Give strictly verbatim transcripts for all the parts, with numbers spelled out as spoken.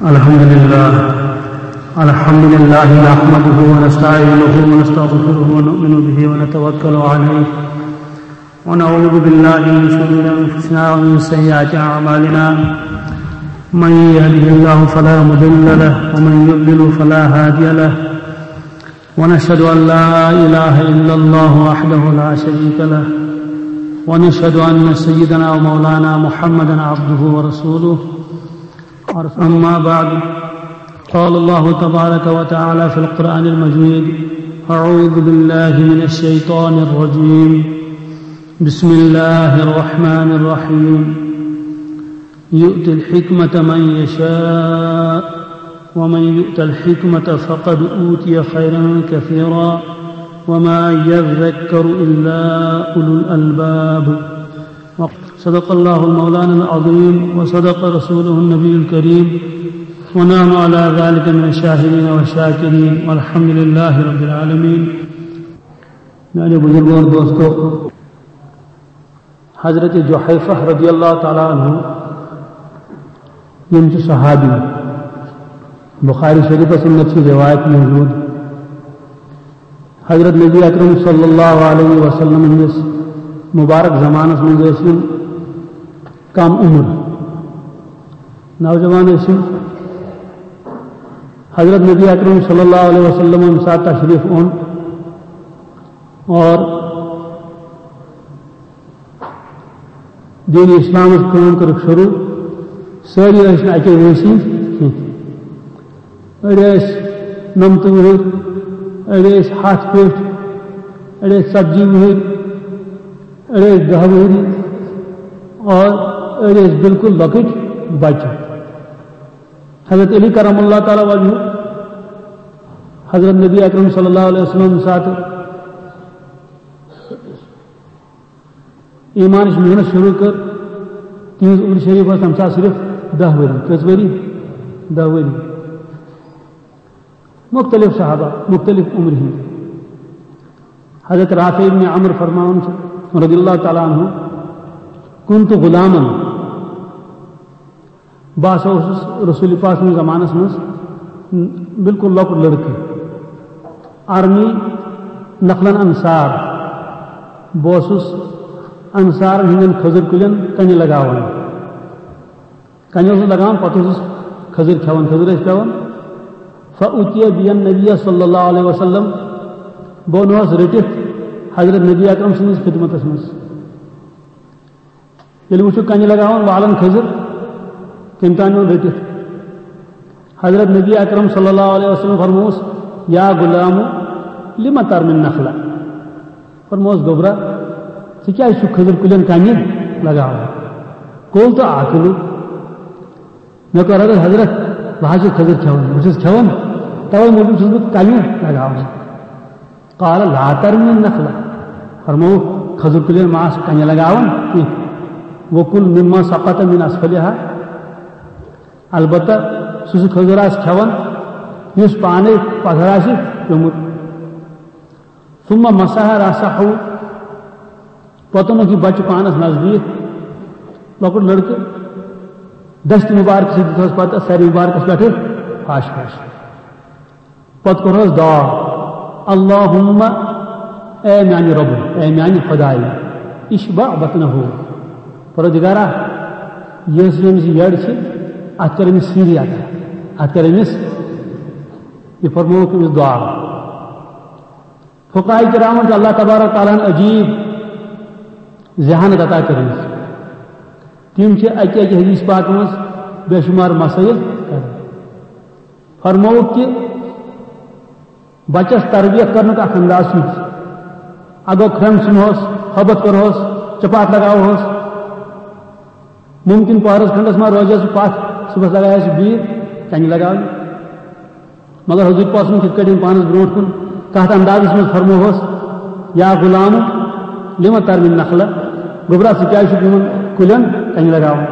الحمد لله. الحمد لله نحمده ونستعينه ونستغفره ونؤمن به ونتوكل عليه، ونعوذ بالله من شرور أنفسنا ومن سيئات أعمالنا. من يهده الله فلا مضل له، ومن يضلل فلا هادي له. ونشهد أن لا إله إلا الله وحده لا شريك له، ونشهد أن سيدنا ومولانا محمدا عبده ورسوله. أما بعد، قال الله تبارك وتعالى في القرآن المجيد: أعوذ بالله من الشيطان الرجيم. بسم الله الرحمن الرحيم. يؤتي الحكمة من يشاء، ومن يؤت الحكمة فقد أوتي خيرا كثيرا، وما يذكر إلا أولو الألباب. صدق الله مولانا العظيم، وصدق رسوله النبي الكريم، ونحن على ذلك من الشاهدين والشاكرين، والحمد لله رب العالمين. میانیو بزرگو اور دوستو، حضرت جحیفہ رضی اللہ تعالیٰ عنہ، یم چھ صحابی، بخاری شریفس اندر چھ روایت موجود۔ حضرت نبی اکرم صلی اللہ علیہ وسلم ہندس مبارک زمانس منز ٲسۍ یِم کم عمر نوجوان ٲسۍ یِم۔ حضرت نبی اکرم صلی اللہ علیہ وسلم ییٚمہِ ساتہٕ تشریف اوٚن اور دین اسلامس کٲم کٔرٕکھ شروع، سٲری ٲسۍ نہٕ اَکے وٲنٛسہِ ہٕنٛدۍ کینٛہہ۔ أڑۍ ٲسۍ نَمتہٕ وُہٕرۍ، أڑۍ ٲسۍ ہَتھ پٮ۪ٹھ، أڑۍ ٲسۍ ژتجی وُہٕرۍ، أڑۍ ٲسۍ دَہ وُہٕرۍ، اور أڑۍ ٲسۍ بالکل لۄکٕٹۍ بچہٕ۔ حضرت علی کرم اللہ تعالیٰ وجہہ، حضرت نبی اکرم صلی اللہ علیہ وسلم ساتہٕ ایمانٕچ محنت شروع کٔر، تِہنٛز عمر شریف ٲس تَمہِ ساتہٕ صرف دَہ ؤری۔ کٔژ ؤری؟ دَہ ؤری۔ مختلف صحابہ، مختلف عمر ہٕنٛدۍ۔ حضرت رافع ابن عمرو فرماوان چھِ، رضی اللہ تعالیٰ عنہ، "كنت غلاما"، بہٕ ہسا اوسُس رسول پاک سٕنٛدِس زمانس منٛز بالکل لۄکُٹ لڑکہٕ۔ ارمی نخلن انصار، بہٕ اوسُس انصارن ہٕنٛدٮ۪ن کھٔزٕر کُلٮ۪ن کنہِ لگاوان۔ کنہِ اوسُس لگاوان، پتہٕ اوسُس کھٔزٕر کھٮ۪وان، کھٔزٕر ٲسۍ پٮ۪وان۔ فأتي بي النبي صلى الله عليه وسلم، بہٕ اوٚنہوس رٔٹِتھ حضرت نبی اکرم سٕنٛدِس خدمتس منٛز۔ ییٚلہِ وٕچھُکھ کنہِ لگاوان والان کھٔزٕر، تٔمۍ تام نیوٗن رٔٹِتھ۔ حضرت نبی اکرم صلی اللہ علیہ وسلم فرمووُس، "يا غلام، لم ترمي النخل؟" فرمووُس، "گوٚبرا، ژٕ کیٛازِ چھُکھ کھٔزٕر کُلٮ۪ن کنہِ لگاوان؟" "قلت آكل۔" مےٚ کوٚر عرض، "حضرت، بہٕ حظ چھُس کھٔزٕر کھٮ۪وان، بہٕ چھُس کھٮ۪وان، توے موٗجوٗب چھُس بہٕ کنہِ لگاوان۔" قال لا ترمي النخل، فرمووُکھ، کھٔزٕر کُلٮ۪ن ما آس کنہِ لگاوان کینٛہہ۔ وكل مما سقط من اسفلها، البتہ سُہ سُہ کھٔزٕر آس کھٮ۪وان یُس پانے پتھر آسہِ پیوٚمُت۔ ثم مسح راسه، پتہٕ اوٚنُکھ یہِ بچہِ پانس نزدیٖک، لۄکُٹ لڑکہٕ، دستہِ مبارکہٕ سۭتۍ دِژہوس پتہٕ سرِ مبارکس پٮ۪ٹھٕ پھش پھش۔ پتہٕ کوٚرہوس دعا، "اللهم"، اے میانہِ رۄبہٕ، اے میانہِ خدایہِ، "اشبع بطنه"، پروردگارا، یۄس أمِس یٔڈ چھِ، اتھ کر أمِس سیٖری عطا، اتھ کر أمِس، یہِ فرمووُکھ أمِس دعا۔ فقہاء کرامن چھِ اللہ تبارک تعالیٰ ہن عجیب ذہانت عطا کٔرمٕژ۔ تِم چھِ اکہِ اکہِ حدیث پاک منٛز بے شمار مسائل کران۔ فرمووُکھ کہِ بچس تربیت کرنُک اکھ انداز چھُ یہِ۔ اگر کھرٛن ژھٕنہوس، ہٲبتھ کرہوس، چپاتھ لگاوہوس، ممکن پہرس کھنڈس ما روزِ سُہ پتھ، صبحس لگایہِ سُہ بیٖر، کنہِ لگاونہِ۔ مگر حضور پاک صلی اللہ علیہ وسلم کِتھ کٲٹھۍ یِم پانس برونٛٹھ کُن کتھ اندازس منٛز فرموہوس، "یا غلام، لم ترمی النخل"، گوٚبرا، ژٕ کیازِ چھُکھ یِمن کُلٮ۪ن کنہِ لگاوان؟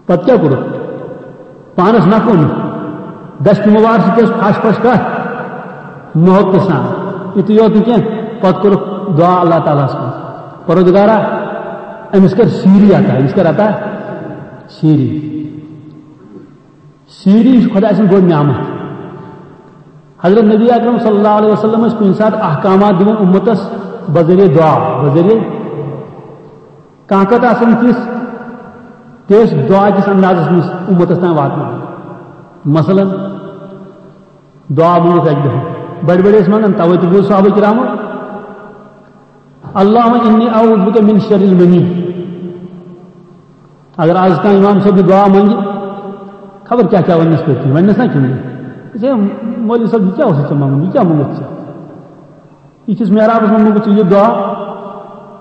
پتہٕ کیٛاہ کوٚرُکھ؟ پانس نکھٕ اوٚنُکھ۔ دستہِ مبارک سۭتۍ ٲس پھش پھش کتھ؟ محبتہٕ سان۔ یُتُے یوت نہٕ کینٛہہ، پتہٕ کوٚرُکھ دعا اللہ تعالیٰ ہس کُن، "پروردگارا، أمِس کر سیٖری عطا، أمِس کر عطا سیٖری۔ سیٖری چھِ خۄداے سٕنٛز بٔڑ نعمت۔ حضرت نبی اکرم صلی اللہ علیہ وسلم ٲسۍ کُنہِ ساتہٕ احکامات دِوان اُمتس بذریعہ دعا، بذریعہ کانٛہہ کتھ آسان تِژھ، تہِ ٲسۍ دعا کِس اندازس منٛز اُمتس تام واتناوان۔ مثلاً، دعا مونگُکھ اکہِ دۄہ۔ بڑِ بڑِ ٲسۍ منگان، توے تہِ بوٗز صحابہ کرامو، "اللہم انی اعوذ بک من شر المنی۔" اگر آز کانٛہہ امام صٲب یہِ دعا منگہِ، خبر کیٛاہ کیٛاہ وننس پٔتۍ کِنۍ، وننس نا کِنہٕ؟ "ہے مولوی صٲب، یہِ کیٛاہ اوسُتھ ژےٚ منگُن؟ یہِ کیٛاہ مونگُتھ ژےٚ؟ یہِ چھُس محرابس منٛز مونگُتھ ژےٚ یہِ دعا؟"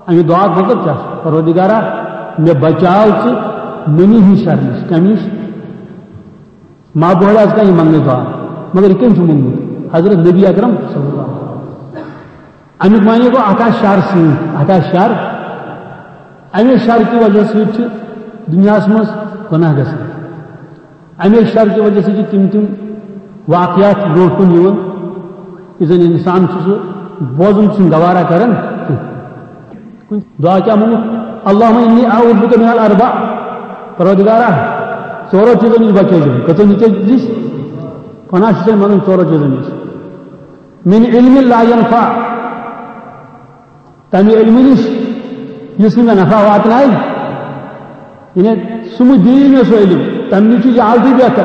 اَمہِ دعا مطلب کیٛاہ چھُ؟ "پروردگارا، مےٚ بچاو ژٕ منی ہٕنٛدِ شرٕ نِش۔" کمہِ نِش؟ ما بوڑ از کانٛہہ یہِ منٛگنٕچ دعا، مگر یہِ کٔمۍ چھُ مونٛگمُت؟ حضرت نبی اکرم صلی اللہ علیہ وسلم۔ اَمیُک معنی گوٚو، اَتھ آسہِ شر سۭتۍ، اَتھ آسہِ شر۔ اَمے شر کہِ وجہ سۭتۍ چھِ دُنیاہَس منٛز گۄناہ گژھان۔ اَمے شر کہِ وجہ سۭتۍ چھِ تِم تِم واقعات برونٛٹھ کُن یِوان، یُس زَن اِنسان چھُ سُہ بوزُن چھُنہٕ گوارا کران کینٛہہ۔ دعا کیٛاہ مونگُکھ؟ "اللہم انی اعوذ بک من الاربع۔" پروردگارا، ژورو چیٖزو نِش بچٲیزم۔ کٔژو نِش؟ پناہ چھُ ژےٚ منٛگُن ژورو چیٖزو نِش۔ "من علم لا ینفع۔" تَمہِ علمہٕ نِش یُس نہٕ مےٚ نفع واتنایہِ۔ یعنی سُہ مہٕ دِیی مےٚ سُہ علم، تَمہِ نِش چھُ یہِ already بہتر،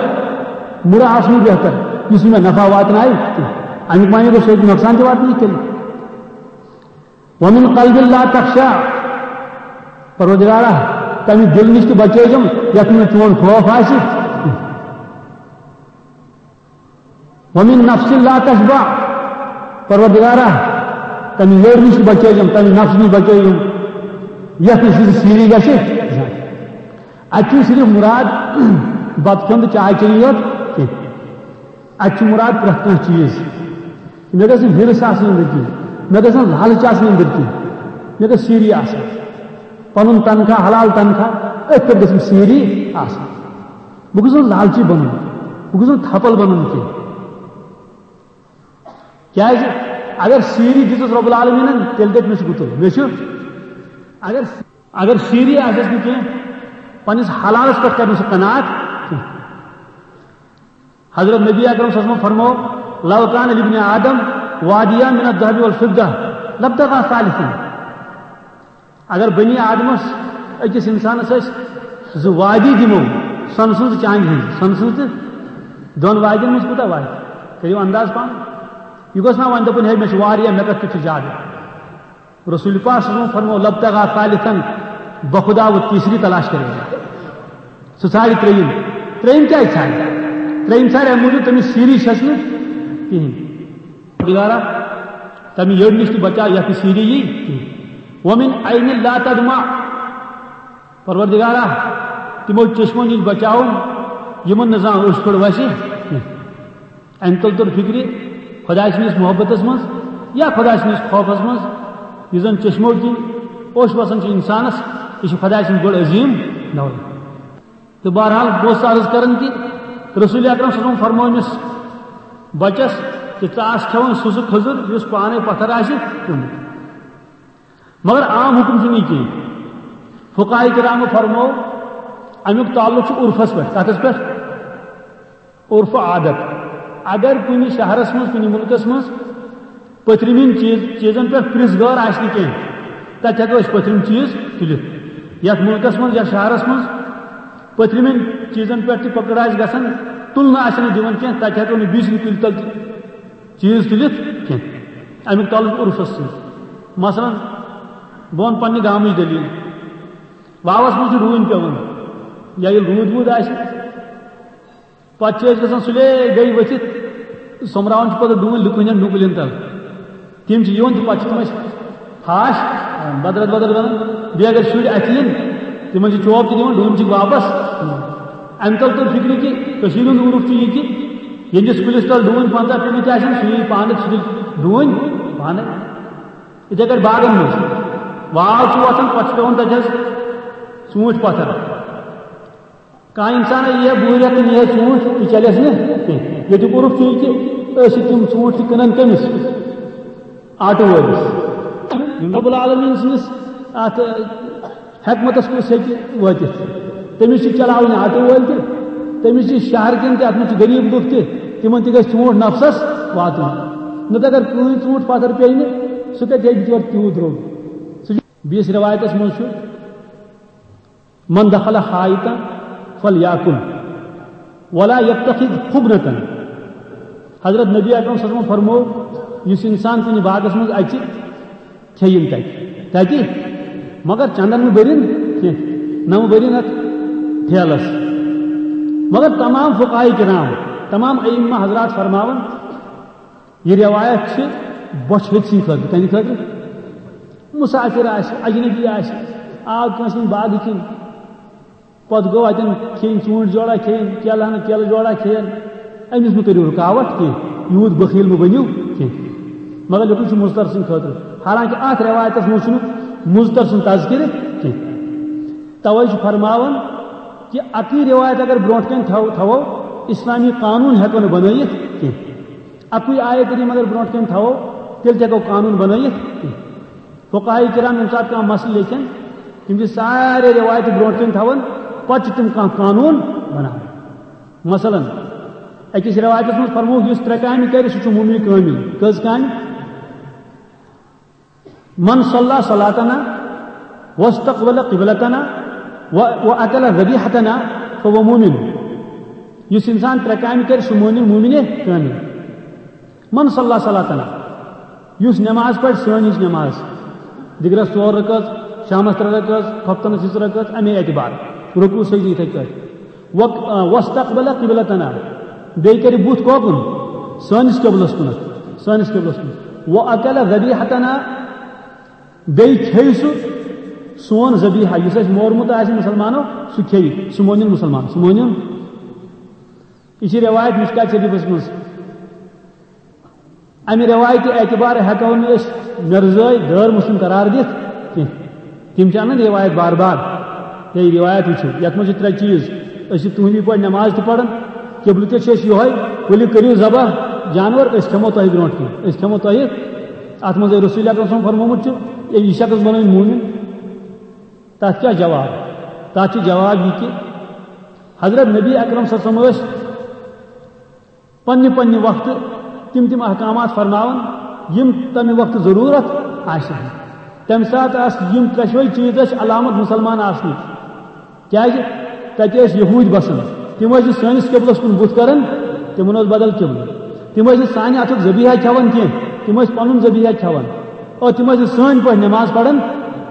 مُرٕ آسنُے بہتر، یُس نہٕ مےٚ نفع واتنایہِ کینٛہہ۔ اَمیُک معنی گوٚو، سُہ ہیٚکہِ نۄقصان تہِ واتنٲیِتھ تیٚلہِ۔ "ومن قلب لا تخشع۔" پروردگارا، تَمہِ دِل نِش تہِ بچٲیزم یَتھ منٛز چون خوف آسہِ۔ "ومن نفس لا تشبع۔" پروردگارا، تَمہِ یٔڈ نِش تہِ بچٲیزم، تَمہِ نفس نِش بچٲیزم یَتھ نِش سیٖری گژھِ۔ اَتہِ چھُنہٕ صرف مُراد بَتہٕ کھیوٚن تہٕ چاے چیٚنی یوت کینٛہہ۔ اَتہِ چھُ مُراد پرٛٮ۪تھ کانٛہہ چیٖز۔ مےٚ گژھِ نہٕ ہِرس آسٕنۍ أنٛدٕرۍ کِنۍ، مےٚ گژھِ نہٕ لالچ آسٕنۍ أنٛدٕرۍ کِنۍ، مےٚ گژھِ سیٖری آسٕنۍ۔ پَنُن تنخواہ، حلال تنخواہ، أتھۍ پٮ۪ٹھ گژھِ مےٚ سیٖری آسٕنۍ۔ بہٕ گوٚژھُس نہٕ لالچی بَنُن، بہٕ گوٚژھُس نہٕ تھپل بَنُن کینٛہہ۔ کیٛازِ؟ اگر سیٖری دِژٕس رۄب العالمیٖنَن، تیٚلہِ دَپہِ مےٚ چھُ گُتُل، مےٚ چھُ۔ اگر، اگر سیٖری آسٮ۪س نہٕ کینٛہہ، پنٛنِس حلالَس پٮ۪ٹھ کَرِ نہٕ سُہ قناعت کینٛہہ۔ حضرت نبی اکرم صلی اللہ علیہ وسلم فرمو، "لو کان لابن آدم وادیان من الذهب والفضة لابتغى ثالثا۔" اگر بنی آدمس أکِس انسانس أسۍ زٕ وادی دِمو، سۄنہٕ سٕنٛز تہٕ چاندِ ہٕنٛز، سۄنہٕ سٕنٛز تہٕ دۄن وادین منٛز کوٗتاہ واتہِ؟ کٔرِو انداز پانہٕ۔ یہِ گوٚژھ نا وۄنۍ دَپُن، "ہے، مےٚ چھُ واریاہ، مےٚ کَتھ کیُتھ چھُ زیادٕ؟" رسول پاک صلی اللہ علیہ وسلم فرمو، "لابتغى ثالثا"، بخدا و تیسری تلاش کرے گا۔ سُہ ژھانڈِ ترٛیٚیِم۔ ترٛیٚیِم کیٛازِ ژھانڈِ؟ ترٛیٚیِم ژھانڈِ اَمہِ موٗجوٗب، تٔمِس سیٖری چھَس نہٕ کِہیٖنۍ۔ پروردگارا، تَمہِ یٔڈ نِش تہِ بچاو، یَتھ نہٕ سیٖری یی کِہیٖنۍ۔ "ومن عین لا تدمع"، پروردگارا، تِمو چشمو نِش بچاوُن، یِمن نہٕ زانٛہہ اوٚش پھٔڑ وَسہِ کینٛہہ۔ اَمہِ تل توٚر فِکرِ، خۄداے سٕنٛدِس محبتس منٛز یا خۄداے سٕنٛدِس خوفس منٛز، یُس زن چشمو کِنۍ اوٚش وَسان چھُ اِنسانس، یہِ چھُ خۄداے سٕنٛز بٔڑ عظیٖم دولت۔ تہٕ بہرحال، بہٕ اوسُس عرض کران کہِ رسول اکرم صلی اللہ علیہ وسلم فرموو أمِس بچس کہِ ژٕ آس کھٮ۪وان سُہ، سُہ کھٔزٕر یُس پانے پتھر آسہِ پیوٚمُت۔ مگر عام حُکم چھُنہٕ یہِ کینٛہہ۔ فقہاء کرامو فرموو، اَمیُک تعلق چھُ عرفس پٮ۪ٹھ۔ کتھس پٮ۪ٹھ؟ عرف و عادت۔ اگر کُنہِ شہرس منٛز، کُنہِ مُلکس منٛز پٔتھرِمٮ۪ن چیٖز، چیٖزن پٮ۪ٹھ پرٛژھ غٲر آسہِ نہٕ کینٛہہ، تتہِ ہٮ۪کو أسۍ پٔتھرِم چیٖز تُلِتھ۔ یتھ مُلکس منٛز یا شہرس منٛز پٔتھرِمٮ۪ن چیٖزن پٮ۪ٹھ تہِ پکڑ آسہِ گژھان، تُلنہٕ آسہِ نہٕ دِوان کینٛہہ، تتہِ ہٮ۪کو نہٕ بیٚیہِ سٕنٛدِ کُلۍ تل تہِ چیٖز تُلِتھ کینٛہہ۔ امیُک تعلق عرفس سۭتۍ۔ مثلاً، بہٕ ونہٕ پننہِ گامٕچ دٔلیٖل۔ واوس منٛز چھُ روٗنۍ پٮ۪وان، یا ییٚلہِ روٗد ووٗد آسہِ، پتہٕ چھِ أسۍ گژھان سُلے گٔے ؤتھِتھ، سوٚمبراوان چھِ پتہٕ ڈوٗنۍ لُکہٕ ہٕنٛدٮ۪ن ڈوٗنۍ کُلٮ۪ن تل۔ تِم چھِ یِوان تہٕ پتہٕ چھِ تِم اَسہِ پھاش بدرت بدرت بنان۔ بیٚیہِ اگر شُرۍ اَتھِ یِن، تِمن چھِ چوب تہِ دِوان، ڈوٗنۍ چھِکھ واپس۔ اَمہِ تل توٚر فِکرِ کہِ کٔشیٖرِ ہُنٛد عرف چھُ یہِ کہِ ییٚمِس کُلِس تل ڈوٗنۍ پنٛژاہ پیٚمٕتۍ آسن، سُہ یی پانہٕ، سُہ تُلہِ ڈوٗنۍ پانَے۔ یِتھَے کٲٹھۍ باغن منٛز واو چھُ وۄتھان، پتہٕ چھُ پٮ۪وان تَتہِ حظ ژوٗنٛٹھۍ پتھر۔ کانٛہہ اِنسان یی ہا بُہرِ رٮ۪تھ تہٕ نی ہا ژوٗنٛٹھۍ، تہِ چلٮ۪س نہٕ کینٛہہ۔ ییٚتیُک عرف چھُ یہِ کہِ أسۍ چھِ تِم ژوٗنٛٹھۍ تہِ کٕنان کٔمِس؟ آٹہٕ وٲلِس۔ رب العالمیٖن سٕنٛدِس اَتھ حکمتس کُس ہیٚکہِ وٲتِتھ؟ تٔمِس چھِ چلاوٕنۍ آٹو وٲلۍ تہِ، تٔمِس چھِ شہر کٮ۪ن تہِ، اتھ منٛز چھِ غریٖب لُکھ تہِ، تِمن تہِ گژھِ ژوٗنٛٹھ نفسس واتُن۔ نتہٕ اگر کٕہٕنۍ ژوٗنٛٹھ پتھر پیٚیہِ نہٕ، سُہ کتہِ ہیٚکہِ تورٕ تیوٗت درٛوگ؟ سُہ چھُ، بیٚیِس رٮ۪وایتس منٛز چھُ، "من دخل حائطا فلیاکل ولا یتخذ خبنة۔" حضرت نبی اکرم صلی اللہ علیہ وسلم فرموو، یُس انسان کُنہِ باغس منٛز اژِ، کھیٚیِن تتہِ۔ تتہِ؟ مگر چندن مہٕ بٔرِن کینٛہہ، نہ مہٕ بٔرِن اتھ ٹھیلس۔ مگر تمام فقہاء کرام، تمام ائمہ حضرات فرماوان، یہِ روایت چھِ بۄچھِ ہٕنٛدۍ سٕنٛدِ خٲطرٕ۔ کَمہِ خٲطرٕ؟ مسافر آسہِ، اجنبی آسہِ، آو کٲنٛسہِ ہٕنٛدِ باغہٕ کِنۍ، پتہٕ گوٚو اتٮ۪ن کھیٚنۍ ژوٗنٛٹھۍ جوڑا کھیٚنۍ، کیلہٕ ہنا کیلہٕ جوڑا کھیٚن، أمِس مہٕ کٔرِو رُکاوٹ کینٛہہ، یوٗت بخیل مہٕ بٔنِو کینٛہہ۔ مگر لیوٚکھمُت چھُ مضطر سٕنٛدِ خٲطرٕ، حالانکہ اتھ روایتس منٛز چھُنہٕ مضطر سُنٛد تذکرٕ کینٛہہ۔ توے چھُ فرماوان کہ اَکٕے روایت اگر برونٛٹھ کَنہِ تھاو-، تھاوو، اسلامی قانون ہٮ۪کو نہٕ بنٲیِتھ کینٛہہ۔ اَکُے آیت کریٖم اگر برونٛٹھ کَنہِ تھاوو، تیٚلہِ تہِ ہٮ۪کو قانون بنٲیِتھ کینٛہہ۔ فقہاء کرام ییٚمہِ ساتہٕ کانٛہہ مسلہٕ لیکھن، تِم چھِ سارے روایتہٕ برونٛٹھ کَنہِ تھاوان، پتہٕ چھِ تِم کانٛہہ قانون بناوان۔ مثلاً، أکِس روایتس منٛز فرمووُکھ، یُس ترٛےٚ کامہِ کرِ، سُہ چھُ مومنِ کٲمِل۔ کٔژ کامہِ؟ من صلی صلاتنا واستقبل قبلتنا و، و اکل ذبیحتنا فهو مؤمن۔ یُس انسان ترٛےٚ کامہِ کرِ، سُہ مونہِ مومنِ کٲمِل۔ من صلی صلاتنا، یُس نماز پرِ، سٲنۍ ہِش نماز، دِگرس ژور رکٲژ، شامس ترٛےٚ رکٲژ، خۄفتنس زٕ رکٲژ، امے اعتبار، رکوع سجدٕ یِتھے کٲٹھۍ۔ و، آ، واستقبل قبلتنا، بیٚیہِ کرِ بُتھ کوکُن؟ سٲنِس قبلس کُنتھ، سٲنِس قبلس کُن۔ و اکل ذبیحتنا، بیٚیہِ کھیٚیہِ سُہ سون ذبیحہ، یُس اَسہِ مورمُت آسہِ مُسلمانو، سُہ کھیٚیہِ، سُہ مونِن مُسلمان، سُہ مونِن۔ یہِ چھِ رٮ۪وایت مشکات شریٖفس منٛز۔ امہِ رٮ۪وایتہِ اعتبار ہٮ۪کو نہٕ أسۍ مرزٲے غٲر مسلم قرار دِتھ کینٛہہ۔ تِم چھِ انان رٮ۪وایت بار بار۔ ہے، رٮ۪وایت وٕچھِو، یتھ منٛز چھِ ترٛےٚ چیٖز۔ أسۍ چھِ تُہنٛدی پٲٹھۍ نٮ۪ماز تہِ پران، قبلہٕ تہِ چھِ أسۍ یِہوٚے، ؤلِو کٔرِو ذبح جانور، أسۍ کھٮ۪مو تۄہہِ برونٛٹھ کِنۍ، أسۍ کھٮ۪مو تۄہہِ۔ اتھ منٛز ہے رسول اکرم صلی اللہ علیہ وسلم فرمومُت چھُ، یہِ شخص بنٲوِن مومن۔ تتھ کیٛاہ جواب؟ تتھ چھُ جواب یہِ کہِ حضرت نبی اکرم صلی اللہ علیہ وسلم ٲسۍ پننہِ پننہِ وقتہٕ تِم تِم احکامات فرماوان، یِم تمہِ وقتہٕ ضروٗرت آسہِ۔ تمہِ ساتہٕ آسہٕ یِم ترٛٮ۪شوَے چیٖز ٲسۍ علامت مُسلمان آسنٕکۍ۔ کیازِ؟ تتہِ ٲسۍ یہوٗدۍ بسان، تِم ٲسۍ نہٕ سٲنِس قبلس کُن بُتھ کران، تِمن اوس بدل قبلہٕ۔ تِم ٲسۍ نہٕ سانہِ اتھُک ذبیحہ کھٮ۪وان کینٛہہ، تِم ٲسۍ پنُن ذبیحہ کھٮ۪وان۔ اور تِم ٲسۍ نہٕ سٲنۍ پٲٹھۍ نماز پران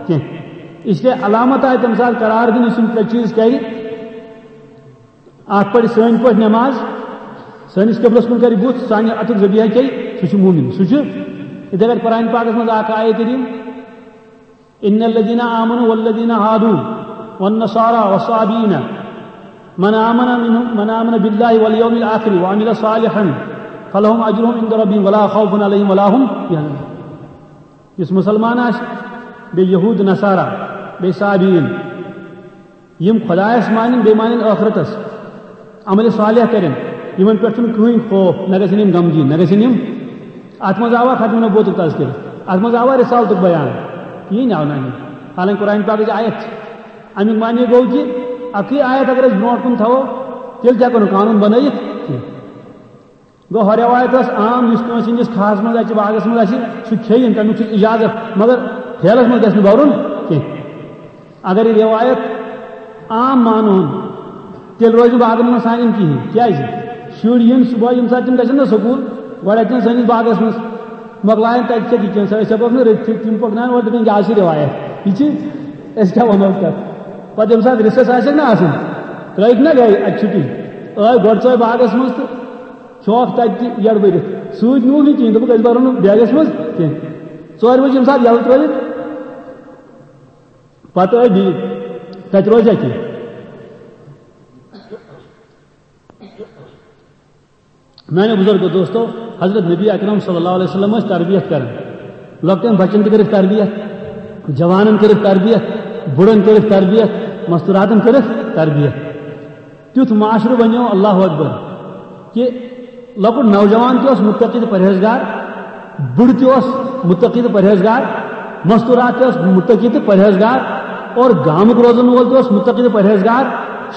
کینٛہہ۔ اس لیے علامت آیہِ تمہِ ساتہٕ قرار دِنہٕ، یُس یِم ترٛےٚ چیٖز کرِ۔ اکھ پرِ سٲنۍ پٲٹھۍ نماز، سٲنِس قبلس کُن کرِ بُتھ، سانہِ اتھُک ذبیحہ کھیٚیہِ، سُہ چھُ مومن۔ سُہ چھُ، یِتھے پٲٹھۍ قرآن پاکس منٛز اکھ آیت کریٖم، "ان الذين آمنوا والذين هادوا والنصارى والصابئين من آمن منهم، من آمن بالله واليوم الآخر وعمل صالحا فلهم أجرهم عند ربهم ولا خوف عليهم ولا هم يحزنون۔" یُس مُسلمان آسہِ، بیٚیہِ یہوٗد نصارا، بیٚیہِ صابیٖن، یِم خۄدایَس مانن، بیٚیہِ مانن ٲخرتس، عملِ صالح کرن، یِمن پٮ۪ٹھ چھُنہٕ کٕہٕنۍ خوف، نہ گژھن یِم غمگیٖن، نہ گژھن یِم۔ اتھ منٛز آوا ختم نبوتُک تذکرٕ؟ اتھ منٛز آوا رسالتُک بیان؟ کِہیٖنۍ آو نہٕ اَمیُک۔ حالانکہ قرآن پاکٕچ آیت چھِ۔ اَمیُک معنی گوٚو کہِ اَکٕے آیت اگر أسۍ برونٛٹھ کُن تھاوو، تیٚلہِ تہِ ہٮ۪کو نہٕ قانوٗن بنٲیِتھ کینٛہہ۔ گوٚو، ہۄ رٮ۪وایت ٲس عام، یُس کٲنٛسہِ ہٕنٛدِس کھاہَس منٛز اَژِ، باغَس منٛز آسہِ، سُہ کھیٚیہِ، تَمیُک چھُ اِجازت، مگر ٹھیلَس منٛز گژھِ نہٕ بَرُن کینٛہہ۔ اگر یہِ رٮ۪وایت عام مانہون، تیٚلہِ روزِ نہٕ باغَن منٛز سانٮ۪ن کِہیٖنۍ۔ کیٛازِ؟ شُرۍ یِن صُبحٲے، ییٚمہِ ساتہٕ تِم گژھن نہ سکوٗل، گۄڈٕ اَژن سٲنِس باغَس منٛز، مۄکلاون تَتہِ کھٮ۪تھ یہِ کینٛہہ، أسۍ ہٮ۪کوکھ نہٕ رٔٹِتھ، تِم پَکناون اورٕ، دَپن، "یہِ حظ چھِ رٮ۪وایت، یہِ چھِ، أسۍ کیٛاہ وَنو تَتھ؟" پَتہٕ ییٚمہِ ساتہٕ recess آسٮ۪کھ نہ آسان، ترٛٲیِکھ نہ گَرِ اَکہِ چھُٹی، ٲے گۄڈٕ ژاے باغَس منٛز تہٕ کھیوکھ تَتہِ تہِ یَڑٕ بٔرِتھ۔ سۭتۍ نیوٗکھ نہٕ کِہیٖنۍ، دوٚپُکھ، "أسۍ بَرو نہٕ بیگَس منٛز کینٛہہ۔" ژورِ بَجہِ ییٚمہِ ساتہٕ یَلہٕ ترٲوِتھ، پَتہٕ ٲے بیٚیہِ۔ تَتہِ روزِ اَتی۔ میانیو بزرگو دوستو، حضرت نبی اکرم صلی اللہ علیہ وسلم ٲسۍ تربیت کران۔ لۄکٹٮ۪ن بچن تہِ کٔرٕکھ تربیت، جوانن کٔرٕکھ تربیت، بُڑن کٔرٕکھ تربیت، مستوراتن کٔرٕکھ تربیت۔ تیُتھ معاشرٕ بنیو، اللہ اکبر، کہ لۄکُٹ نوجوان تہِ اوس متقی تہٕ پرہیزگار، بُڑٕ تہِ اوس متقی تہٕ پرہیزگار، مستورات تہِ ٲس متقی تہٕ پرہیزگار۔ اور گامُک روزن وول تہِ اوس متقی تہٕ پرہیزگار،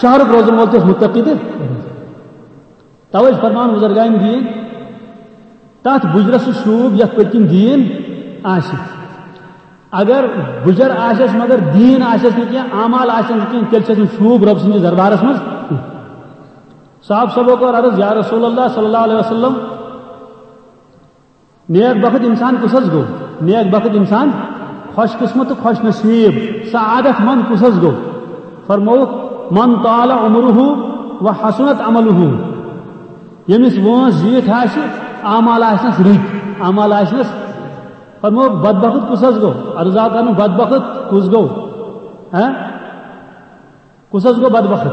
شہرُک روزن وول تہِ اوس متقی تہٕ پرہیزگار۔ توے چھُ فرمان بزرگان دین، تتھ بُجرس سُہ شوٗب یتھ پٔتۍ کِنۍ دین آسہِ۔ اگر بُجر آسٮ۪س مگر دین آسٮ۪س نہٕ کینٛہہ، اعمال آسٮ۪س نہٕ کینٛہہ، تیٚلہِ چھُ نہٕ شوٗب رۄب سٕنٛدِس دربارس منٛز کینٛہہ۔ صحابہ صٲبو کوٚر عرض، یا رسول اللہ صلی اللہ علیہ وسلم، نیک بخت انسان کُس حظ گوٚو؟ نیک بخت انسان، خوش قسمت تہٕ خوش نصیب، سعادت مند کُس حظ گوٚو؟ فرمووُکھ، من طال عمره و حسنت عمله۔ ییٚمِس وٲنٛس زیٖٹھ آسہِ، اعمال آسنس رٕتۍ، اعمال آسنس۔ فرمووُکھ، بدبخت کُس حظ گوٚو؟ عرض آو کرنہٕ، بدبخت کُس گوٚو؟ ہاں؟ کُس حظ گوٚو بدبخت؟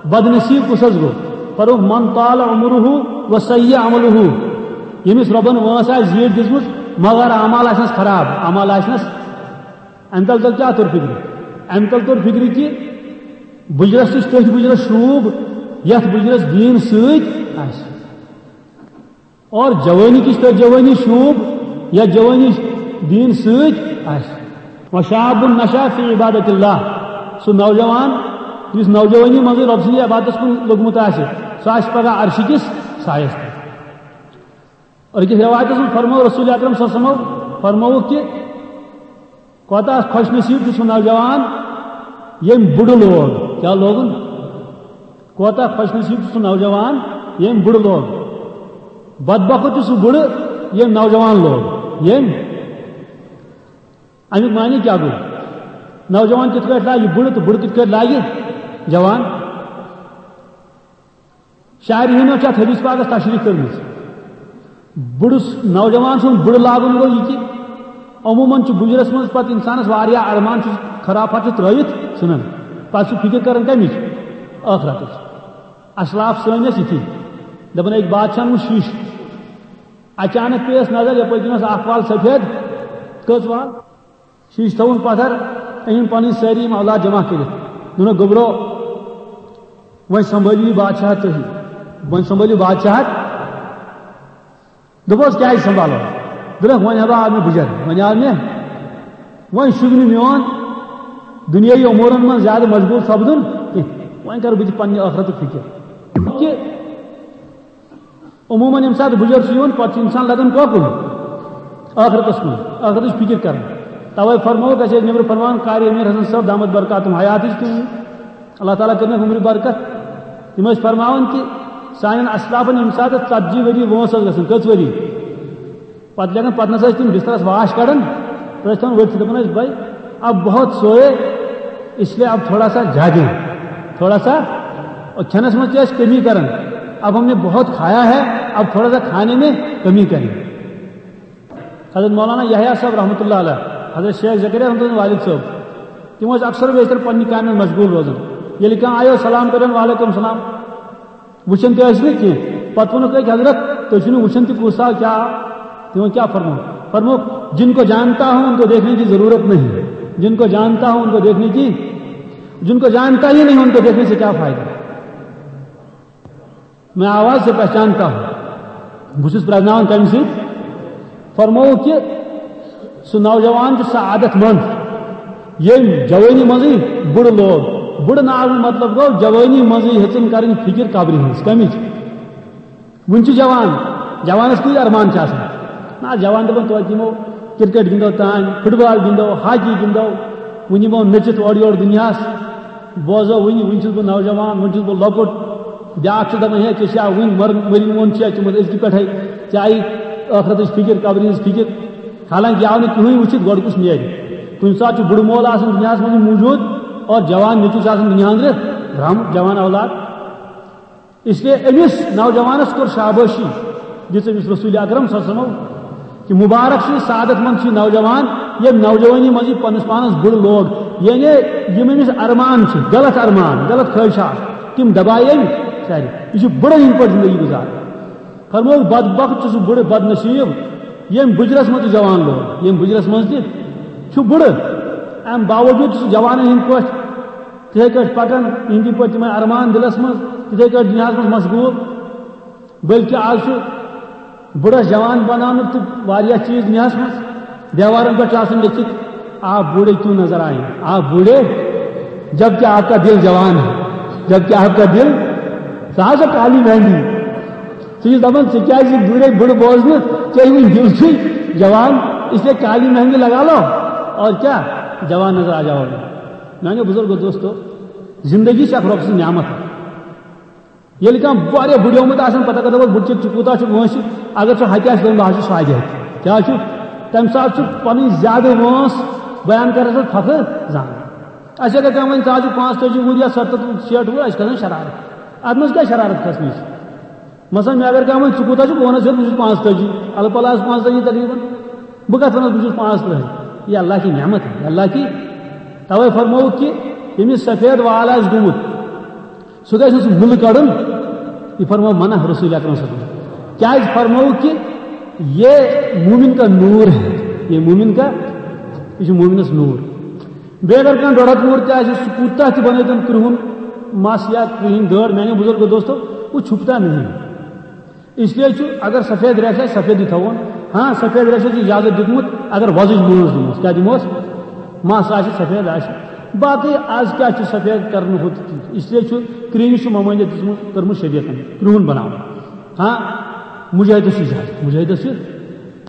بدنصیب کُس حظ گوٚو؟ فرمووُکھ، من طال عمره و سیء عمله۔ ییٚمِس رۄبن وٲنٛس آسہِ زیٖٹھ دِژمٕژ، مگر اعمال آسنس خراب، اعمال آسنس۔ امہِ تل تل کیٛاہ توٚر فِکرِ؟ امہِ تل توٚر فِکرِ کہِ بُجرس تہِ چھُ تٔتھۍ بُجرس شوٗب، یتھ بُجرس دیٖن سۭتۍ آسہِ۔ اور جوٲنی تہِ چھِ تٔتھۍ جوٲنی شوٗب، یتھ جوٲنی دیٖن سۭتۍ آسہِ۔ وشاب نشا فی عبادت اللہ، سُہ نوجوان یُس نوجوٲنی منٛزٕے رۄب سٕنٛدِ عبادتس کُن لوٚگمُت آسہِ، سُہ آسہِ پگاہ عرشہِ کِس سایس تل۔ اور أکِس رٮ۪وایتَس منٛز فرموو رسول اکرم صلی اللہ علیہ وسلمو، فرمووُکھ کہِ کوتاہ خوش نصیب چھُ سُہ نوجوان ییٚمۍ بُڈٕ لوگ۔ کیٛاہ لوگُن؟ کوتاہ خوش نصیب چھُ سُہ نوجوان ییٚمۍ بُڈٕ لوگ۔ بدبخت چھُ سُہ بُڈٕ ییٚمۍ نوجوان لوگ۔ ییٚمۍ، اَمیُک معنی کیٛاہ گوٚو؟ نوجوان کِتھ پٲٹھۍ لاگہِ بُڈٕ تہٕ بُڈٕ کِتھ پٲٹھۍ لاگہِ جوان؟ شارحینو چھِ اتھ حدیث پاکس تشریح کٔرمٕژ۔ بُڈٕ س-، نوجوان سُنٛد بُڈٕ لاگُن گوٚو یہِ کہِ عموٗماً چھُ بُجرس منٛز پتہٕ انسانس واریاہ ارمان چھُ، خرافات چھُ ترٲوِتھ ژھٕنان۔ پتہٕ چھُ فِکر کران کمِچ؟ ٲخرتٕچ۔ اسلاف سٲنۍ ٲسۍ یِتھی۔ دپان ٲسۍ، بادشاہن وُچھ شیٖشہٕ۔ اچانک پیٚیس نظر، یپٲرۍ کِنۍ ٲس اکھ وال سفید۔ کٔژ وال؟ شیٖشہٕ تھوٚوُن پتھر، أنِم پنٕنۍ سٲری یِم اولاد جمع کٔرِتھ۔ دوٚپنَکھ، گوٚبرو، وۄنۍ سنبھٲلِو یہِ بادشاہت تُہی، وۄنۍ سنبھٲلِو بادشاہت۔ دوٚپُس، کیٛازِ سنبھالو؟ دوٚپنَکھ، وۄنۍ ہبا آو مےٚ بُجر، وۄنۍ آو مےٚ، وۄنۍ شوٗبہِ نہٕ میون دُنیٲیی امورن منٛز زیادٕ مشغول سپدُن کینٛہہ، وۄنۍ کرٕ بہٕ تہِ پننہِ ٲخرتُک فِکر۔ کہِ عموٗماً ییٚمہِ ساتہٕ بُجر چھُ یِوان، پتہٕ چھُ اِنسان لگان کۄکُن؟ ٲخرتس کُن، ٲخرتٕچ فِکر کران۔ توے فرمووُکھ اَسہِ ٲسۍ نیٚبرٕ فرمان قاری امیر حسن صٲب دامت برکاتہم حیاتٕچ تہِ، اللہ تعالیٰ کٔرِنَکھ عمرِ برکت۔ تِم ٲسۍ فرماوان کہِ سانٮ۪ن اسلافن ییٚمہِ ساتہٕ ژتجی ؤری وٲنٛس ٲس گژھان، کٔژ ؤری؟ پتہٕ لیکھان، پتہٕ نسا ٲسۍ تِم بسترس واش کڑان، تِم ٲسۍ تھاوان ؤتھِتھ، دپان ٲسۍ، بھائی، اب بہت سوئے، اس لیے اب تھوڑا سا جاگیں، تھوڑا سا، اور کھینس منٛز تہِ ٲسۍ کمی کران، اب ہم نے بہت کھایا ہے، اب تھوڑا سا کھانے میں کمی کریں۔ حضرت مولانا یحییٰ صٲب رحمۃ اللہ علیہ، حضرت شیخ زکریا رحمۃ اللہ والد صٲب، تِم ٲسۍ اکثر و بیشتر پننہِ کامہِ منٛز مشغول روزان۔ ییٚلہِ کانٛہہ آیو، سلام کٔرِن، وعلیکم السلام۔ وٕچھان تہِ ٲسۍ نہٕ کینٛہہ۔ پتہٕ ووٚنُکھ أکۍ، حضرت، تُہۍ چھِو نہٕ وٕچھان تہِ کُس آو، کیٛاہ آو؟ تِمو کیٛاہ فرموو؟ فرمووُکھ، جن کو جانتا ہوں ان کو دیکھنے کی ضرورت نہیں، جن کو جانتا ہوں ان کو دیکھنے کی، جن کو جانتا ہی نہیں ان کو دیکھنے سے کیا فائدہ؟ میں آواز سے پہچانتا ہوں۔ بہٕ چھُس پرٛزناوان کَمہِ سۭتۍ؟ فرمووُکھ کہِ سُہ نوجوان چھُ سعادت مند، ییٚمۍ جوٲنی منٛزٕے بُڈٕ لوگ۔ بُڈٕ ناوُک مطلب گوٚو جوٲنی منٛزٕے ہیٚژٕن کَرٕنۍ فِکِر قبرِ ہٕنٛز۔ کَمِچ؟ وُنہِ چھُ جوان، جوانَس کۭتۍ ارمان چھِ آسان؟ نہ، جوان دَپان، توتہِ یِمو کرکٹ گِنٛدو تام، فٹ بال گِنٛدو، ہاکی گِنٛدو، وُنہِ یِمو نٔژِتھ اورٕ یورٕ دُنیاہَس۔ بوزو وُنہِ، وُنہِ چھُس بہٕ نوجوان، وُنہِ چھُس بہٕ لۄکُٹ۔ بیٛاکھ چھُ دَپان، ہے، ژےٚ چھا وُنہِ مر-، مٔرِنۍ وول چھُ، ژےٚ منٛز أزکہِ پٮ۪ٹھَے، ژےٚ آیی ٲخرتٕچ فِکِر، قبرِ ہٕنٛز فِکِر۔ حالانکہِ یہِ آو نہٕ کٕہٕنۍ وٕچھِتھ، گۄڈٕ کُس نیرِ؟ کُنہِ ساتہٕ چھُ بُڈٕ مول آسان دُنیاہَس منٛز موٗجوٗد اور جوان نیٚچوٗ چھُ آسان دُنیا أنٛدرٕ درٛامُت، جوان اولاد۔ اس لیے أمِس نوجوانَس کوٚر شابٲشی، دِژ أمِس رسول اکرم صلی اللہ علیہ وسلمو کہِ مُبارک چھُ، سعادت مند چھُ یہِ نوجوان، ییٚمۍ نوجوٲنی منٛز یہِ پنٛنِس پانَس بُڈٕ لوگ۔ یعنی یِم أمِس ارمان چھِ، غلط ارمان، غلط خٲہِشات، تِم دبایہِ أمۍ سارے۔ یہِ چھُ بُڈٕ ہِنٛدۍ پٲٹھۍ زندگی گُزاران۔ فرمووُکھ، بدبخت چھُ سُہ بُڈٕ، بد نصیب، ییٚمۍ بُجرَس منٛز تہِ جوان لوگ، ییٚمۍ بُجرَس منٛز تہِ چھُ بُڈٕ۔ اَمہِ باوجوٗد چھُ سُہ جوانَن ہِنٛدۍ پٲٹھۍ تِتھَے کٲٹھۍ پَکان، یِہِنٛدی پٲٹھۍ تِمَے ارمان دِلَس منٛز، تِتھَے کٲٹھۍ دُنیاہَس منٛز مشغوٗل۔ بلکہِ آز چھُ بُڈَس جوان بناونُک تہِ واریاہ چیٖز دُنیاہَس منٛز۔ دیوارَن پٮ۪ٹھ چھُ آسان لیٚکھِتھ، آپ بوڑھے کیوں نظر آئے؟ آپ بوڑھے، جبکہ آپ کا دل جوان ہے، جبکہ آپ کا دل، سُہ حظ چھُ کالی مہندی۔ سُہ چھُ دَپان، ژٕ کیٛازِ بوڑھے بُڑٕ بوزنہٕ، ژےٚ وُنہِ دِل چھُے جوان، اس لیے کالی مہندی لگا لو اور کیا، جوان نظر آ جاؤ گے۔ میانیو بزرگو دوستو، زندگی چھِ اکھ رۄب سٕنٛز نعمت۔ ییٚلہِ کانٛہہ واریاہ بُڈیومُت آسان، پتہ کتھ دپس، بُڈٕ چھُ، ژٕ کوٗتاہ چھُکھ وٲنٛسہِ؟ اگر سُہ ہتہِ آسہِ، دپان، بہٕ حظ چھُس سادِ ہتہِ۔ کیٛاہ چھُ؟ تمہِ ساتہٕ چھُ پنٕنۍ زیادٕ وٲنٛس بیان کرنس منٛز فخر زانان۔ اسہِ اگر کانٛہہ ونہِ، ژٕ حظ چھُکھ پانٛژتٲجی وُہُر یا ستتھ شیٹھ وُہُر، اسہِ کھسان شرارت۔ اتھ منٛز کیٛاہ شرارت کھسنٕچ؟ مثلاً، مےٚ اگر کانٛہہ ونہِ، ژٕ کوٗتاہ چھُکھ؟ بہٕ ونس، ہے، بہٕ چھُس پانٛژتٲجی، الہٕ پلہٕ آسہٕ پانٛژتٲجی تقریباً۔ بہٕ کتھ ونس، بہٕ چھُس پانٛژترٕٛہے؟ یہِ اللہ کی نعمت ہے، اللہ کی۔ توے فرمووُکھ کہِ ییٚمِس سفید وال آسہِ گوٚمُت، سُہ گژھِ نہٕ سُہ مُلہٕ کڑُن۔ یہِ فرموو منع رسول اکرم صلی اللہ علیہ وسلم۔ کیازِ فرمووُکھ کہِ یہ مومن کا نور ہے، یہ مومن کا، یہِ چھُ مومنس نور۔ بیٚیہِ اگر کانٛہہ ڈۄڈ ہتھ وُہُر تہِ آسہِ، سُہ کوٗتاہ تہِ بنٲوتن کرٛہُن مس یا کرٛہِنۍ دٲر، میانیو بُزرگو دوستو، وہ چھُپتا نہیں۔ اس لیے چھُ، اگر سفید ریش آسہِ، سفیدٕے تھاوون۔ ہاں، سفید ریشس چھُ اجازت دیُتمُت، اگر وۄزٕج مٲنٛز دِموس۔ کیٛاہ دِموس؟ مس آسہِ، سفید آسہِ۔ باقٕے از کیٛاہ چھُ سفید کرنہٕ ہوت، اس لیے چھُ کرٛہنِس چھُ ممٲنِیت دِژمٕژ، کٔرمٕژ شریعتن کرٛہُن بناوُن۔ ہاں، مجاہدس چھُ اجازت، مجاہدس چھُ۔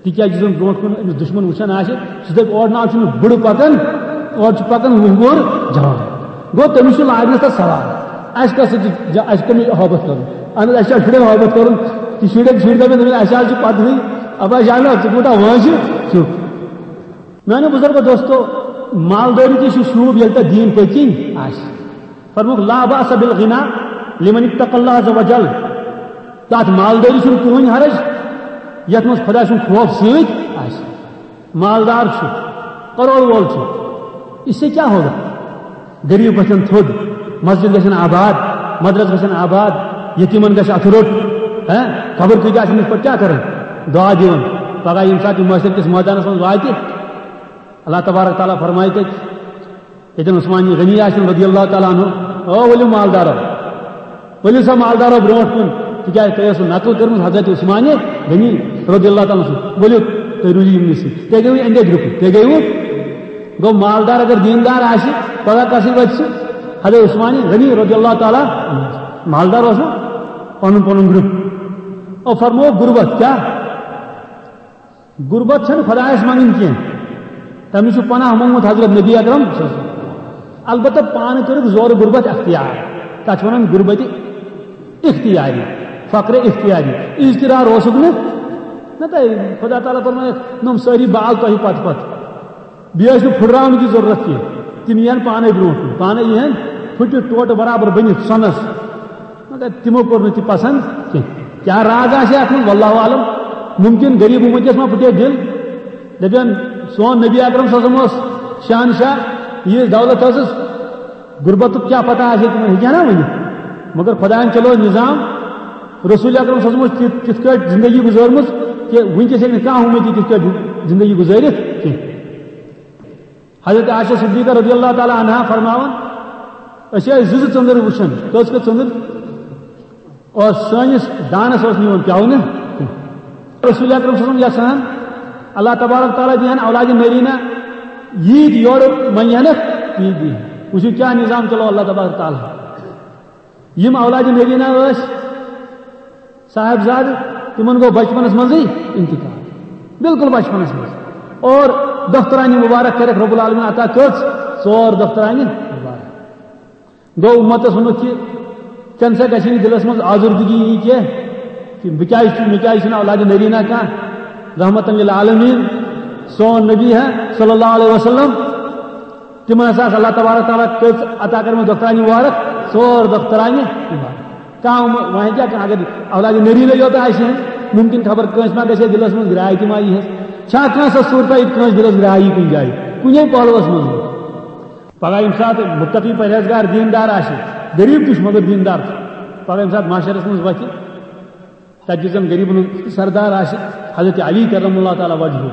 تِکیٛازِ یُس زن برونٛٹھ کُن أمِس دُشمن وٕچھان آسہِ، سُہ دپہِ، اورٕ نہ چھُنہٕ بُڈٕ پکان، اورٕ چھُ پکان وُہ وُہُر جوان۔ گوٚو، تٔمِس چھُ لاگنس تتھ سوال، اسہِ کس سۭتۍ چھُ جا-، اسہِ کٔمِس ہٲبتھ کرُن؟ اہن حظ، اسہِ چھا شُرٮ۪ن ہٲبتھ کرُن؟ تہِ شُرٮ۪ن، شُرۍ دپن، دپن، اسہِ حظ چھُ پتہٕے، ابا جانا، ژٕ کوٗتاہ وٲنٛسہِ چھُکھ؟ میانیو بزرگو دوستو، مالدٲری تہِ چھُ شوٗب، ییٚلہِ تۄہہِ دیٖن پٔتۍ کِنۍ آسہِ۔ فرمووُکھ، لا باس بالغنا لمن اتقى الله عز وجل۔ تتھ مالدٲری چھُنہٕ کٕہٕنۍ حرج، یتھ منٛز خۄداے سُنٛد خوف سۭتۍ آسہِ۔ مالدار چھُ، کروڑ وول چھُ، اس سے کیا ہوگا؟ غریب گژھن تھوٚد، مسجد گژھن آباد، مدرسہٕ گژھن آباد، یتیمن گژھِ اتھٕ روٚٹ، ہیں؟ خبر کۭتیاہ آسن یِتھ پٲٹھۍ کیٛاہ کرن؟ دعا دِوان۔ پگاہ ییٚمہِ ساتہٕ یہِ محشر کِس مٲدانس منٛز واتہِ، اللہ تبارک تعالیٰ فرمایہِ تتہِ، ییٚتٮ۪ن عثمان غنی آسن رضی اللہ تعالیٰ عنہ، او ؤلِو مالدارو، ؤلِو سا مالدارو برونٛٹھ کُن، تِکیٛازِ تۄہہِ ٲسوٕ نقل کٔرمٕژ حضرت عثمان غنی رضی اللہ تعالیٰ عنہ سٕنٛز۔ ؤلِو، تُہۍ روٗزِو یِمنٕے سۭتۍ۔ تُہۍ گٔیوٕ اِنڈیا گرُپٕکۍ، تُہۍ گٔیوٕ؟ گوٚو مالدار اگر دیٖندار آسہِ، پگاہ کَس سۭتۍ وَتہِ سُہ؟ حضرت عثمان غنی رضی اللہ تعالیٰ عنہ۔ مالدار اوس نا، پَنُن پَنُن گرُپ۔ او فرموو غربت کیٛاہ؟ غربت چھنہٕ خدایس منگٕنۍ کینٛہہ، تٔمِس چھُ پناہ موٚنگمُت حضرت نبی اکرم صلی اللہ علیہ وسلم۔ البتہ پانہٕ کٔرٕکھ زورٕ غربت اختیار، تتھ چھِ ونان غربت اختیاری، فقر اختیاری۔ اضطرار اوسُکھ نہٕ، نہ تۄہہِ خدا تعالیٰ فرمایکھ، نۄم سٲری بال تۄہہِ پتہٕ پتہٕ۔ بیٚیہِ ٲسۍ نہٕ پھُٹراونٕچ ضروٗرت کینٛہہ، تِم یِہن پانے برونٛٹھ کُن، پانے یِہن پھُٹِتھ ٹوٹہٕ برابر بٔنِتھ سۄنس۔ مگر تِمو کوٚر نہٕ تہِ پسند کینٛہہ۔ کیٛاہ راز آسہِ اتھ منٛز؟ واللہ عالم۔ ممکن غریب امتیس ما پھُٹے دِل، دپن سون نبی اکرم صلی اللہ علیہ وسلم اوس شہنشاہ، ییٖژ دولت ٲسٕس، غربتُک کیٛاہ پتہ آسہِ ہے تِمن، ہیٚکہِ ہا نا ؤنِتھ۔ مگر خدایَن چلو نظام، رسول اکرم صلی اللہ علیہ وسلم اوس تِتھ، تِتھ کٲٹھۍ زندگی گُزٲرمٕژ کہِ وٕنکیٚس ہیٚکہِ نہٕ کانٛہہ امتی تِتھ کٲٹھۍ زندگی گُزٲرِتھ کینٛہہ۔ حضرت عائشہ صدیقہ رضی اللہ تعالیٰ عنہا فرماوان، أسۍ ٲسۍ زٕ زٕ ژٔنٛدٕر وٕچھان۔ کٔژ کٔژ ژٔنٛدٕر؟ اور سٲنِس دانس اوس نہٕ یِوان پیاونہٕ۔ رسول اکرم صلی اللہ علیہ وسلم یژھان، اللہ تبارک تعالیٰ دِہن اولاد نرینہ، ییٖتۍ یورٕ منگہنکھ، تیٖتۍ دِہن۔ وٕچھِو کیٛاہ نظام چلو اللہ تبارک تعالیٰ۔ یِم اولاد نرینہ ٲسۍ، صاحبزادٕ، تِمن گوٚو بچپنس منٛزٕے انتقال، بالکل بچپنس منٛز۔ اور دخترانہِ مبارک کٔرکھ رب العالمین عطا کٔژ؟ ژور دخترانہِ مبارک۔ گوٚو امتس ووٚنُکھ کہِ ژےٚ نسا گژھی نہٕ دلس منٛز آزردگی یی کینٛہہ کہِ بہٕ کیازِ چھُس، مےٚ کیازِ چھُنہٕ اولاد نرینہ کانٛہہ؟ رحمتن للعالمین سون نبی ہے صلی اللہ علیہ وسلم۔ تِمن ہسا ٲس اللہ تبارک تعالیٰ کٔژ عطا کٔرمٕژ دۄخترانہِ مبارک؟ ژور دۄخترانہِ مبارک۔ کانٛہہ وۄنۍ، وۄنۍ کیٛاہ کانٛہہ، اگر اولادِ نرینہ یوت آسہِ ہے، ممکن خبر کٲنٛسہِ ما گژھِ ہے دِلس منٛز گرٛاے تہِ ما یی ہس۔ چھا کانٛہہ سۄ صورتہ ییٚتہِ کٲنٛسہِ دِلس گرٛاے یی کُنہِ جایہِ، کُنے پہلوس منٛز؟ پگاہ ییٚمہِ ساتہٕ مُتقی پرہیزگار دیٖندار آسہِ، غریٖب تہِ چھُ مگر دیٖندار چھُ، پگاہ ییٚمہِ ساتہٕ محشرس منٛز وۄتھِ، تتہِ یُس زن غریبن ہُنٛد سردار آسہِ، حضرت علی کرم اللہ تعالیٰ وجہہ،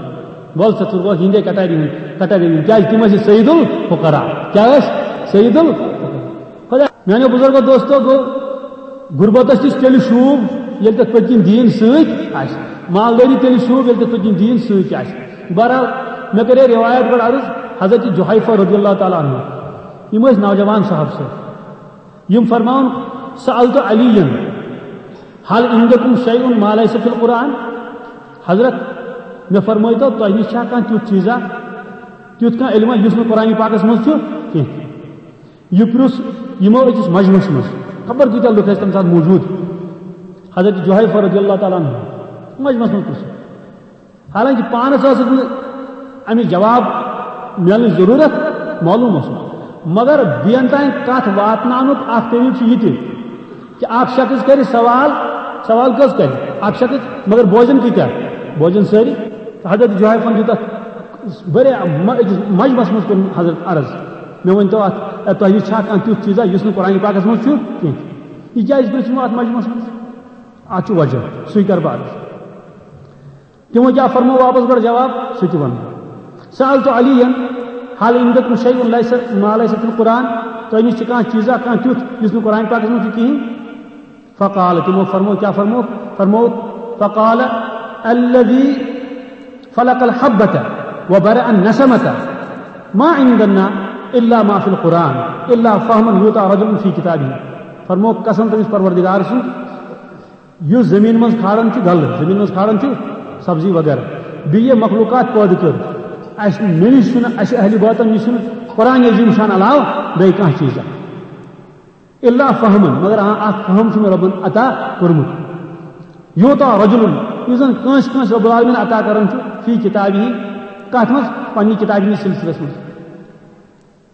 وول سا ژٕ روز یِہنٛدے کٹارِ ہُنٛد، کٹارِ ہُنٛد، کیازِ تِم ٲسۍ سید الفقراء۔ کیٛاہ ٲسۍ؟ سید الفقراء۔ خدا میانیو بزرگو دوستو، گوٚو غربتس تہِ چھُ تیٚلہِ شوٗب ییٚلہِ تتھ پٔتۍ کِنۍ دیٖن سۭتۍ آسہِ، مالدٲری تیٚلہِ شوٗب ییٚلہِ تتھ پٔتۍ کِنۍ دیٖن سۭتۍ آسہِ۔ بہرحال، مےٚ کرے رِوایت گۄڈٕ عرض، حضرت جحیفہ رضی اللہ تعالیٰ عنہ، یِم ٲسۍ نوجوان صحابہ سۭتۍ۔ یِم فرماوان، "سألت علیاً، هل عندكم شيء ما ليس في القرآن؟" حضرت، مےٚ فرمٲیتو، تۄہہِ نِش چھا کانٛہہ تیُتھ چیٖزا، تیُتھ کانٛہہ علمہ یُس نہٕ قرآن پاکس منٛز چھُ کینٛہہ؟ یہِ پرُژھ یِمو أکِس مجمعس منٛز۔ خبر کۭتیاہ لُکھ ٲسۍ تَمہِ ساتہٕ موجوٗد۔ حضرت جحیفہ رضی اللہ تعالیٰ عنہ مجمعس منٛز پرُژھ۔ حالانکہ پانس ٲسٕکھ نہٕ اَمِچ جواب میلنٕچ ضروٗرت، معلوٗم اوس نہٕ۔ مگر بیٚین تام کتھ واتناونُک اکھ طریٖقہٕ چھُ یہِ تہِ کہ اکھ شخص کرِ سوال، سوال کٔژ کرِ؟ اکھ شخص، مگر بوزن کۭتیاہ؟ بوزن سٲری۔ حضرت جحیفن دیُت اتھ واریاہ م-، أکِس مجمعس منٛز کوٚر حضرت عرض، مےٚ ؤنۍ تو اتھ، اے، تۄہہِ نِش چھا کانٛہہ تیُتھ چیٖزا یُس نہٕ قرآن پاکس منٛز چھُ کینٛہہ؟ یہِ کیازِ پرٛژھ یِمو اتھ مجمعس منٛز؟ اتھ چھُ وجہ، سُے کرٕ بہٕ عرض۔ تِمو کیٛاہ فرمو واپس گۄڈٕ جواب؟ سُہ تہِ وَنہٕ بہٕ۔ سألت علیاً، هل عندكم شيء ليس، ما ليس في القرآن؟ تۄہہِ نِش چھِ کانٛہہ چیٖزا، کانٛہہ تیُتھ یُس نہٕ قرآن پاکس منٛز چھُ کِہیٖنۍ؟ فقال، تِمو فرمو، کیٛاہ فرمو؟ فرمو، فقال الذي فلق الحبة وبرأ النسمة ما عندنا إلا ما في القرآن إلا فهما يعطى رجل في كتابه۔ فرمو قسم تٔمِس پروردگار سُنٛد، یُس زٔمیٖن منٛز کھالان چھُ غلہٕ، زٔمیٖن منٛز کھالان چھُ سبزی وغیرہ، بیٚیہِ یہِ مخلوٗقات پٲدٕ کٔر، اَسہِ، مےٚ نِش چھُنہٕ، اَسہِ اہلِ باطن نِش چھُنہٕ قرآن عظیٖم شان علاوٕ بیٚیہِ کانٛہہ چیٖزا۔ الا فہمن، مگر آ، اکھ فہم چھُ مےٚ رۄبن عطا کوٚرمُت۔ یعطی رجل، یُس زن کٲنٛسہِ کٲنٛسہِ رۄب العالمین عطا کران چھُ، فی کتابہ، کتھ منٛز؟ پننہِ کتابہِ ہٕنٛدِس سلسلس منٛز۔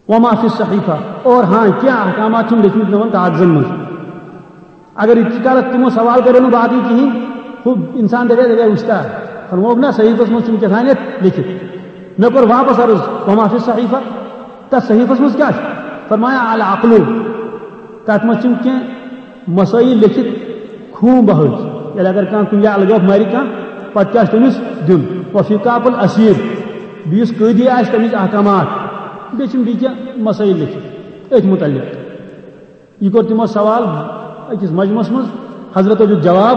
وما فی الصحیفہ، اور ہاں، کینٛہہ احکامات چھِم لیکھمٕتۍ یِمن کاغذن منٛز۔ اگر یِتہِ کالس تِمو سوال کریو نہٕ باقٕے کِہیٖنۍ، ہُہ انسان دپے، دپے وٕچھتا، فرمووُکھ نہ صحیفس منٛز چھُم کیٛاہ تام لیکھِتھ۔ مےٚ کوٚر واپس عرض، وما فی الصحیفہ، تتھ صحیفس منٛز کیٛاہ چھُ؟ فرمایا العقل، تتھ منٛز چھِم کینٛہہ مسائل لیکھِتھ، خوٗن بہٲوِتھ۔ ییٚلہِ اگر کانٛہہ کُنہِ جایہِ الگٲف مارِ کانٛہہ، پتہٕ کیٛاہ چھُ تٔمِس دیُن؟ وفی کاپ الاسیر، بیٚیہِ یُس قٲدی آسہِ تٔمِس احکامات، بیٚیہِ چھِم بیٚیہِ کینٛہہ مسائل لیکھِتھ أتھۍ مُتعلق۔ یہِ کوٚر تِمو سوال أکِس مجمعس منٛز، حضرتو دیُت جواب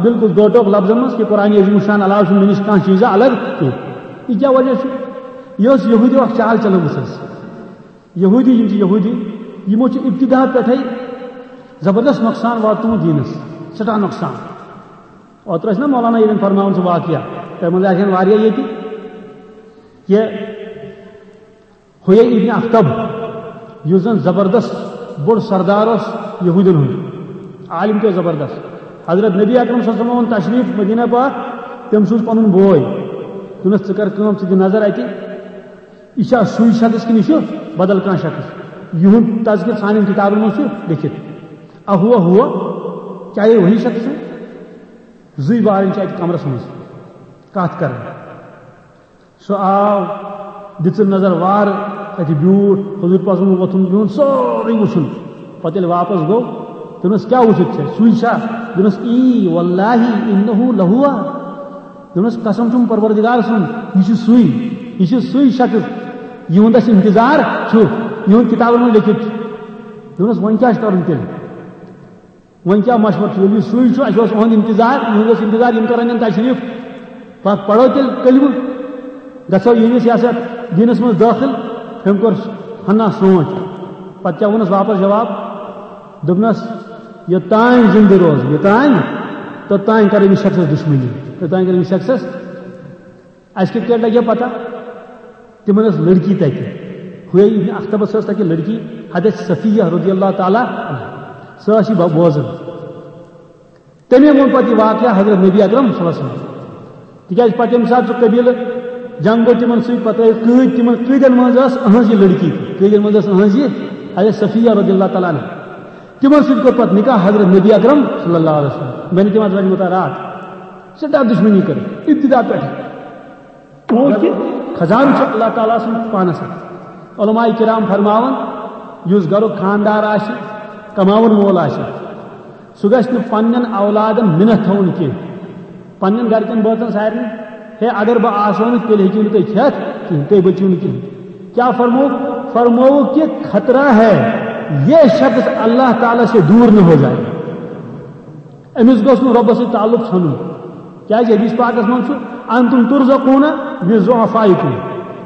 بالکل دوٹوک لفظن منٛز کہ قرآن عظیم الشان علاوٕ چھُنہٕ مےٚ نِش کانٛہہ چیٖزا الگ کینٛہہ۔ یہِ کیٛاہ وجہ چھُ؟ یہِ ٲس یہوٗدیو اکھ چال چلٲومٕژ حظ۔ یہوٗدی، یِم چھِ یہوٗدی، یِمو چھُ ابتدا پٮ۪ٹھَے زبردست نۄقصان واتنومُت دیٖنَس، سٮ۪ٹھاہ نۄقصان۔ اوترٕ ٲسۍ نہ مولانا ییٚتٮ۪ن فرماوان سُہ واقعہ، تۄہہِ منٛز آسن واریاہ ییٚتہِ، کہِ حُیَی ابن اخطب، یُس زَن زبردست بوٚڑ سردار اوس یہوٗدٮ۪ن ہُنٛد، عالم تہِ اوس زبردست۔ حضرت نبی اکرم صلی اللہ علیہ وسلم اوٚن تشریٖف مدینہ پاک، تٔمۍ سوٗز پَنُن بوے، دوٚپنَس، "ژٕ کر کٲم، ژٕ دِ نظر اَتہِ، یہِ چھا سُے شخص کِنہٕ یہِ چھُ بدل کانٛہہ شخص؟ یِہُنٛد تذکر سانٮ۪ن کِتابَن منٛز چھُ لیکھِتھ۔ اَہُوا ہُوا، کیٛاہ یہِ وہی شخص چھُ؟" زٕے بارٕنۍ چھِ اَتہِ کمرَس منٛز کَتھ کران۔ سُہ آو، دِژٕن نظر وارٕ، اَتہِ بیوٗٹھ، حضوٗر پاکَن ووٚتھُن بِہُن، سورُے وُچھُن۔ پَتہٕ ییٚلہِ واپَس گوٚو، دوٚپنَس، "کیٛاہ وُچھُتھ ژےٚ؟ سُے چھا؟" دوٚپنَس، "ای واللہ انہ لہوا۔" دوٚپنَس، "قسم چھُم پروردگار سُنٛد، یہِ چھُ سُے، یہِ چھُ سُے شخص، یِہُنٛد اَسہِ انتظار چھُ، یِہُنٛد کِتابَن منٛز لیکھِتھ چھُ۔" دوٚپنَس، "وۄنۍ کیٛاہ چھُ کَرُن تیٚلہِ؟" وۄنۍ کیٛاہ مشورٕ چھُ؟ ییٚلہِ یہِ سُے چھُ، اَسہِ اوس یِہُنٛد اِنتظار، یِہُنٛد اوس اِنتظار، یِم کَرَن یِم تشریٖف۔ پَتہٕ پَرو تیٚلہِ کلمہٕ، گژھو یِہِنٛدِس یَتھ، یَتھ دیٖنَس منٛز دٲخِل۔ أمۍ کوٚر ہنا سونٛچ۔ پَتہٕ کیٛاہ ووٚنُس واپَس جواب؟ دوٚپنَس، "یوٚتام زِندٕ روزٕ، یوٚتام، توٚتام کَرٕ أمِس شخصَس دُشمنی، توٚتام کَرٕ أمِس شخصَس۔" اَسہِ کِتھ کٲٹھۍ لَگہِ پَتہ؟ تِمَن ٲس لٔڑکی تَتہِ۔ حُیَی ابن اخطبَس ٲس تَتہِ لٔڑکی، حضرت صفیہ رضی اللہ تعالیٰ عنہا۔ سۄ ٲس یہِ بو-، بوزان۔ تٔمۍ ووٚن پَتہٕ یہِ واقعہ حضرت نبی اکرم صلی اللہ علیہ وسلم۔ تِکیٛازِ پَتہٕ ییٚمہِ ساتہٕ سُہ قبیٖلہٕ جنگ گوٚو تِمَن سۭتۍ، پَتہٕ ٲسۍ قۭدۍ تِمَن، قۭدٮ۪ن منٛز ٲس أہٕنٛز یہِ لٔڑکی تہِ۔ قۭدٮ۪ن منٛز ٲس أہٕنٛز یہِ حضرت صفیہ رضی اللہ تعالیٰ عنہا۔ تِمَن سۭتۍ کوٚر پَتہٕ نکاح حضرت نبی اکرم صلی اللہ علیہ وسلم۔ بنہِ تِم اَتھ وَنہِ مُتعارات۔ سٮ۪ٹھاہ دُشمنی کٔر ابتدا پٮ۪ٹھٕ۔ کیونکہ خزانہٕ چھُ اللہ تعالیٰ سُنٛد پانَس اَتھِ۔ علماء کرام فرماوان، یُس گرُک خاندار آسہِ، کماوَن وول آسہِ، سُہ گژھِ نہٕ پننٮ۪ن اولادن مِنتھ تھاوُن کینٛہہ۔ پننٮ۪ن گرِکٮ۪ن بٲژن سارنٕے، ہے، اگر بہٕ آسو نہٕ، تیٚلہِ ہیٚکِو نہٕ تُہۍ کھٮ۪تھ کِہیٖنۍ، تُہۍ بٔچِو نہٕ کِہیٖنۍ۔ کیا فرمو؟ فرمووُکھ کہ خطرہ ہے، یہ شخص اللہ تعالیٰ سے دور نہ ہو جائے۔ أمِس گوٚژھ نہٕ رۄبَس سۭتۍ تعلق ژھنُن۔ کیٛازِ حدیث پاکَس منٛز چھُ، "انتم ترزقون بضعفائکم۔"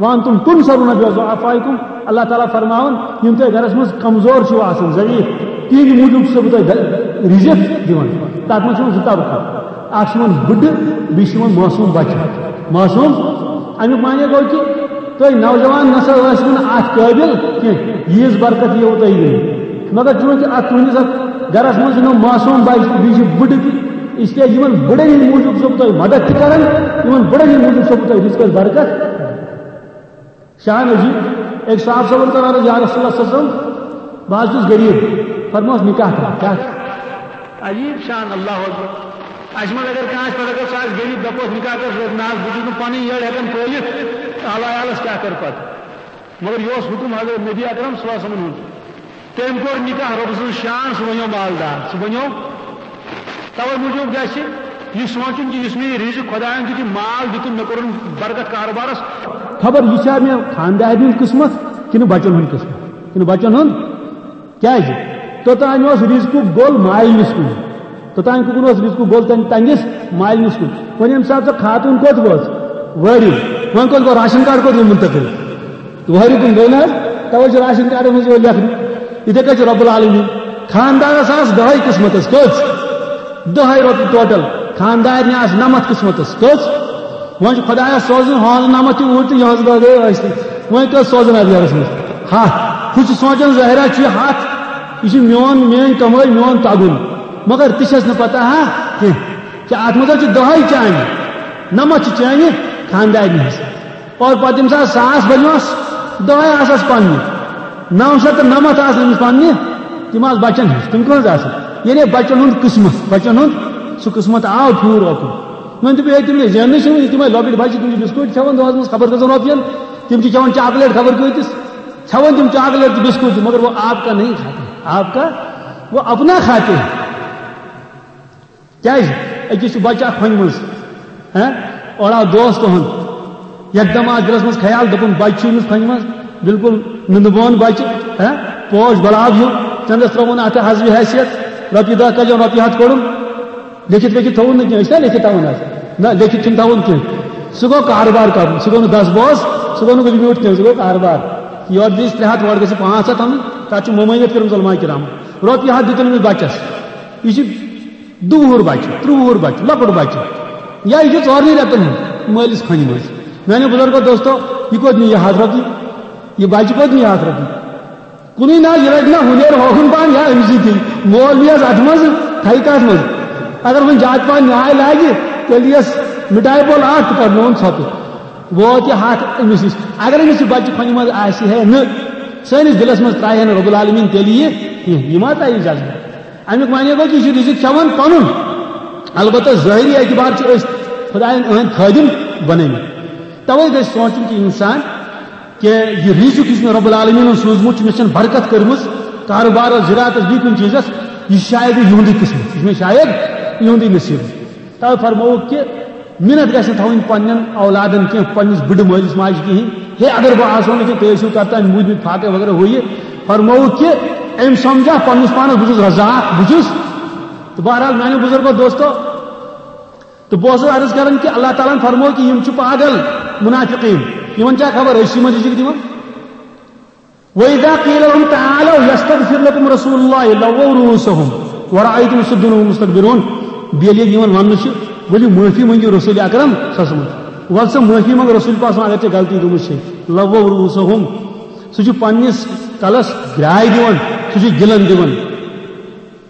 وانتم تنصرون بضعفائکم، اللہ تعالیٰ فرماوان، یِم تۄہہِ گرس منٛز کمزور چھِو آسان، ضعیف، تِہنٛدِ موٗجوٗب چھُسو بہٕ تۄہہِ د-، رِزق دِوان۔ تتھ منٛز چھِ یِوان زٕ طبقہٕ، اکھ چھُ یِوان بٕڈٕ، بیٚیہِ چھُ یِوان معصوم بچہِ۔ معصوم، امیُک معنی گوٚو کہِ تُہۍ نوجوان نسا ٲسِو نہٕ اتھ قٲبِل کینٛہہ، ییٖژ برکت یِیو تۄہہِ دِنہٕ۔ مگر چوٗنٛکہِ اتھ تُہنٛدِس اتھ گرس منٛز چھُ نہٕ معصوم بچہِ تہٕ بیٚیہِ چھِ بٕڈٕ تہِ، اس لیے یِمن بٕڈن ہٕنٛدِ موٗجوٗب چھُسو بہٕ تۄہہِ مدد تہِ کران، یِمن بٕڈن ہٕنٛدِ موٗجوٗب چھُسو بہٕ تۄہہِ رِزقس برکت۔ شان عجیب، أکۍ صاحب صٲبن کٔر عرض، یا رسول اللہ صلی اللہ علیہ وسلم، بہٕ حظ چھُس غریٖب، فرموس نکاح کر۔ کیٛاہ؟ عجیب شان، اللہ اکبر۔ اَسہِ منٛز اگر کانٛہہ آسہِ پتہٕ، اگر سُہ آسہِ غریٖب، دپوس نکاح کر، سُہ وَنہِ، نہ حظ، بہٕ چھُس نہٕ پنٕنۍ یٔڑ ہٮ۪کان پٲلِتھ، اعلیٰ عیالس کیٛاہ کرٕ پتہٕ؟ مگر یہِ اوس حُکم حضرت نبی اکرم صلی اللہ علیہ وسلمن ہُنٛد۔ تٔمۍ کوٚر نکاح، رۄب سٕنٛز شان، سُہ بنیو مالدار، سُہ بنیو۔ توے موٗجوٗب گژھِ یہِ سونٛچُن کہِ یُس مےٚ یہِ رِزق خۄدایَن دیُت، یہِ مال دیُتُن، مےٚ کوٚرُن برکت کاربارس۔ خبر یہِ چھا مےٚ خاندارِ ہُنٛد قٕسمت کِنہٕ بچن ہُنٛد قٕسمت، کِنہٕ بچن ہُنٛد؟ کیٛازِ؟ توٚتام اوس رِزقُک گوٚل مالِنِس کُن، توٚتام کُن اوس رِزقُک گوٚل تَمہِ تنگِس مالِنِس کُن۔ وۄنۍ ییٚمہِ ساتہٕ سۄ خاتوٗن کوٚت وٲژ؟ وٲرِو۔ وۄنۍ کوٚت گوٚو؟ راشن کارڈ کوٚت گوٚو منتقل؟ وٲرِو کُن گوٚو نہ حظ؟ توے چھُ راشن کارڈس منٛز یِوان لیکھنہٕ۔ یِتھے کٔنۍ چھُ رب العالمین، خاندارس آسہٕ دَہے قٕسمتس، کٔژ؟ دَہے رۄپیہِ ٹوٹل۔ خاندارنہِ آسہٕ نَمَتھ قٕسمتس، کٔژ؟ وۄنۍ چھُ خۄدایس سوزُن ہٲنٛز نَمَتھ تہِ اوٗرۍ تہٕ یِہٕنٛز دَہ گٔیے ٲسۍتٕے۔ وۄنۍ کٔژ سوزن اَتھ گرس منٛز؟ ہَتھ۔ ہُہ چھُ سونٛچان ظٲہرا چھُ یہِ ہَتھ، یہِ چھُ میون، میٲنۍ کمٲے، میون تگُن۔ مگر تہِ چھَس نہٕ پتہ ہا کینٛہہ کہِ اتھ منٛز چھِ دَہے چانہِ، نَمَتھ چھِ چانہِ خاندارنہِ ہٕنٛز۔ اور پتہٕ ییٚمہِ ساتہٕ ساس بنیوس، دَہے آسس پننہِ، نَو شیٚتھ تہٕ نَمَتھ آسہٕ أمِس پننہِ، تِم آسہٕ بچن ہٕنٛز۔ تِم کٕہٕنٛز آسہٕ؟ یعنی بچن ہُنٛد قٕسمت، بچن ہُنٛد سُہ قٕسمت آو پھیوٗر اوکُن۔ وۄنۍ دوٚپ، ہے، تِم گٔے زیننٕے چھِنہٕ، تِمے لۄکٕٹۍ بچہِ، تِم چھِ بِسکوٗٹ کھٮ۪وان دۄہس منٛز، خبر کٔژن رۄپین، تِم چھِ کھٮ۪وان چاکلیٹ خبر کۭتِس، کھٮ۪وان تِم چاکلیٹ تہٕ بِسکوٗٹ تہِ، مگر وہ آپ کا نہیں کھاتے، آپ کا، وہ اپنا کھاتے ہیں۔ کیٛازِ؟ أکِس چھُ بچہٕ اکھ کھۄنہِ منٛز، ہہ؟ اورٕ آو دوست تُہُنٛد۔ یکدم آو دِلس منٛز خیال، دوٚپُن، بچہٕ چھُ أمِس کھۄنہِ منٛز، بالکل نُنہٕ بون بچہٕ، ہہ؟ پوش گۄلاب ہیوٗ، چندس ترٛووُن اتھ حسبِ حیثیت، رۄپیہِ دَہ کجن، رۄپیہِ ہتھ کوٚڑُن، لیکھِتھ لیکھِتھ تھوٚوُن نہٕ کینٛہہ، أسۍ چھِنا لیکھِتھ تھاوُن حظ؟ نہ، لیکھِتھ چھُنہٕ تھاوُن کینٛہہ۔ سُہ گوٚو کاربار کرُن، سُہ گوٚو نہٕ دس بوز، سُہ گوٚو نہٕ ریمیوٹ کینٛہہ، سُہ گوٚو کاربار۔ یورٕ دِژ ترٛےٚ ہَتھ، اورٕ گژھِ پانٛژھ ہَتھ اَنُن، تتھ چھُ ممٲنیت کٔرمٕژ علماء کرام۔ رۄپیہِ ہتھ دیُتُن أمِس بچس، یہِ چھُ دُوُہُر بچہِ، ترٛوُہُر بچہِ، لۄکُٹ بچہِ، یا یہِ چھُ ژورنٕے رٮ۪تن ہُنٛد مٲلِس کھۄنہِ منٛز۔ میانیو بُزرگو دوستو، یہِ کوٚت نِیہِ یہِ ہتھ رۄپیہِ؟ یہِ بچہِ کوٚت نِیہِ یہِ ہتھ رۄپیہِ؟ کُنُے نہ، یہِ رٹہِ نہ ہُنیر ہوکُن پہن یا أمِس سۭتی۔ مول یِیَس اتھ منٛز، تھایہِ کتھ منٛز؟ اگر وۄنۍ زیادٕ پہن نیاے لاگہِ، تیٚلہِ یِیَس مِٹھایہِ پھوٚل اکھ تہٕ پتہٕ نوٚوُن ژھۄپہٕ۔ ووت یہِ ہتھ أمِس نِش۔ اگر أمِس یہِ بچہِ کھۄنہِ منٛز آسہِ ہے نہٕ، سٲنِس دِلس منٛز ترٛایہِ ہے نہٕ رب العالمین تیٚلہِ یہِ کینٛہہ۔ یہِ ما ترٛایہِ یہِ جذبہٕ؟ امیُک معنی گوٚو کہِ یہِ چھُ رِزق کھٮ۪وان پنُن۔ البتہ ظٲہری اعتبار چھِ أسۍ خۄدایَن أہٕنٛدۍ خٲدِم بنٲومٕتۍ۔ توے گژھِ سونٛچُن کہِ انسان کہ یہِ رِزق یُس مےٚ رب العالمینن سوٗزمُت چھُ، مےٚ چھَنہٕ برکت کٔرمٕژ کارٕبارس، زِراعتس، بیٚیہِ کُنہِ چیٖزس، یہِ چھُ شاید یِہُنٛدُے قٕسمت، یہِ چھُ مےٚ شاید یِہُنٛدُے نصیٖب۔ توے فرمووُکھ کہِ مِنت گژھِ نہٕ تھاوٕنۍ پننٮ۪ن اولادن کینٛہہ، پننِس بٕڈٕ مٲلِس ماجہِ کِہیٖنۍ، ہے اگر بہٕ آسہٕ ہا نہٕ کینٛہہ، تُہۍ ٲسِو کرتان موٗدمٕتۍ فاقے وغیرہ ہُہ یہِ۔ فرمووُکھ کہِ أمۍ سمجھا پننِس پانس بہٕ چھُس رزاق، بہٕ چھُس۔ تہٕ بہرحال میانیو بُزرگو دوستو، تہٕ بہٕ اوسُس عرض کران کہِ اللہ تعالیٰ ہن فرموو کہِ یِم چھِ پاگل منافقین، یِمن چھا خبر أسۍ چھِ یِمن رِزق دِوان؟ وَإِذَا قِيلَ لَهُمْ تَعَالَوْا يَسْتَغْفِرْ لَكُمْ رَسُولُ اللَّهِ لَوَّوْا رُءُوسَهُمْ وَرَأَيْتَهُمْ يَصُدُّونَ وَهُمْ مُسْتَكْبِرُونَ۔ بیٚیہِ ییٚلہِ یِمن وَننہٕ چھُ، ؤلِو معٲفی مٔنٛگِو رسول اکرم صلی اللہ علیہ وسلم، وَلہٕ سا معٲفی منٛگ رسول پاک صلی اللہ علیہ وسلم، اگر ژےٚ غلطی گٔمٕژ چھے، لَوَّوْا رُءُوسَهُمْ، سُہ چھُ پننِس کلس گرٛاے دِوان، سُہ چھُ گِلن دِوان۔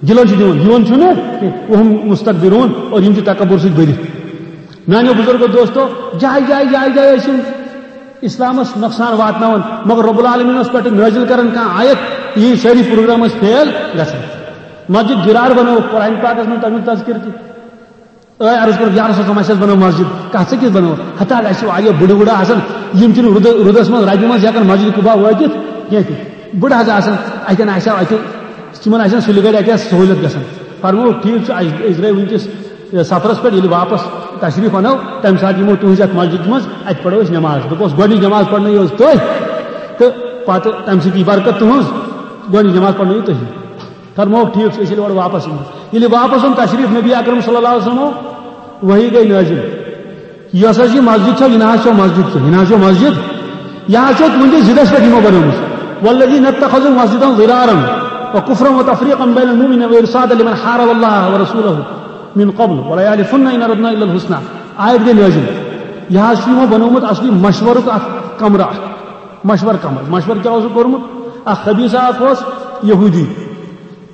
دِلن چھُ دِوان، یِوان چھُنہٕ کینٛہہ۔ وَهُمْ مُسْتَكْبِرُونَ، اور یِم چھِ تکبر سۭتۍ بٔرِتھ۔ میانیو بُزرگو دوستو، جایہِ جایہِ جایہِ جایہِ ٲسۍ یِم اسلامس نۄقصان واتناوان، مگر رب العالمین اوس پٮ۪ٹھٕ نٲزِل کران کانٛہہ آیت، یِہِنٛدۍ سٲری پروگرام ٲسۍ فیل گژھان۔ مسجد ضرار بنٲوٕکھ قرآن پاکس منٛز تمیُک تذکر تہِ۔ أے عرض کوٚرُکھ، یا رسول اللہ، اَسہِ حظ بنٲو مسجد۔ کَتھ سا کِژھ بنٲو؟ ہتا اَسہِ چھِ واریاہ بٕڈٕ وٕڈٕ آسان، یِم چھِنہٕ رُدٕ-، رُدَس منٛز، رَبہِ منٛز ہٮ۪کان مسجد قُبا وٲتِتھ کینٛہہ تہِ۔ بٕڈٕ حظ آسان، اَتٮ۪ن آسہِ ہا اَتہِ، تِمَن آسہِ ہا سُلہِ گَرِ اَتہِ آسہِ سہوٗلیت گژھان۔ فرمووُکھ، ٹھیٖک چھُ، اَسہِ، أسۍ درٛاے وٕنکیٚس، یہِ، سفرَس پٮ۪ٹھ، ییٚلہِ واپَس تشریٖف اَنو، تَمہِ ساتہٕ یِمو تُہٕنٛزِ اَتھ مسجد منٛز، اَتہِ پَرو أسۍ نٮ۪ماز۔ دوٚپُس، گۄڈٕنِچ نٮ۪ماز پَرنٲیِو حظ تُہۍ، تہٕ پَتہٕ تَمہِ سۭتۍ یی برکت تُہٕنٛز، گۄڈٕنِچ نٮ۪ماز پَرنٲیِو تُہی۔ فرمووُکھ، ٹھیٖک چھُ، أسۍ ییٚلہِ اورٕ واپس یِمو۔ ییٚلہِ واپس اوٚن تشریٖف نبی اکرم صلی اللہ علیہ وسلمو، وحی گٔے نٲزِل۔ یۄس حظ یہِ مسجد چھو، یہِ نہ حظ چھو مسجد کینٛہہ، یہِ نہ حظ چھو مسجد یہِ حظ چھِ تُہٕنٛدِس ضِدَس پٮ۪ٹھ یِمو بنٲومٕژ۔ والذین اتخذوا مسجدا ضرارا وکفرا وتفریقا بین المؤمنین وارصادا لمن حارب اللہ ورسولہ من قبل ولیحلفن ان اردنا الا الحسنی۔ آیت گٔے نٲزِل۔ یہِ حظ چھُ یِمو بنوومُت اصلی مشورُک اکھ کمرٕ اکھ۔ مشور کمرٕ۔ مشور کیٛاہ اوسُکھ کوٚرمُت؟ اکھ خبیثہ اکھ اوس یہودی۔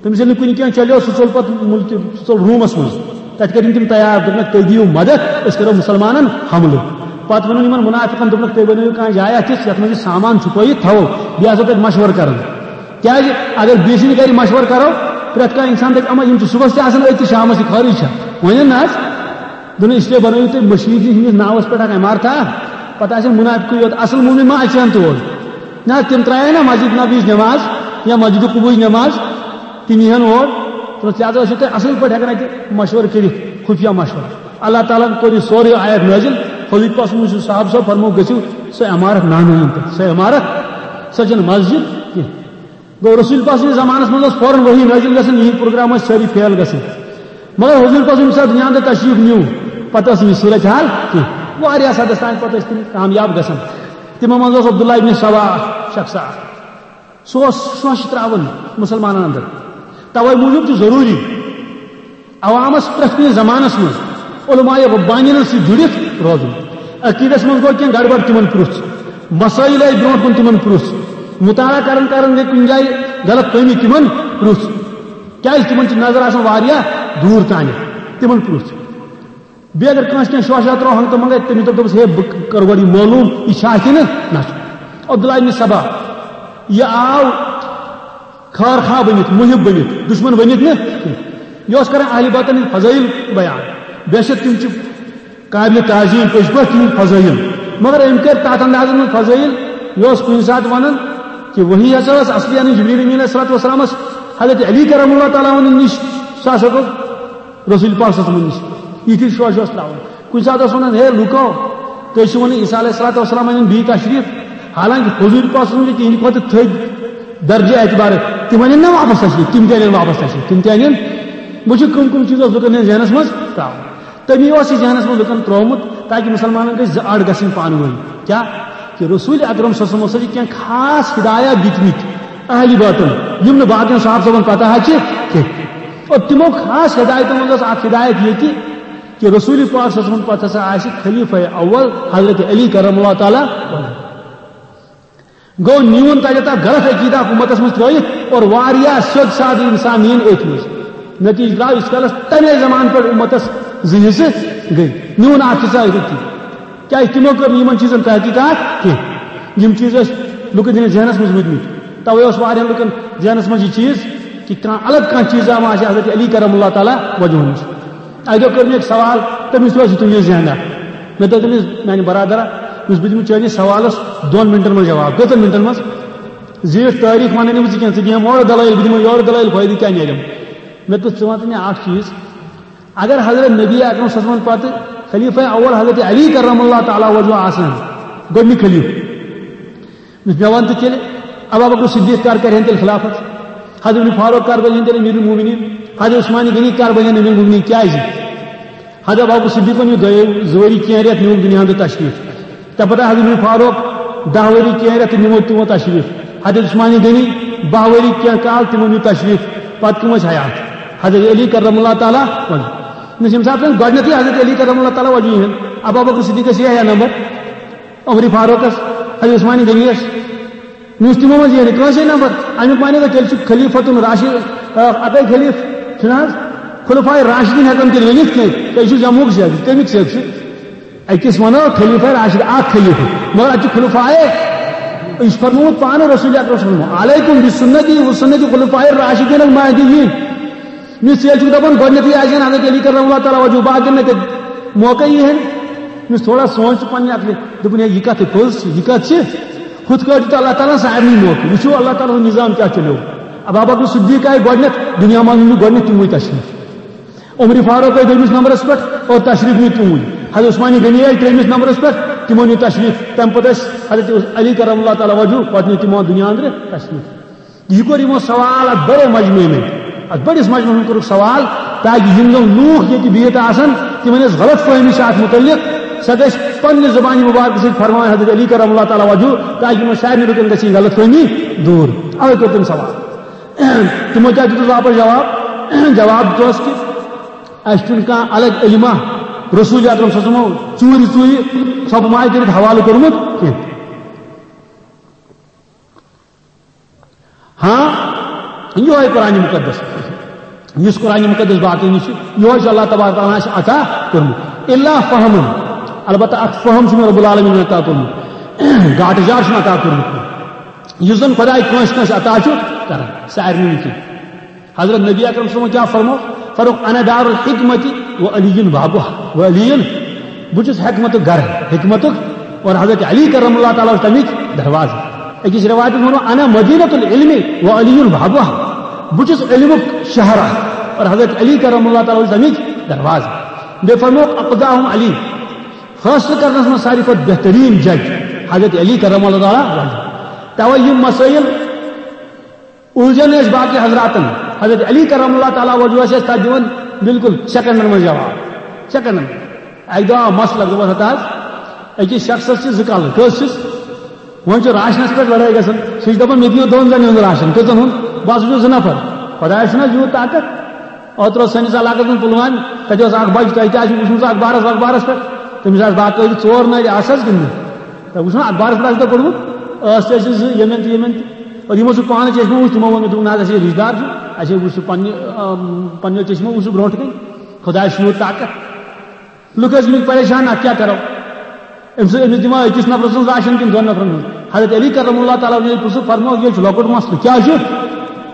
تٔمِس ییٚلہِ نہٕ کُنہِ کینٛہہ چلیو، سُہ ژوٚل پتہٕ مُلکہِ، سُہ ژوٚل روٗمس منٛز۔ تتہِ کٔرِن تِم تیار، دوٚپنکھ، "تُہۍ دِیِو مدد، أسۍ کرو مُسلمانن حملہٕ۔" پتہٕ ووٚنُن یِمن مُنافِقن، دوٚپنکھ، "تُہۍ بنٲیِو کانٛہہ جایا تِژھ، یتھ منٛز یہِ سامان چھُپٲیِتھ تھاوو، بیٚیہِ آسو تتہِ مشورٕ کران۔" کیازِ اگر بیٚیہِ سٕنٛدِ گرِ مشورٕ کرو، پرٛٮ۪تھ کانٛہہ انسان دپہِ، "اما، یِم چھِ صُبحس تہِ آسان أتھۍ تہٕ شامس تہِ خٲرٕے چھا؟" وۄنۍ نہ حظ۔ دوٚپُن، "اس لیے بنٲیِو تُہۍ مٔشیٖد ہٕنٛدِس ناوس پٮ۪ٹھ اکھ عمارتھا، پتہٕ آسن مُنافِقٕے یوت، اصل مومن ما اژِ ہن تور؟" نہ، تِم ترٛایہِ نا مسجد نبیِچ نماز یا مسجد قبوٕچ نماز، تِم یِہن اور۔ دوٚپُس، لہذا ٲسِو تُہۍ اصل پٲٹھۍ ہٮ۪کان اتہِ مشورٕ کٔرِتھ، خفیہ مشورٕ۔ اللہ تعالیٰ ہن کوٚر یہِ سورُے آیت نٲزِل، حضوٗرِ پاک صٲبن ووٚن، صحابہٕ صٲب، فرموو، "گٔژھِو سۄ عمارت نانٲیِن تہٕ، سۄ عمارت، سۄ چھنہٕ مسجد کینٛہہ۔" گوٚو، رسول پاک سٕنٛدِس زمانس منٛز ٲس فوراً وحی نٲزِل گژھان، یِہِنٛدۍ پروگرام ٲسۍ سٲری فیل گژھان۔ مگر حضوٗرِ پاک صٲب ییٚمہِ ساتہٕ دُنیاہن تہٕ تشریٖف نیوٗ، پتہٕ ٲس نہٕ یہِ صورت حال کینٛہہ۔ واریاہ حدس تام پتہٕ ٲسۍ تِم کامیاب گژھان۔ تِمو منٛز اوس عبداللہ ابن سبا اکھ شخصا اکھ۔ سُہ اوس شوشہِ ترٛاوان مُسلمانن اندر۔ توے موٗجوٗب چھُ ضروٗری عوامس پرٛٮ۪تھ کُنہِ زمانس منٛز علماء ربانین سۭتۍ جُڑِتھ روزُن۔ عقیدس منٛز گوٚو کینٛہہ گڑبڑ، تِمن پرُژھ۔ مسٲیِل آیہِ برونٛٹھ کُن، تِمن پرُژھ۔ مطالعہ کران کران گٔے کُنہِ جایہِ غلط فہمی، تِمن پرُژھ۔ کیازِ تِمن چھِ نظر آسان واریاہ دوٗر تانٮ۪تھ، تِمن پرُژھ۔ بیٚیہِ اگر کٲنٛسہِ کینٛہہ شوشہ ترٛوو ہنٛگتہٕ منٛگے، تٔمِس دوٚپ، دوٚپُس، "ہے، بہٕ کرٕ گۄڈٕ یہِ معلوٗم، یہِ چھا کِنہٕ نہ چھُ؟" عبداللہ ابن سبا، یہِ آو خٲر خواہ بٔنِتھ، محب بٔنِتھ، دُشمن بٔنِتھ نہٕ کینٛہہ۔ یہِ اوس کران اہلِ باطن ہٕنٛدۍ فضٲیِل بیان۔ بے شک تِم چھِ قابلِ تعظیٖم پٔزۍ پٲٹھۍ تِہِنٛدۍ فضٲیِل۔ مگر أمۍ کٔرۍ تَتھ اندازَس منٛز فضٲیِل، یہِ اوس کُنہِ ساتہٕ وَنان کہِ وحی ہسا ٲس اصلی اَنٕنۍ جبریل امین علیہ الصلوۃ والسلامَس حضرت علی کرم اللہ تعالیٰ عنہ نِش، سُہ ہسا گوٚو رسول پاک صلی اللہ علیہ وسلم نِش۔ یِتھُے شوشہِ اوس ترٛاوان۔ کُنہِ ساتہٕ اوس وَنان، "ہے لُکو، تُہۍ چھِو وَنان عیسیٰ علیہ الصلوۃ والسلام اَنن بیٚیہِ تشریٖف، حالانکہِ حضوٗر پاک صلی اللہ علیہ وسلم چھِ تِہِنٛدِ کھۄتہٕ تھٔدۍ درجہِ اعتبارٕ، تِم اَنن نا واپس تشریٖف، تِم تہِ اَنن واپس تشریٖف، تِم تہِ اَنن۔" وٕچھِو، کٕم کٕم چیٖز اوس لُکن ہٕنٛدِس ذہنس منٛز ترٛاوُن۔ تٔمی اوس یہِ ذہنس منٛز لُکن ترٛوومُت، تاکہِ مُسلمانن گژھِ زٕ اَڈ گژھٕنۍ پانہٕ ؤنۍ۔ کیٛاہ؟ کہِ رسول اکرم صلی اللہ علیہ وسلم ہسا چھِ کینٛہہ خاص ہدایات دِتمٕتۍ اہلِ باطن، یِم نہٕ باقین صحابہٕ صٲبن پتہ حظ چھِ کینٛہہ۔ اور تِمو خاص ہدایتو منٛز ٲس اکھ ہدایت یہِ تہِ کہِ رسول پاک صلی اللہ علیہ وسلمن پتہٕ ہسا آسہِ خلیفہ اول حضرت علی کرم اللہ تعالیٰ وجہہ۔ گوٚو، نیوٗن تتہِ تتھ غلط عقیدہ اکھ اُمتس منٛز ترٲوِتھ اور واریاہ سیوٚد سادٕ انسان نِیِن أتھۍ منٛز۔ نتیجہٕ درٛاو ییٖتِس کالس تمے زمانہٕ پٮ۪ٹھ اُمتس زٕ حصہٕ گٔے۔ نیوٗن اکھ حصہٕ أتھۍ۔ کیازِ تِمو کٔر نہٕ یِمن چیٖزن تحقیقات کینٛہہ۔ یِم چیٖز ٲسۍ لُکن ہٕنٛدِس ذہنس منٛز روٗدمٕتۍ۔ توے اوس واریاہن لُکن ذہنس منٛز یہِ چیٖز کہِ کانٛہہ الگ کانٛہہ چیٖز آو، ما آسہِ حضرت علی کرم اللہ تعالیٰ وجہہ نِش۔ اَکہِ دۄہ کٔر مےٚ أکۍ سوال، تٔمِس تہِ اوس یِتُے یہِ ذہنا۔ مےٚ دوٚپ تٔمِس، "میانہِ برادرا، یُس بہٕ دِمہٕ چٲنِس سوالس دۄن منٹن منٛز جواب۔" کۭژن منٹن منٛز؟ زیٖٹھ تٲریٖخ ونہٕ نہٕ بہٕ ژٕ کینٛہہ، ژٕ دِیَم اورٕ دلٲیِل، بہٕ دِمہٕ یورٕ دلٲیِل، فٲیدٕ کیٛاہ نیرٮ۪م؟ مےٚ دوٚپ، "ژٕ وَن تہٕ مےٚ اکھ چیٖز، اگر حضرت نبی اکرم صلی اللہ علیہ وسلم پتہٕ خلیفہ اول حضرت علی کرم اللہ تعالیٰ وجہہ آسان، گۄڈٕنیُک خلیفہ، مےٚ وَن تہٕ تیٚلہِ، ابا بکر صدیق کر کرِہن تیٚلہِ خلافت؟ حضرت عمر فاروق کر بنہِ تیٚلہِ امیر المومنین؟ حضرت عثمان غنی کر بنہِ امیر المومنین؟ کیازِ؟ حضرت ابو بکر صدیقن نیوٗ دۄیو زٕ ؤری کینٛہہ رٮ۪تھ، نیوٗکھ دُنیاہن تہٕ تشریٖف۔ تَمہِ پتہٕ حضرت عمر فاروق دَہ ؤری کینٛہہ رٮ۪تھ تہٕ نِمو تِمو تشریٖف۔ حضرت عثمان غنی باہ ؤری کینٛہہ کال، تِمو نیوٗ تشریٖف۔ پتہٕ کٕم ٲسۍ حیات؟ حضرت علی کرم اللہ تعالیٰ وجہہ۔ نہ، ییٚمہِ ساتہٕ زن گۄڈٕنیتھٕے حضرت علی کرم اللہ تعالیٰ وجہہ یِہُنٛد، ابو بکر صدیقس یہِ ہیا نمبر، عمر فاروقس، حضرت عثمان غنیس، نہ اوس تِمو منٛز یِہنٛدِ کٲنٛسے نمبر۔ اَمیُک معنی گوٚو، تیٚلہِ چھُ خلیفتُن راشد، آ، اَپٲرۍ خلیفہٕ چھُنہٕ حظ؟ خلفائے راشدین ہٮ۪کان تیٚلہِ ؤنِتھ کینٛہہ، تیٚلہِ چھُ جمعُک سیٚکھ، کَمیُک سیٚکھ چھُ؟ أکِس وَنو خلیفہ راشد، اَکھ خلیفہٕ، مگر اَتہِ چھُ خلفائے، یہِ چھُ فرمومُت پانہٕ رسول اکرم صلی اللہ علیہ وسلم، "علیکم بسنتی وسنت خلفائے الراشدین المہدیین۔" مےٚ ژےٚ چھُکھ دَپان گۄڈٕنیتھٕے آسہِ ہن حضرت علی کرم اللہ تعالیٰ وجہہ، باقین نہٕ تیٚلہِ موقعے یی ہن۔ مےٚ تھوڑا سونٛچ تہٕ پننہِ عقلہِ، دوٚپُن، "ہے، یہِ کتھ پوٚز چھِ، یہِ کتھ چھِ؟" ہُتھ کٲٹھۍ دیُت اللہ تعالیٰ ہن سارنٕے موقعہٕ۔ وٕچھِو اللہ تعالیٰ ہُنٛد نظام کیٛاہ چلیو۔ ابو بکر صدیق آیہِ گۄڈٕنیتھ، دُنیا منٛز نیوٗ گۄڈٕنیتھ تِموٕے تشریٖف۔ عمر فاروق آیہِ دوٚیمِس نمبرس پٮ۪ٹھ اور تشریٖف نیوٗ تِموٕے۔ حضرت عثمان غنی آیہِ ترٛیٚیمِس نمبرس پٮ۪ٹھ، تِمو نیوٗ تشریٖف۔ تَمہِ پتہٕ ٲسۍ حضرت علی کرم اللہ تعالیٰ وجہہ، پتہٕ نیوٗ تِمو دُنیا أنٛدرٕ تشریٖف۔ یہِ کوٚر یِمو سوال اَتھ بڑے مجمعہِ منٛز، اَتھ بٔڑِس مجمعس منٛز کوٚرُکھ سوال، تاکہِ یِم زَن لوٗکھ ییٚتہِ بِہِتھ آسَن، تِمَن ٲس غلط فہمی چھِ اَتھ مُتعلِق، سۄ گژھِ پننہِ زبانہِ مبارکہٕ سۭتۍ فرماوٕنۍ حضرت علی کرم اللہ تعالیٰ وجہہ، تاکہِ یِمن سارنٕے لُکن گژھِ یہِ غلط فہمی دوٗر۔ اوے کوٚر تٔمۍ سوال۔ تِمو کیٛاہ دیُتُس واپس جواب؟ جواب دیُتُس کہِ اَسہِ چھُنہٕ کانٛہہ الگ علمہ رسول اکرم صلی اللہ علیہ وسلمو ژوٗرِ ژوٗرِ ژھۄپہٕ ماے کٔرِتھ حوالہٕ کوٚرمُت کینٛہہ۔ ہاں، یہوے قرآن مقدس، یُس قرآن مقدس باقٕے نِش چھُ، یہوے چھُ اللہ تبارک تعالیٰ ہن اَسہِ عطا کوٚرمُت۔ الا فہمن، البتہ اکھ فہم چھُ مےٚ رب العالمین عطا کوٚرمُت، گاٹہٕ جار چھُنہٕ عطا کوٚرمُت۔ یُس زن خداے کٲنٛسہِ کٲنٛسہِ عطا چھُ کران، سارنٕے نہٕ کینٛہہ۔ حضرت نبی اکرم صلی اللہ علیہ وسلم کیا فرمو؟ فرموک، "انا دار الحکمت و علی بابها و علی"، بہٕ چھُس حکمتُک گرٕ، حکمتُک، اور حضرت علی کرم اللہ تعالیٰ چھُ تَمِچ دروازٕ۔ أکِس رِوایتَس منٛز ووٚنمُت، "انا مدینۃ العلم و علی بابها"، بہٕ چھُس علمُک شہر اکھ، اور حضرت علی کرم اللہ تعالیٰ چھُ تَمِچ دروازٕ۔ بیٚیہِ فرموک، "اقضاهم علی"، فٲصلہٕ کرنس منٛز ساروی کھۄتہٕ بہتریٖن جج حضرت علی کرم اللہ تعالیٰ وجہہ۔ توے یِم مسائل الجھن ٲسۍ باقی حضراتن، حضرت علی کرم اللہ تعالیٰ وجہہ ٲسۍ اَسہِ تَتھ دِوان بالکل سیکنڈن منٛز جواب، سیکنڈن منٛز۔ اَکہِ دۄہ آو مسلہٕ، دوٚپُس، "ہتا حظ، أکِس شخصس چھِ زٕ کلہٕ، کٔژ چھِس؟ وۄنۍ چھُ راشنس پٮ۪ٹھ لڑٲے گژھان، سُہ چھُ دَپان، 'مےٚ دِیِو دۄن زَنٮ۪ن ہُنٛد راشن، کٔژَن ہُنٛد؟ بہٕ ہسا چھُس زٕ نفر۔ خۄدایَس چھُنہٕ حظ یوٗت طاقت؟'" اوترٕ اوس سٲنِس علاقس منٛز پُلوامہِ، تَتہِ اوس اکھ بچہٕ، تۄہہِ تہِ آسِوٕ وٕچھمُت سُہ اخبارس وخبارس پٮ۪ٹھ، تٔمِس آسہٕ باقٲعدٕ ژور نرِ آسہٕ حظ کِنہٕ نہٕ؟ تۄہہِ وٕچھو نا، اخبارس پٮ۪ٹھ آسہِ تۄہہِ پوٚرمُت، ٲس تہِ اَسہِ زٕ ییٚمٮ۪ن تہٕ ییٚمٮ۪ن تہِ۔ اور یِمو سُہ پانہٕ چشمہٕ وٕچھ، تِمو ووٚن، مےٚ دوٚپُکھ، "نہ حظ، اَسہِ چھِ رِشتہٕ دار چھُ، اَسہِ وٕچھ سُہ پننہِ، آم، پننیو چشمو وٕچھ سُہ برونٛٹھ کَنہِ، خۄدایَس چھُ یوٗت طاقت۔" لُکھ ٲسۍ گٔمٕتۍ پریشان، اَتھ کیٛاہ کَرو؟ أمِس، أمِس دِمو أکِس نفرَس منٛز راشن کِنہٕ دۄن نفرَن منٛز؟ حضرت علی کرم اللہ تعالیٰ ہَن ییٚلہِ پرٛژھُکھ، فرمووُکھ، "یہِ چھُ لۄکُٹ مسلہٕ۔" کیٛاہ چھُ؟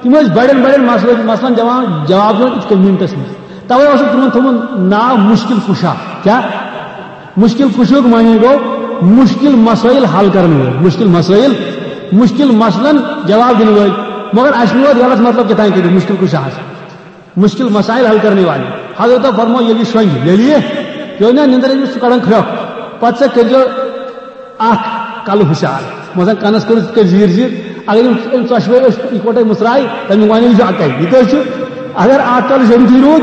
تِم ٲسۍ بڑٮ۪ن بڑٮ۪ن مسلہٕ، مسلن دِوان جواب دِوان أتھۍ کٔمۍ مِنٹَس منٛز۔ تَوَے اوسُکھ تِمَن تھوٚومُت ناو مُشکِل کُشا۔ کیٛاہ؟ مُشکِل کُشُک معنی گوٚو مُشکِل مسٲیِل حل کرن وٲلۍ، مُشکِل مسٲیِل، مُشکِل مسلن جواب دِنہٕ وٲلۍ۔ مگر اَسہِ نیوٗ اَتھ غلط مطلب کیٛاہ تام کٔرِتھ، مُشکِل کُشاہَس۔ مُشکِل مسائل حل کرنے والے۔ حضرت فرمو، ییٚلہِ یہِ شۄنٛگہِ، ییٚلہِ یہِ، یہِ اوس نا نِندٕر أمِس، سُہ کڑان کھرٛۄکھ۔ پتہٕ سا کٔرۍزیو اکھ کلہٕ ہُشار۔ مثلاً کنس کٔرِو تِتھ کٔنۍ زیٖر زیٖر۔ اگر یِم، یِم ژۄشوَے أسۍ اِکوٹے مُژراے، تَمیُک معنی یہِ چھُ اَکَے۔ یہِ کٔژ چھِ؟ اگر اکھ کلہٕ شۄنٛگتھٕے روٗد،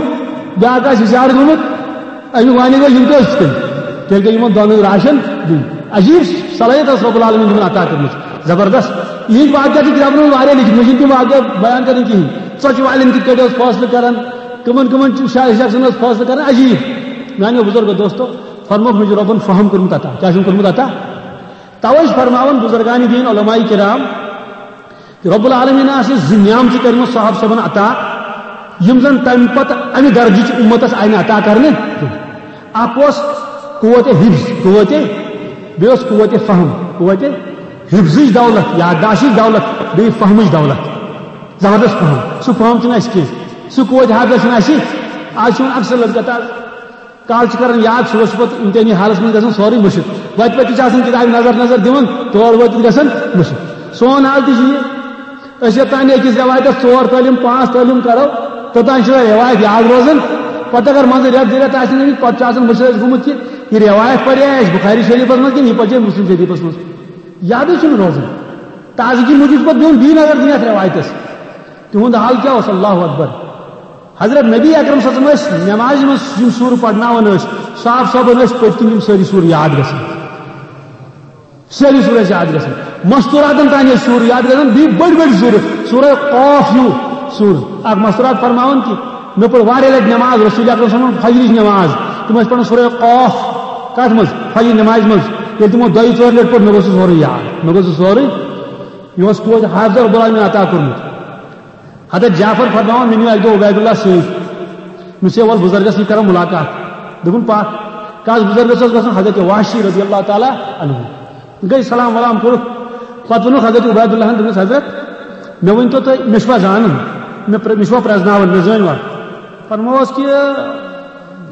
بیٛاکھ آسہِ ہُشار گوٚمُت، اَمیُک معنی گوٚو یِم تہِ ٲسۍ تِتھ کٔنۍ۔ تیٚلہِ گٔے یِمن دۄنوَے راشن دیُن۔ عجیٖب صلٲحیت ٲس رب العالمین تِمن عطا کٔرمٕژ، زبردست۔ یِہِنٛدۍ واقعہ چھِ کِتابن منٛز واریاہ لیکھِتھ، مےٚ چھِنہٕ تِم واقعہ بیان کرٕنۍ کِہیٖنۍ۔ ژۄچہِ والٮ۪ن کِتھ کٲٹھۍ اوس فٲصلہٕ کران، کٕمن کٕمن چھِ شاہ شخصن اوس فٲصلہٕ کران، عجیٖب۔ میانیو بزرگو دوستو، فرمووُکھ، مےٚ چھُ رۄبن فہم کوٚرمُت عطا۔ کیٛاہ چھُم کوٚرمُت عطا؟ توے چھِ فرماوان بزرگان دین، علماء کرام، رب العالمین آسہِ زٕ نعمتہٕ کٔرمٕژ صاحب صٲبن عطا، یِم زن تمہِ پتہٕ امہِ درجٕچ امتس آیہِ نہٕ عطا کرنہٕ کینٛہہ۔ اکھ اوس قوت حفظ، قوت، بیٚیہِ اوس قوت فہم، قوت حفظٕچ دولت، یادداشٕچ دولت، بیٚیہِ فہمٕچ دولت۔ زبردست فہم، سُہ فہم چھُنہٕ اَسہِ کینٛہہ، سُہ قوت حافظ چھُنہٕ اَسہِ۔ آز چھُ وۄنۍ اکثر لڑکہٕ تَتھ کالہٕ چھِ کران یاد، صُبحس چھُ پتہٕ امتحٲنی حالس منٛز گژھان سورُے مٔشِتھ۔ وتہِ پتہٕ چھِ آسان کِتابہِ نظر نظر دِوان، تور وٲتِتھ گژھان مٔشِتھ۔ سون حال تہِ چھُ یہِ۔ أسۍ یوٚتام نہٕ أکِس رٮ۪وایتس ژور تعلیٖم، پانٛژھ تعلیٖم کرو، توٚتام چھِ سۄ رٮ۪وایت یاد روزان۔ پتہٕ اگر منٛزٕ رٮ۪تھ زٕ رٮ۪تھ آسہِ نہٕ گٔمٕتۍ، پتہٕ چھُ آسان مٔشِتھ اَسہِ گوٚمُت کہِ یہِ رٮ۪وایت پرے اَسہِ بُخاری شریٖفس منٛز کِنہٕ یہِ پرے مُسلم شریٖفس منٛز۔ یادٕے چھُنہٕ روزان۔ تازگی موٗجوٗب چھُ پتہٕ دیُن بیٚیہِ نظر دِنۍ اَتھ رٮ۪وایتس۔ تِہُنٛد حال کیٛاہ اوس؟ اللہ اکبر۔ حضرت نبی اکرم صلی اللہ علیہ وسلم ٲسۍ نمازِ منٛز یِم سورٕ پرناوان ٲسۍ، صاحب صٲبن ٲسۍ پٔتۍ کِنۍ یِم سٲری سورٕ یاد گژھان۔ سٲری سورٕ ٲسۍ یاد گژھان۔ مستوراتن تام ٲسۍ سورٕ یاد گژھان، بیٚیہِ بٔڑۍ بٔڑۍ سورٕ، سورہ قاف ہیوٗ سورٕ۔ اکھ مستورات فرماوان کہِ مےٚ پٔر واریاہ لٹہِ نماز، رسول اکرم صلی اللہ علیہ وسلم فجرٕچ نماز، تِم ٲسۍ پران سورہ قاف۔ کتھ منٛز؟ فجر نمازِ منٛز۔ ییٚلہِ تِمو دۄیہِ ژورِ لٹہِ پوٚر، مےٚ گوٚو سُہ سورُے یاد، مےٚ گوٚو سُہ سورُے۔ یہِ اوس قوت حافظ رب العالمین عطا کوٚرمُت۔ حضرت جعفر فرماوان، مےٚ نیوٗ اَکہِ دۄہ عبید اللہ سۭتۍ۔ مےٚ چھُ وَلہٕ بُزرگس نِش کرو مُلاقات۔ دوٚپُن، پَکھ۔ کَس بُزرگس اوس گژھُن؟ حضرت وحشی رضی اللہ تعالیٰ عنہ۔ گٔے سلام ولام کوٚرُکھ۔ پتہٕ ووٚنُکھ حضرت عبید اللہن، دوٚپنس، حضرت، مےٚ ؤنۍ تو تُہۍ، مےٚ چھُوا زانُن؟ مےٚ پرٛ-، مےٚ چھُوا پرٛزناوُن؟ مےٚ زٲنۍ وا؟ فرمووس کہِ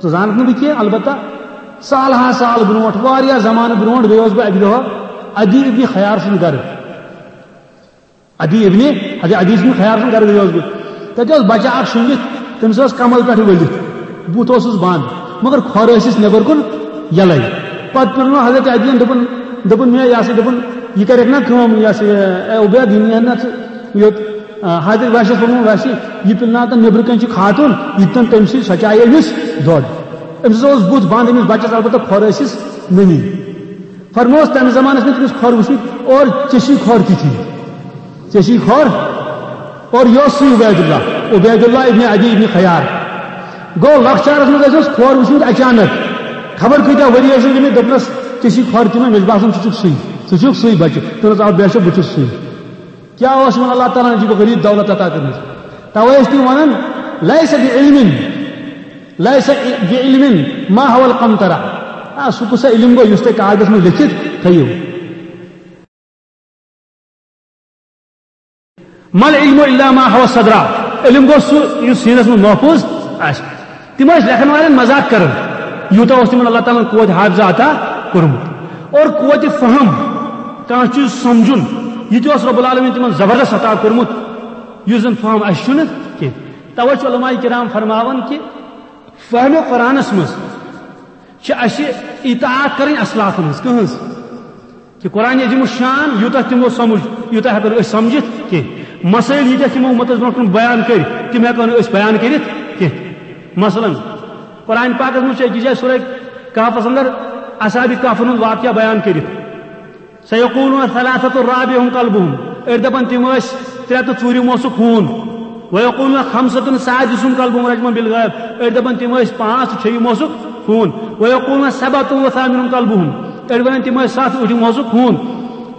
ژٕ زانکھ نہٕ بہٕ کینٛہہ، البتہ سالہٕ ہا سال برونٛٹھ، واریاہ زمانہٕ برونٛٹھ گٔیوس بہٕ اَکہِ دۄہ عدی ابن خیار سُنٛد گرٕ۔ عدی ابن، حضرت عدی ابن خیار سُنٛد گرٕ گٔیوس بہٕ۔ تَتہِ اوس بچہ اکھ شۄنٛگِتھ، تٔمِس ٲس کمل پٮ۪ٹھ ؤلِتھ، بُتھ اوسُس بنٛد، مگر کھۄر ٲسِس نٮ۪بر کُن یَلَے۔ پتہٕ پِلنوو حضرت عدیَن، دوٚپُن، دوٚپُن مےٚ، یہِ ہسا، دوٚپُن، یہِ کرٮ۪کھ نا کٲم، یہِ ہسا، اے عبید، یہِ نِیَن نا ژٕ یوٚت، آ، حضرت وحشیَس ووٚنُن، وحشی، یہِ پِلناو تہٕ نٮ۪برٕ کَنہِ چھِ خاتوٗن، یہِ تہِ تَن تٔمۍ سٕے، سۄ چایہِ أمِس دۄد۔ أمِس اوس بُتھ بنٛد، أمِس بچس، البتہ کھۄر ٲسِس نمی۔ فرموس تمہِ زمانس منٛز تٔمِس کھۄر وٕچھِتھ، اور ژےٚ چھی کھۄر تِتھی، ژےٚ چھی کھۄر۔ اور یہِ اوس سُے عبید اللہ، عبید اللہ ابن عدی ابن خیار۔ گوٚو لۄکچارس منٛز ٲسۍ أسۍ کھۄر وٕچھمُت اچانک، خبر کۭتیاہ ؤری ٲسۍ أسۍ گٔمٕتۍ، دوٚپنس، "ژےٚ چھی کھۄر تِمن؟" مےٚ چھُ باسان، ژٕ چھُکھ سُے، ژٕ چھُکھ سُے بچہِ۔ دوٚپنس، "آ، بے شک، بہٕ چھُس سُے۔" کیٛاہ اوس یِمن اللہ تعالیٰ ہن عجیٖب و غریٖب دولت عطا کٔرمٕژ؟ توے ٲسۍ تِم ونان، "لیس بعلم، لیس بعلم ما حوی القنطرہ۔" آ، سُہ کُس علم گوٚو یُس تۄہہِ کاغذس منٛز لیکھِتھ تھٲیِو؟ "ما العلم الا ما حوی الصدر۔" علم گوٚو سُہ یُس سیٖنس منٛز محفوظ آسہِ۔ تِم ٲسۍ لیکھن والٮ۪ن مذاق کران، یوٗتاہ اوس تِمن اللہ تعالیٰ ہن قوت حافظہ عطا کوٚرمُت۔ اور قوت فہم، کانٛہہ چیٖز سمجھُن، یہِ تہِ اوس رب العالمین تِمن زبردست عطا کوٚرمُت، یُس زن فہم اسہِ چھُنہٕ کینٛہہ۔ توے چھُ علماء کرام فرماوان کہِ فہم قرآنس منٛز چھِ اسہِ اطاعت کرٕنۍ اسلافن ہٕنٛز۔ کٕہٕنٛز؟ کہِ قرآن عظیم الشان یوٗتاہ تِمو سمجھ، یوٗتاہ ہٮ۪کو نہٕ أسۍ سمجھِتھ کینٛہہ۔ مسٲیل ییٖتیٛاہ تِمو اُمتس برونٛٹھ کُن بیان کٔرۍ، تِم ہٮ۪کو نہٕ أسۍ بیان کٔرِتھ کینٛہہ۔ مثلاً، قرآن پاکس منٛز چھُ أکِس جایہِ سورہ کہفس اندر اصحاب کہفن ہُنٛد واقعہ بیان کٔرِتھ۔ "سیقولون ثلاثة رابعهم کلبهم"، أڑۍ دپان تِم ٲسۍ ترٛےٚ تہٕ ژوٗرِم اوسُکھ ہوٗن۔ "ویقولون خمسة سادسهم کلبهم رجما بالغیب"، أڑۍ دپان تِم ٲسۍ پانٛژھ تہٕ چھیٚیِم اوسُکھ ہوٗن۔ "ویقولون سبعة وثامنهم کلبهم"، أڑۍ ونان تِم ٲسۍ ستھ، ٲٹھِم اوسُکھ ہوٗن۔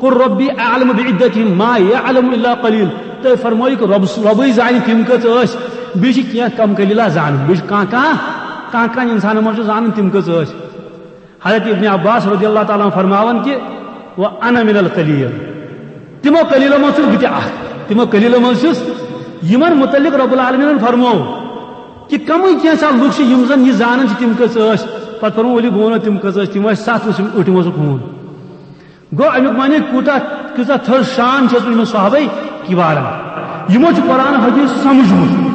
"قل ربی اعلم بعدتهم ما یعلم الا قلیل"، تُہۍ فرمٲیِو کہِ رۄب، رۄبٕے زانہِ تِم کٔژ ٲسۍ، بیٚیہِ چھِ کینٛہہ کم قلیلہ زانان، بیٚیہِ چھِ کانٛہہ کانٛہہ، کانٛہہ کانٛہہ انسانن منٛز چھُ زانان تِم کٔژ ٲسۍ۔ حضرت ابن عباس رضی اللہ تعالیٰ عنہ فرماوان کہِ، "وأنا من القلیل"، تِمو قلیلو منٛز چھُس بہٕ تہِ اکھ، تِمو قلیلو منٛز چھُس۔ یِمن متعلق رب العالمینن فرموو کہِ کمٕے کینٛژھا لُکھ چھِ یِم زن یہِ زانان چھِ تِم کٔژ ٲسۍ، پتہٕ فرموو، "ؤلِو بہٕ ونو تِم کٔژ ٲسۍ"، تِم ٲسۍ ستھ، وٕچھِم ٲٹھِم اوسُکھ ہوٗن۔ گوٚو امیُک معنی کوٗتاہ، کۭژاہ تھٔز شان چھِ ٲسمٕژ یِمن صحابہ کِبارن، یِمو چھُ قرآن حدیث سمجھمُت۔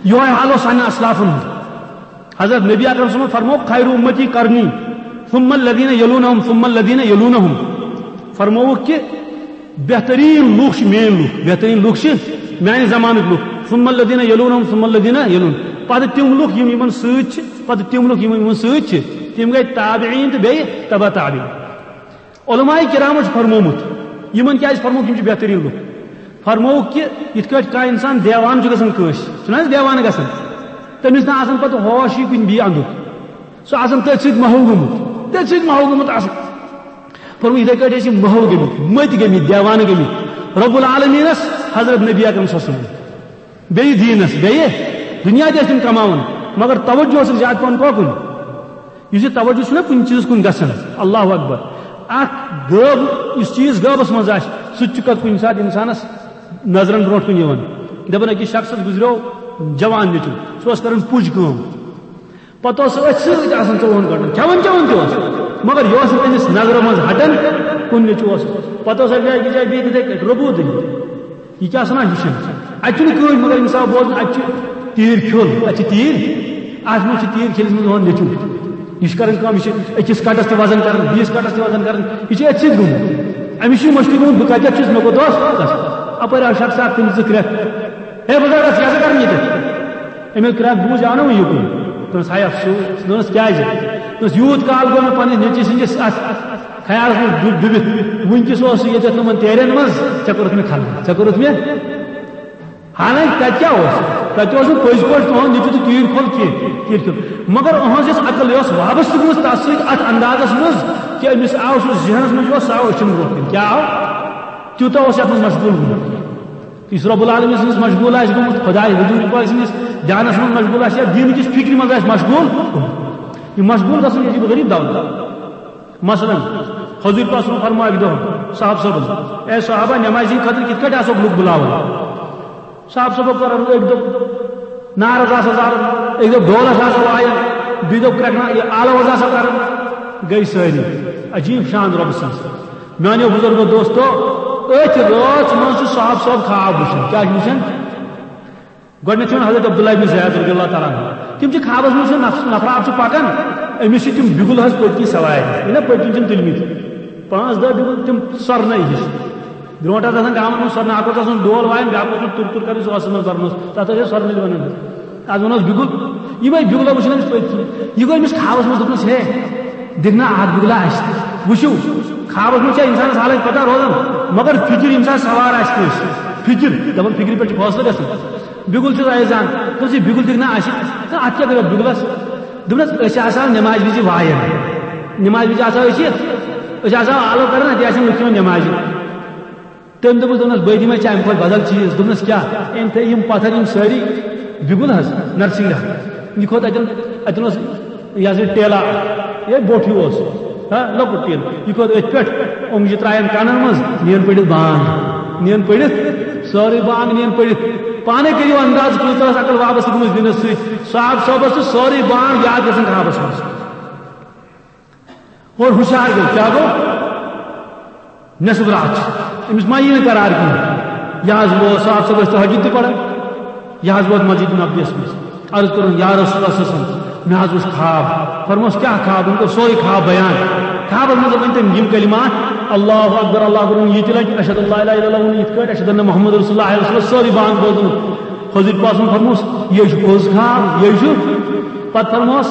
یِہوٚے حال اوس سانٮ۪ن اسلافن ہُنٛد۔ حضرت نبی اکرم صلی اللہ علیہ وسلم فرموو، "خیر امتی قرنی ثم الذین یلونہم ثم الذین یلونہم"۔ فرمووُکھ کہِ بہتریٖن لُکھ چھِ میٲنۍ لُکھ، بہتریٖن لُکھ چھِ میانہِ زمانٕکۍ لُکھ، ثم الذین یلونہم ثم الذین یلون، پتہٕ تِم لُکھ یِم یِمن سۭتۍ چھِ، پتہٕ تِم لُکھ یِم یِمن سۭتۍ چھِ، تِم گٔے تابعیٖن تہٕ بیٚیہِ تبع تابعیٖن۔ علماء کرامو چھُ فرمومُت، یِمن کیازِ فرمووُکھ، یِم چھِ بہتریٖن لُکھ۔ فرمووُکھ کہِ یِتھ کٲٹھۍ کانٛہہ انسان دیوانہٕ چھُ گژھان کٲنٛسہِ، چھُنہ حظ دیوانہٕ گژھان، تٔمِس نہٕ آسان پتہٕ ہوشٕے کُنہِ بیٚیہِ اندُک، سُہ آسان تٔتھۍ سۭتۍ محو گوٚمُت، تٔتھۍ سۭتۍ محو گوٚمُت آسان۔ فرموو، یِتھے کٲٹھۍ ٲسۍ یِم محو گٔمٕتۍ، مٔتۍ گٔمٕتۍ، دیوانہٕ گٔمٕتۍ رب العالمینس، حضرت نبی اکرم صلی اللہ علیہ وسلم۔ بیٚیہِ دیٖنس، بیٚیہِ دُنیا تہِ ٲسۍ تِم کماوان، مگر توجہ اوس زیادٕ پہن کۄکُن۔ یُس یہِ توجہ چھُنہ کُنہِ چیٖزس کُن گژھان، اللہ اکبر، اکھ غٲب، یُس چیٖز غٲبس منٛز آسہِ، سُہ تہِ چھُ کتھ کُنہِ ساتہٕ انسانس نظرن برونٛٹھ کُن یِوان۔ دپان، أکِس شخصس گُزریو جوان نیٚچُو، سُہ اوس کران پُج کٲم۔ پتہٕ اوس سُہ أتھۍ سۭتۍ آسان ژوٚوُہن گٲنٛٹن، کھٮ۪وان چٮ۪وان تہِ اوس، مگر یہِ اوس نہٕ تٔمِس نظرو منٛز ہٹان کُنہِ نیٚچوٗ اوس۔ پتہٕ اوس اکہِ جایہِ، أکِس جایہِ بیٚیہِ تِتھے کٲٹھۍ ربوٗ دٔنِتھ۔ یہِ کیٛاہ چھُ آسان وٕچھان؟ اَتہِ چھُنہٕ کٕہٕنۍ، مگر ییٚمہِ ساتہٕ بوزان، اَتہِ چھُ تیٖر کھیوٚل، اَتہِ چھِ تیٖر، اَتھ منٛز چھِ تیٖر کھیٚلِس منٛز یِوان نیٚچوٗ۔ یہِ چھُ کران کٲم، یہِ چھُ أکِس کَٹَس تہِ وَزَن کران، بیٚیِس کَٹَس تہِ وَزَن کران، یہِ چھُ أتھۍ سۭتۍ گوٚمُت۔ أمِس چھُ یہِ مٔشتٕے گوٚمُت، بہٕ کَتٮ۪تھ چھُس، مےٚ کوٚت اوس گژھُن؟ اَپٲرۍ آو شخص اَکھ، تٔمِس دِژ کرٛٮ۪کھ، "ہے بُزرگ، ژٕ کیٛاہ سا کران ییٚتٮ۪تھ؟" أمۍ ییٚلہِ کرٛٮ۪کھ بوٗز، یہِ آو نہ وۄنۍ یُکُن۔ دوٚپنَس، "ہاے افسوس۔" دوٚپنَس، "کیٛازِ؟" دوٚپنَس، "یوٗت کال گوٚو مےٚ پنٛنِس نیٚچوِ سٕنٛدِس اَتھ خیالَس منٛز ڈُ-، ڈُبِتھ، وٕنکیٚس اوس سُہ ییٚتٮ۪تھ نہٕ یِمَن تیرٮ۪ن منٛز، ژےٚ کوٚرُتھ مےٚ خلوت، ژےٚ کوٚرُتھ مےٚ۔" حالانکہ تَتہِ کیٛاہ اوس؟ تَتہِ اوس نہٕ پٔزۍ پٲٹھۍ تُہُنٛد نیٚچوٗ تہٕ تیٖر کھوٚل کینٛہہ، تیٖر کھوٚل۔ مگر أہٕنٛز یۄس عقل، یۄس وابستہٕ گٔمٕژ تَتھ سۭتۍ، اَتھ اندازَس منٛز، کہِ أمِس آو سُہ ذہنَس منٛز، یہِ اوس، سُہ آو أچھَن برونٛہہ کَنہِ۔ کیٛاہ آو؟ تیوٗتاہ اوس یَتھ منٛز مشغوٗل گوٚمُت۔ یُس رب العالمین سٕنٛدِس مشغوٗل آسہِ گوٚمُت، خداے حضور پاک سٕنٛدِس دھیانس منٛز مشغوٗل آسہِ یا دیٖنہٕ کِس فِکرِ منٛز آسہِ مشغوٗل گوٚمُت۔ یہِ مشغوٗل گژھُن، یہِ چھُ غریٖب دعوت۔ مثلاً، حضور پاک صلی اللہ علیہ وسلم فرماوِ دۄہَن صحابہٕ صٲبَن، "اے صحابہ، نمازِ ہِنٛدِ خٲطرٕ کِتھ کٲٹھۍ آسو لُکھ بُلاوان؟" صحابہٕ صٲبو کٔر عرض، أکۍ دوٚپ، نعرٕ آسا زالان، أکۍ دوٚپ، ڈول آسا وایان، بیٚیہِ دوٚپ، کرٛٮ۪کہٕ نا-، یہِ آلو حظ آسا کران۔ گٔے سٲری۔ عجیٖب شان رۄبہٕ سٕنٛز۔ میانیو بزرگو دوستو، أتھۍ رٲژ منٛز چھُ صاحب صٲب خواب وٕچھان۔ کیٛاہ چھُ وٕچھان؟ گۄڈٕنیتھ چھُ وَنان حضرت عبداللہ بن زید رضی اللہ تعالیٰ عنہ۔ تِم چھِ خوابس منٛز وٕچھان، نفس-، نفرا اکھ چھُ پکان، أمِس چھِ تِم بِگُل حظ پٔتۍ کِنۍ سوارِ۔ یہِ نا پٔتۍ کِنۍ چھِنہٕ تُلمٕتۍ۔ پانٛژھ دَہ بِگُل تِم سۄرنَے ہِش۔ برونٛٹھ ٲس آسان گامَن منٛز سۄرنہٕ، اکھ اوس آسان ڈول وایان، بیٛاکھ اوس تُر تُر کران، سُہ اوس آسان بَرنَس۔ تَتھ ٲسۍ أسۍ سۄرنٕلۍ وَنان۔ آز وَنو أسۍ بِگُل۔ یِمَے بِگُل وٕچھان أمِس پٔتۍ کِنۍ۔ یہِ گوٚو أمِس خوابس منٛز، دوٚپنَس، ہے، دِکھ نا اکھ بِگلا اَسہِ تہِ۔ وٕچھِو، خوابَس منٛز چھےٚ اِنسانَس حالٕچ پَتہ روزان، مگر فِکِر ییٚمہِ ساتہٕ سوار آسہِ کٲنٛسہِ، فِکِر، دَپان فِکرِ پٮ۪ٹھ چھُ فٲصلہٕ گژھان۔ بِگُل چھُ رایزان، دوٚپُس، "یہِ بِگُل دِکھ نا اَسہِ۔" تہٕ اَتھ کیٛاہ کَرو بِگلَس؟ دوٚپنَس، "أسۍ آسہٕ ہاو نٮ۪مازِ وِزِ وایان۔ نٮ۪مازِ وِزِ آسہٕ ہاو أسۍ یہِ، أسۍ آسہٕ ہاو آلو کَران، اَتہِ آسن لُکھ یِوان نٮ۪مازِ۔" تٔمۍ دوٚپُس، دوٚپنَس، "بہٕ دِمَے ژےٚ اَمہِ کھۄتہٕ بدل چیٖز۔" دوٚپنَس، "کیٛاہ؟" أمۍ تھٲے یِم پَتھر، یِم سٲری بِگُل حظ، نرسِنٛگ حظ۔ یہِ کھوٚت اَتٮ۪ن، اَتٮ۪ن اوس یہِ ہسا یہِ ٹیلا، یہِ بوٚٹھ ہیوٗ اوس، ہا، لۄکُٹ ٹیٖن۔ یہِ کھوٚت أتھۍ پٮ۪ٹھ، اوٚنٛگجہِ ترٛایَن کَنَن منٛز، نِیَن پٔڑِتھ بانٛگ، نِیَن پٔڑِتھ، سٲرٕے بانٛگ نِیَن پٔڑِتھ۔ پانَے کٔرِو انداز، کۭژاہ ٲس عقل واپس گٔمٕژ دِنَس سۭتۍ۔ صاحب صٲبَس چھِ سٲرٕے بانٛگ یاد گژھان خوابَس منٛز۔ اور ہُشار گوٚو، کیٛاہ گوٚو؟ نٮ۪صٕف راتھ چھِ۔ أمِس ما یی نہٕ قرار کِہیٖنۍ؟ یہِ حظ ووت، صاحب صٲب ٲسۍ تہجد تہِ پران۔ یہِ حظ ووت مسجد نبویَس منٛز۔ عرض کوٚرُن، "یا رسول اللہ صلی اللہ علیہ وسلم، مےٚ حظ وُچھ خواب۔" فرموس، "کیٛاہ خواب؟" أمۍ کوٚر سورُے خواب بیان۔ خوابَس منٛز ؤنۍ تٔمۍ یِم کلمات، "اللہ اکبر، اللہ اکبر"، ووٚن یہِ تہِ لَٹہِ، "اشہد اللہ لا الہ الا اللہ"، ووٚن یِتھ کٲٹھۍ، "اشہد ان محمد رسول اللہ"، علیہ وسلم، سٲرٕے بانٛگ بوزُن۔ حضور پاکَن فرموس، "یہِ چھُ پوٚز خواب، یہِ چھُ۔" پَتہٕ فرموس،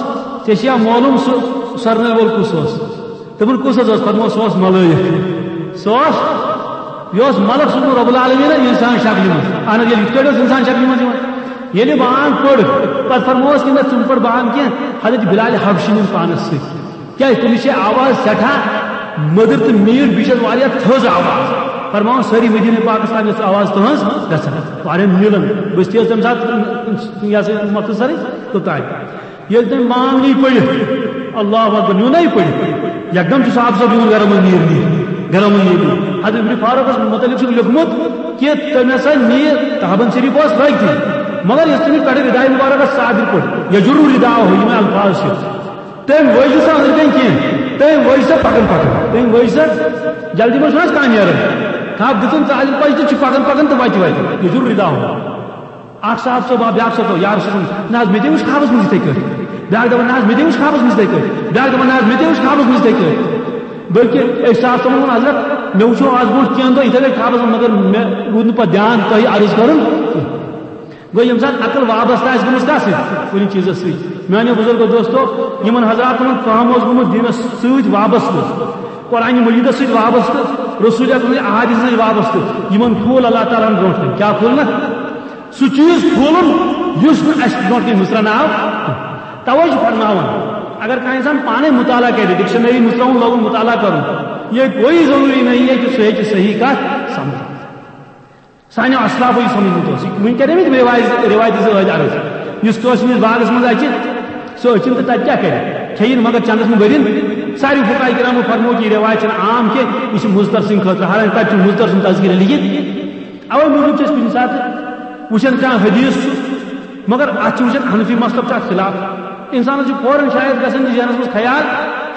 "ژےٚ چھےٚ معلوم سُہ سۄرنَے وول کُس اوس؟" دوٚپُن، "کُس حظ اوس؟" فرموو، "سُہ اوس ملٲیِک۔" سُہ اوس، یہِ اوس ملک سوٗزمُت رب العالمین اِنسان شکلہِ منٛز۔ اہن حظ، ییٚلہِ یِتھ کٲٹھۍ اوس اِنسان شکلہِ منٛز یِوان۔ ییٚلہِ بانٛگ پٔر، پتہٕ فرمووُس، "یِم نہ ژٕ پٔر بانٛگ کینٛہہ، حضرت بلال حبشی نِن پانس سۭتۍ۔" کیٛازِ؟ تٔمِس چھِ آواز سٮ۪ٹھاہ مٔدٕر تہٕ میٖٹھ، بیٚیہِ چھِ اَتھ واریاہ تھٔز آواز۔ فرماوان، سٲری مدیٖنہ پاکستان یۄس آواز تُہٕنٛز گژھان، واریاہ میٖلان۔ بہٕ چھُس تیز تَمہِ ساتہٕ، یہِ ہسا یہِ مۄختصرٕے توٚتام۔ ییٚلہِ تٔمۍ بانٛگ نی پٔرِتھ، اللہ اکبر، نیوٗ نہ یہِ پٔرِتھ، یکدم چھُ صاحب صٲب یِوان گرو منٛز نیٖر نیٖر، گرو منٛز نیٖر نیٖر۔ حضرت ابن فاروقس متعلق چھُکھ لیوٚکھمُت کہِ تٔمۍ ہسا نی تابن شریف اوس لٲگتھٕے، مگر یُس تٔمِس پٮ۪ٹھٕ رداے مبارک ٲس صادر پٲٹھۍ، یجر رداءہ، یِمے الفاظ چھِ۔ تٔمۍ ؤج نہٕ سۄ أنٛدرٕ کَنۍ کینٛہہ، تٔمۍ ؤج سۄ پکان پکان، تٔمۍ ؤج سۄ جلدی منٛز چھُنہٕ حظ کانٛہہ نیران۔ تھپھ دِژٕن ژالہِ پچہِ تہٕ چھُ پکان پکان تہٕ وتہِ وتہِ، یجر رداءہ۔ اکھ صاحب صٲب آو، بیاکھ صٲب آو، یا رسول اللہ، نہ حظ، مےٚ تہِ وٕچھ خوابس منٛز یِتھے کٲٹھۍ۔ بیاکھ دپان، نہ حظ، مےٚ تہِ وٕچھ خوابس منٛز یِتھے کٲٹھۍ۔ بیاکھ دپان، نہ حظ، مےٚ تہِ وٕچھ خوابس منٛز یِتھے کٲٹھۍ۔ بلکہِ أکۍ صاحب صٲبن ووٚن، حضرت، مےٚ وٕچھو آز برونٛٹھ کینٛہہ دۄہ یِتھے کٲٹھۍ خوابس منٛز، مگر مےٚ روٗد نہٕ پتہٕ دیان تۄہہِ عرض کرُن کینٛہہ۔ گوٚو، ییٚمہِ ساتہٕ عقل وابستہٕ آسہِ گٔمٕژ کتھ سۭتۍ؟ کُنہِ چیٖزس سۭتۍ۔ میانیو بُزرگو دوستو، یِمن حضراتن ہُنٛد فہم اوس گوٚمُت دیٖنس سۭتۍ وابستہٕ، قرآن مجیدس سۭتۍ وابستہٕ، رسول اکرم سٕنٛدِ احادیث سۭتۍ وابستہٕ، یِمن پھوٗل اللہ تعالیٰ ہن برونٛٹھ کنہِ۔ کیٛاہ پھوٗل نہٕ؟ سُہ چیٖز کھولُن یُس نہٕ اَسہِ برونٛٹھ کَنہِ مُژرَنہٕ آو۔ توے چھُ فرماوان، اگر کانٛہہ اِنسان پانے مُطالعہ کَرِ، ڈکشنری مُژراوُن لوگُن مُطالعہ کَرُن، یہ کوئی ضروری نہیں ہے کہ سُہ ہیٚکہِ صحیح کَتھ سَمجھِتھ۔ سانیو اسلافو یہِ سَمجھمُت اوس، وٕنہِ کَرے مےٚ تِم رِوایز-، رِوایتہِ زٕ ٲدۍ عرض۔ یُس کٲنٛسہِ ہٕنٛدِس باغَس منٛز اَژِ، سُہ أچھِن تہٕ تَتہِ کیٛاہ کَرِ؟ کھیٚیِن مگر چَندَس منٛز بٔرِن۔ ساروی فقہاء کرامو فرموو کہِ یہِ رِوایت چھَنہٕ عام کینٛہہ، یہِ چھِ مُضطر سٕنٛدِ خٲطرٕ، حالانکہ تَتہِ چھُ مُضطر سُنٛد تذکرہ لیکھِتھ۔ اوے موٗجوٗب چھِ أسۍ کُنہِ ساتہٕ وٕچھان کانٛہہ حدیث چھُ، مگر اَتھ چھِ وٕچھان حنفی مذہب چھُ اَتھ خلاف۔ اِنسانَس چھُ فوراً شاید گژھان ذہنَس منٛز خیال،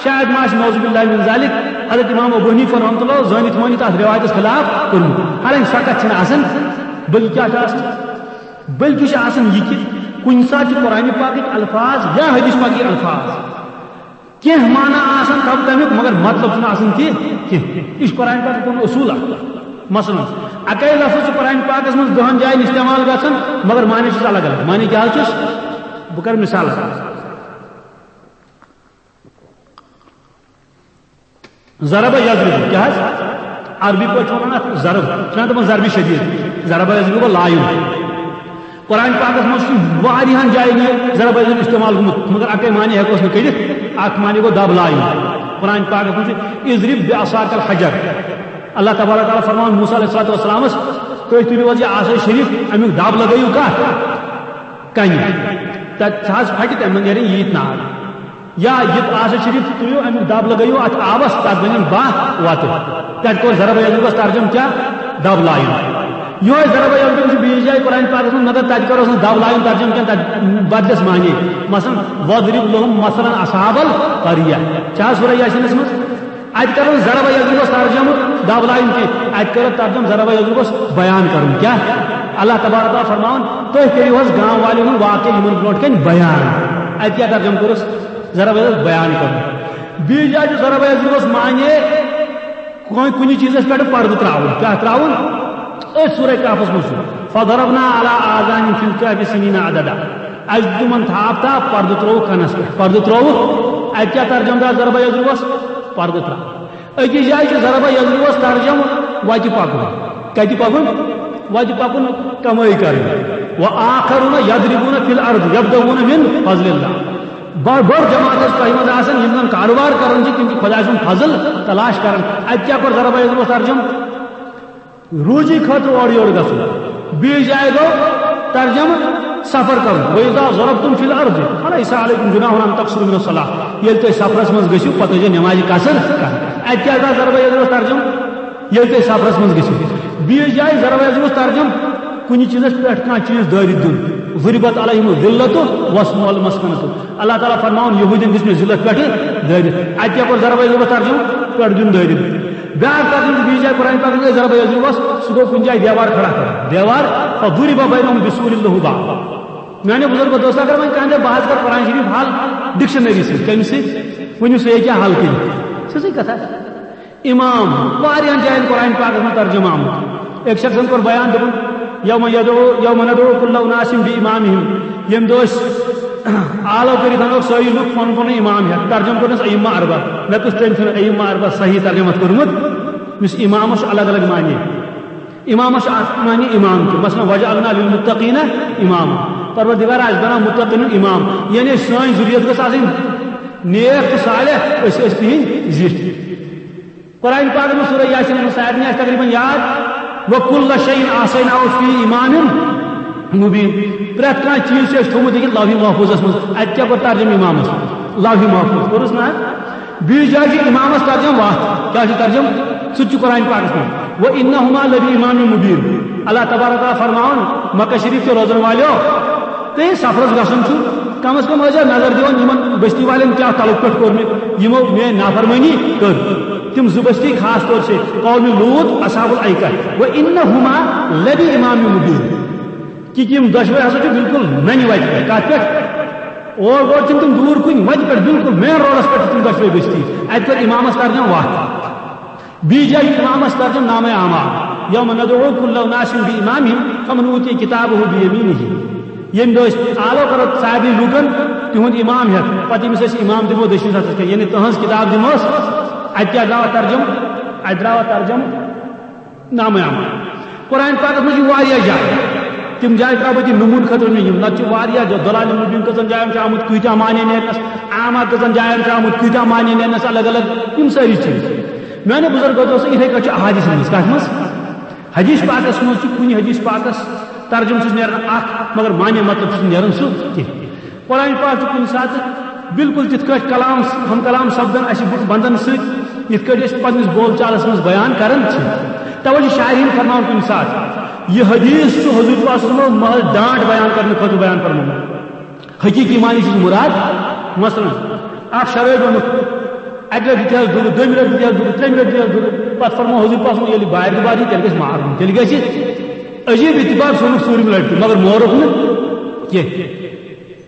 شاید ما آسہِ نعوذ باللہ من ذالک حضرت امام ابو حنیفہ رحمۃ اللہ زٲنِتھ مٲنِتھ اَتھ رِوایتَس خلاف کوٚرمُت۔ حالانکہ سۄ کَتھ چھَنہٕ آسان، بلکہِ کیٛاہ چھُ آسان؟ بلکہِ چھُ آسان یہِ کہِ کُنہِ ساتہٕ چھِ قرآنِ پاکٕکۍ الفاظ یا حدیث پاکٕکۍ الفاظ کینٛہہ معنی آسان تَتھ تَمیُک، مگر مطلب چھُنہٕ آسان تہِ کینٛہہ۔ یہِ چھُ قرآن پاکَس پَنُن اصوٗل اَکھ۔ مثلاً، اَکے لفظ چھُ قرآن پاکَس منٛز دَہَن جایَن استعمال گژھان، مگر معنی چھُس الگ الگ۔ معنی کیٛاہ حظ چھُس؟ بہٕ کَرٕ مثال۔ ضرب یضرب، کیٛاہ حظ؟ عربی پٲٹھۍ چھِ وَنان اَتھ ضرب، چھِنہ دَپان ضربِ شدیٖد؟ ضرب یضرب گوٚو لایُن۔ قرآن پاکس منٛز چھُ واریاہن جاین یہِ ضرب یضرب استعمال گوٚمُت، مگر اکے معنی ہٮ۪کوس نہٕ کٔڑِتھ۔ اکھ معنی گوٚو دب لایُن۔ قرآن پاکس منٛز چھُ، "اضرب بعصاک الحجر"۔ اللہ تبارک تعالیٰ فرماوان موسیٰ علیہ الصلوۃ والسلامس، "تُہۍ تُلِو حظ یہِ عصا شریف، امیُک دب لگٲیِو کتھ کنہِ، تتہِ سُہ حظ پھٹہِ، تمہِ منٛز نیرن ییٖتۍ نار۔" یا یہِ عصا شریف تُلِو، امیُک دب لگٲیِو اتھ آبس، تتھ بنن باہ وتہٕ۔ تتہِ کوٚر ضرب یضربس ترجمہٕ کیٛاہ؟ دب لایُن۔ یِہوٚے ضرب یضرب چھُ بیٚیِس جایہِ قرآن پاکس منٛز، مگر تتہِ کروس نہٕ دب لایُن ترجمہٕ کینٛہہ، تتہِ بدلس معنی۔ مثلاً، "وَاضْرِبْ لَهُمْ مَثَلًا أَصْحَابَ الْقَرْيَةِ"۔ چھا سورہ یاسینس منٛز؟ اتہِ کرو ضرب یضربس ترجمہٕ دب لایُن کینٛہہ، اتہِ کرو ترجمہٕ ضرب یضربس بیان کرُن۔ کیٛاہ؟ اللہ تبارک تعالیٰ فرماوان، "تُہۍ کٔرِو حظ گام والٮ۪ن ہُنٛد واقعہٕ یِمن برونٛٹھ کنہِ بیان۔" اتہِ کیٛاہ ترجمہٕ کوٚرُس؟ ضرب یضرب بیان کرُن۔ بیٚیہِ جایہِ چھُ ضرب یضربس معنی کُنہِ، کُنہِ چیٖزس پٮ۪ٹھ پردٕ ترٛاوُن۔ کیٛاہ ترٛاوُن؟ أتھۍ سورہ کہفس منٛز چھُ، "فَضَرَبْنَا عَلَىٰ آذَانِهِمْ فِي الْكَهْفِ سِنِينَ عَدَدًا"۔ اَسہِ دیُت تِمن تھاپ تھاپ، پردٕ ترٛووُکھ کَنَس پٮ۪ٹھ۔ پردٕ ترٛووُکھ، اَتہِ کیٛاہ ترجمہٕ دار ضربہ یضربس؟ پردٕ ترٛاو۔ أکِس جایہِ چھُ ضربہ یضربس ترجمہٕ وَتہِ پَکُن۔ کَتہِ پَکُن؟ وَتہِ پَکُن، کمٲے کَرٕنۍ۔ وَآخَرُونَ يَضْرِبُونَ فِي الْأَرْضِ يَبْتَغُونَ مِنْ فَضْلِ اللَّهِ۔ بٔڑ، بٔڑ جماعت ٲس تۄہہِ منٛز آسان، یِم زَن کارٕبار کَران چھِ، تِم چھِ خۄداے سُنٛد فضل تلاش کَران۔ اَتہِ کیٛاہ کوٚر ضربہ یضربس ترجمہٕ؟ روزی خٲطرٕ اورٕ یورٕ گژھُن۔ بیٚیِس جایہِ گوٚو ترجمہٕ سفر کرُن۔ وَإِذَا ضَرَبْتُمْ فِي الْأَرْضِ فَلَيْسَ عَلَيْكُمْ جُنَاحٌ أَن تَقْصُرُوا مِنَ الصَّلَاةِ۔ ییٚلہِ تُہۍ سفرس منٛز گٔژھِو، پتہٕ ٲسۍزیو نٮ۪مازِ قصر کران۔ اَتہِ کیٛاہ گوٚو ضربہ یضربس ترجمہٕ؟ ییٚلہِ تُہۍ سفرس منٛز گٔژھِو۔ بیٚیِس جایہِ ضربہ یضربس ترجمہٕ کُنہِ چیٖزس پٮ۪ٹھ کانٛہہ چیٖز دٲرِتھ دیُن۔ ضُرِبَتْ عَلَيْهِمُ الذِّلَّةُ وَالْمَسْكَنَةُ۔ اللہ تعالیٰ فرماوان، یہوٗدین دِژ مےٚ ذلت پٮ۪ٹھٕ دٲرِتھ۔ اَتہِ کیٛاہ کوٚر ضربہ یضربس ترجمہٕ؟ پٮ۪ٹھ دیُن دٲرِتھ۔ بیٛاکھ کَتھ یُس بیٚیِس جایہِ قرآن پاکَس منٛز ضربہ یضربس، سُہ گوٚو کُنہِ جایہِ دیوار کھڑا کران۔ دیوار، فَضُرِبَ بَيْنَهُمْ بِسُورٍ لَهُ بَابٌ۔ میٛانیو بُزرگو دوستو، اگر وۄنۍ کانٛہہ دَپہِ، بہٕ حظ کَرٕ قرآن شریٖف حل ڈکشنری سۭتۍ، کَمہِ سۭتۍ؟ ؤنِو سا، یہِ کیٛاہ حل کٔرِو؟ سٕژٕے کَتھا۔ امام، واریاہَن جایَن قرآن پاکَس منٛز ترجمہٕ آمُت۔ أکۍ شخصن کوٚر بیان، دوٚپُن، یوم یدعو، یوم ندعو کل اناس بامامہم۔ ییٚمہِ دۄہ أسۍ آلو کٔرِتھ انو سٲری لُکھ پنُن پنُن امام ہٮ۪تھ۔ ترجمہٕ کوٚرنس ائمہ اربع۔ مےٚ کُس تٔمۍ چھُنہٕ ائمہ اربع صحیح ترجمہٕ اَتھ کوٚرمُت؟ یُس امامس چھُ الگ الگ معنی۔ امامس چھُ اکھ معنی امام تہِ۔ مثلاً، وجعلنا للمتقین اماما۔ پروردگار، اَسہِ بناو متقین امام۔ یعنی سٲنۍ ذُریت گٔژھ آسٕنۍ نیک تہٕ صالح، أسۍ ٲسۍ تِہنٛدۍ زِٹھۍ۔ قرآن پاکس منٛز سورہ یاسین، یِمن سارنٕے آسہِ تقریباً یاد، وَكُلَّ شَيْءٍ أَحْصَيْنَاهُ فِي إِمَامٍ مُّبِينٍ۔ پرٛٮ۪تھ کانٛہہ چیٖز چھُ اَسہِ تھوٚومُت ییٚکیٛاہ لوحِ محفوٗظس منٛز۔ اَتہِ کیٛاہ کوٚر ترجمہٕ امامس؟ لوحِ محفوٗظ۔ کوٚرُس نہ؟ بیٚیِس جایہِ چھُ امامس ترجمہٕ وَتھ۔ کیٛاہ چھُ ترجمہٕ؟ سُہ تہِ چھُ قرآن پاکس منٛز۔ وَإِنَّهُمَا لَبِإِمَامٍ مُّبِينٍ۔ اللہ تبارک و تعالیٰ فرماوان، مکہ شریف کہِ روزن والیو، تُہۍ سفرس گژھُن چھُ، کم از کم ٲسۍزیو نظر دِوان یِمن بستی والٮ۪ن کیٛاہ تلُک پٮ۪ٹھ کوٚر مےٚ، یِمو میٲنۍ نافرمٲنی کٔر۔ تِم زٕ بستی خاص طور سے قوم لوط، اصحاب الایکہ، وَإِنَّهُمَا لَبِإِمَامٍ مُّبِينٍ۔ کہِ یِم دۄشوے ہسا چھِ بالکل ننہِ وتہِ پٮ۪ٹھ۔ کتھ پٮ۪ٹھ؟ اور گۄڈٕ چھِنہٕ تِم دوٗر کُنہِ، وتہِ پٮ۪ٹھ، بالکل مین روڈس پٮ۪ٹھ چھِ تِم دۄشوے بستی۔ اتہِ کوٚر امامس ترجمہٕ وتھ۔ بیٚیہِ جایہِ چھُ امامس ترجمہٕ نامہ اعمال، یوم ندعو کل اناس بامامہم فمن اوتی کتابہ بیمینہ۔ ییٚمہِ دۄہ أسۍ آلو کرو سارنٕے لوٗکن تِہُنٛد امام ہٮ۪تھ، پتہٕ ییٚمِس أسۍ امام دِمو دٔچھنِس ہتھس کٮ۪تھ، یعنی تٕہٕنٛز کتاب دِموس۔ اتہِ کیٛاہ درٛاو ترجمہٕ؟ اتہِ درٛاو ترجمہٕ نامہ اعمال۔ قرآن پاکس منٛز چھِ واریاہ جایہِ، تِم جایہِ ترٛاوٕ بہٕ تہِ نموٗنہٕ خٲطرٕ مےٚ یِم، نتہٕ چھِ واریاہ جایہِ۔ ضلال مبین کٔژن جایَن چھُ آمُت، کۭتیٛاہ معنی نیرنس، اعمال کٔژن جایَن چھُ آمُت، کۭتیٛاہ معنی نیرنس الگ الگ، یِم سٲری چیٖز۔ میانیو بُزرگو دوستو، یِتھَے کٔٹھۍ چھُ احادیثن منٛز۔ کَتھ منٛز؟ حدیث پاکس منٛز چھُ کُنہِ حدیث پاکس ترجمہٕ چھُس نیران اکھ، مگر معنی مطلب چھُس نیران سُہ کینٛہہ۔ قرآن پاک چھُ کُنہِ ساتہٕ بالکل تِتھ کٲٹھۍ کلام، ہم کلام سپدان اَسہِ بُتھ بندن سۭتۍ، یِتھ کٲٹھۍ أسۍ پننِس بول چالس منٛز بیان کران چھِ۔ توے چھُ شاعرین فرماوان کُنہِ ساتہٕ، یہِ حدیث چھُ حضور پاک صلی اللہ علیہ وسلم محض ڈانٹ بیان کرنہٕ خٲطرٕ بیان فرمومُت۔ حقیقی معنی چھُس مراد، مثلاً، اکھ شرٲبۍ اوٚنُکھ، اکہِ لٹہِ دِتہَس دُرٕ، دوٚیمہِ لٹہِ دِتہَس دُرٕ، ترٛیٚیمہِ لٹہِ دِتہَس دُرٕ، پتہٕ فرموو حضور پاکن، ییٚلہِ بارِ دُبارٕ یی، تیٚلہِ گژھِ مارُن، تیٚلہِ گژھِ عجیب اتفاق، سُہ اوٚنُکھ ژوٗرِم لٹہِ تہِ، مگر مورُکھ نہٕ کینٛہہ۔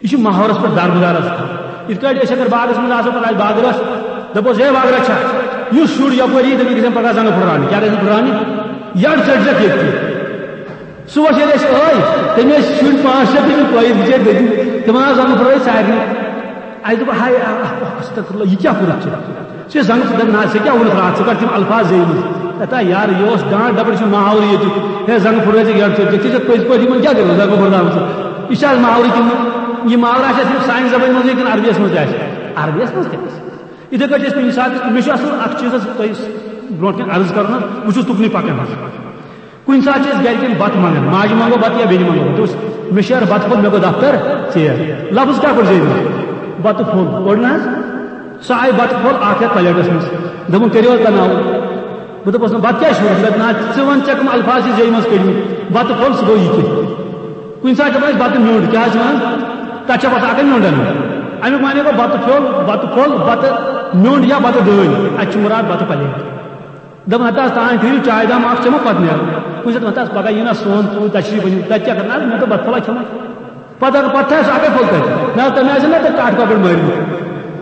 یہِ چھُ ماحولس پٮ۪ٹھ دارمدار آسان۔ یِتھ کٲٹھۍ أسۍ اگر باغس منٛز آسو، پتہٕ آسہِ باغہٕ رچھ، دپوس، ہے باغہٕ رچھا، یُس شُر یپٲرۍ یی، تٔمِس گژھن پگاہ زنگہٕ پھُٹراونہِ۔ کیٛاہ گژھن پھُٹراونہِ؟ یٔڈ ژٔٹۍ زٮ۪کھ ییٚتہِ۔ صُبحس ییٚلہِ أسۍ ٲے، تٔمۍ ٲسۍ شُرۍ پانٛژھ شےٚ، تٔمۍ پٲیِتھ بِچٲرۍ دٔدی، تِمن آو زنٛگہٕ پھٕٹرٲوِتھ سارنٕے۔ اَسہِ دوٚپ، ہاے، آ، آ، استغفر اللہ، یہِ کیٛاہ کوٚرُتھ ژےٚ؟ ژےٚ زنٛگہٕ پھٕٹرٲوِتھ، نہ، ژےٚ کیٛاہ ووٚنُتھ راتھ؟ ژٕ کر تِم الفاظ زیٖنۍ مٕتۍ؟ دَپان، یار، یہِ اوس ڈانٛٹ، دَپان، یہِ چھُ ماحولٕے ییٚتیُک۔ ہے، زنٛگہٕ پھٕٹرٲوِتھ ژےٚ یٔڈ ژٔٹِتھ، ژےٚ چھےٚ پٔزۍ پٲٹھۍ یِمن کیٛاہ کٔرِتھ زنٛگہٕ پھٕٹراوٕنۍ ژےٚ؟ یہِ چھا آز ماحولٕے کِنہٕ یہِ ماحول آسہِ اَسہِ سانہِ زبٲنۍ منٛزٕے کِنہٕ عربیَس منٛز تہِ آسہِ؟ عربیَس منٛز تہِ آسہِ۔ یِتھَے کٲٹھۍ چھِ أسۍ کُنہِ ساتہٕ، مےٚ چھُ اَصٕل اَکھ چیٖز حظ تۄہہِ برونٛٹھ کَنہِ عرض کَرُن حظ، بہٕ چھُس تُکنُے پَکان حظ۔ کُنہِ ساتہٕ چھِ أسۍ گرِکٮ۪ن بَتہٕ منٛگان، ماجہِ منٛگو بَتہٕ یا بیٚنہِ منٛگو بَتہٕ، دوٚپُس، مےٚ چھُ یارٕ بَتہٕ پھوٚل، مےٚ گوٚو دفتر ژیر۔ لفظ کیٛاہ کوٚر زیٖنِتھ؟ بَتہٕ پھوٚل کوٚر نہ حظ؟ سۄ آیہِ بَتہٕ پھوٚل اَکھ ہٮ۪تھ پلیٹَس منٛز، دوٚپُن، کٔرِو حظ تَناوُل۔ بہٕ دوٚپُس، نہ، بَتہٕ کیٛازِ چھُ؟ دوٚپُن، نہ، ژٕ وَن، ژےٚ کَم الفاظ چھِ زیٚیہِ منٛز کٔڑمٕتۍ؟ بَتہٕ پھوٚل، سُہ گوٚو یہِ کہِ۔ کُنہِ ساتہٕ چھِ دَپان أسۍ بَتہٕ میوٚنٛڈ، کیٛاہ حظ چھِ وَنان؟ تَتھ چھِ آسان اَکھ میوٚنٛڈ اَنُن۔ اَمیُک معنی گوٚو بَتہٕ پھوٚل، بَتہٕ پھوٚل، بَتہٕ میوٚنٛڈ یا بَتہٕ ڈٲلۍ۔ اَتہِ چھُ مُراد بَتہٕ پلیٹ۔ دَپان، ہَتہٕ حظ تام ٹھٔہرِو، چایہِ دام اَکھ چٮ۪مو پَتہٕ نیرو۔ کُنہِ ساتہٕ، ہَتہٕ حظ پَگاہ یِیہِ نا سون ژوٗر تشریٖف أنِو، تَتہِ کیٛاہ کَرٕ؟ نہ حظ، مےٚ دوٚپ بَتہٕ پھوٚلہ کھٮ۪مو۔ پَتہٕ اگر پَتہٕ تھایہِ سُہ اَکٕے پھوٚل تَتہِ، نہ حظ، تَمہِ آیہِ چھِنہ تَتہِ کَٹھ کۄکُر مٲرمٕتۍ۔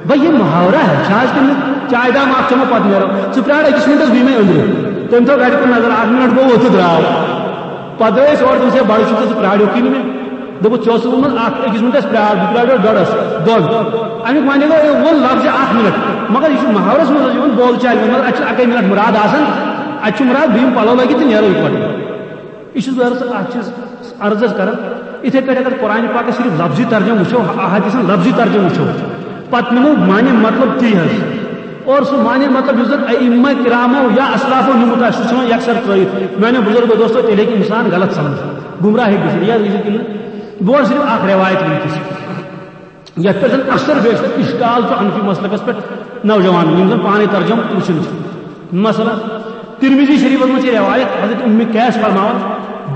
بھائی، یہِ محاورہ ہے، چھا حظ کِنہٕ چایہِ دام اَکھ چٮ۪مو پَتہٕ نیرو؟ ژٕ پرٛار أکِس مِنٹَس، بہٕ یِمَے أنٛدرٕ۔ تٔمۍ تھٲو گَرِ کُن نظر، اَکھ مِنٹ گوٚو، ووٚتھ تہٕ درٛاو۔ پَتہٕ درٛاے أسۍ اورٕ، دوٚپُس، ہے، بَڑٕ چھُکھ ژٕ، ژٕ پرٛاریوکھٕے نہٕ مےٚ۔ دوٚپُکھ، "ژےٚ اوسُکھ ووٚنمُت اکھ أکِس مِنٹَس پیار، بہٕ پیارٕ ڈۄڈَس، دۄن۔" اَمیُک معنی گوٚو، أمۍ ووٚن لفظ اکھ مِنٹ، مگر یہِ چھُ محاورَس منٛز یِوان بول چالہِ منٛز، مگر اَتہِ چھُنہٕ اَکٕے مِنٹ مُراد آسان، اَتہِ چھُ مُراد بہٕ یِم پَلو لٲگِتھ تہٕ نیرو یِکوَٹہٕ۔ یہِ چھُس بہٕ عرض، اَکھ چیٖز عرض حظ کران، یِتھَے کٔنۍ اگر قرآن پاکَس صرف لفظی ترجمہٕ وٕچھو، احادیثن لفظی ترجمہٕ وٕچھو، پتہٕ نِمو معنی مطلب تی حظ۔ اور سُہ معنی مطلب یُس زن ائمہ کرامو یا اسلافو نِمُت آسہِ، سُہ ژھٕنو یکسر ترٲیِتھ۔ میانیو بزرگو دوستو، تیٚلہِ ہیٚکہِ انسان غلط سمجھِتھ، گمراہ ہیٚکہِ گٔژھِتھ۔ یہِ حظ گٔژھِتھ کِنہٕ بہٕ وَنہٕ صرف اکھ روایت وٕنکیٚس، یتھ پٮ۪ٹھ زن اکثر بیشتر اشکال چھُ حنفی مسلکس پٮ۪ٹھ نوجوانن، یِم زن پانے ترجمہٕ وٕچھان چھِ۔ مثلاً، ترمذی شریفس منٛز چھِ روایت، حضرت ام قیس فرماوان،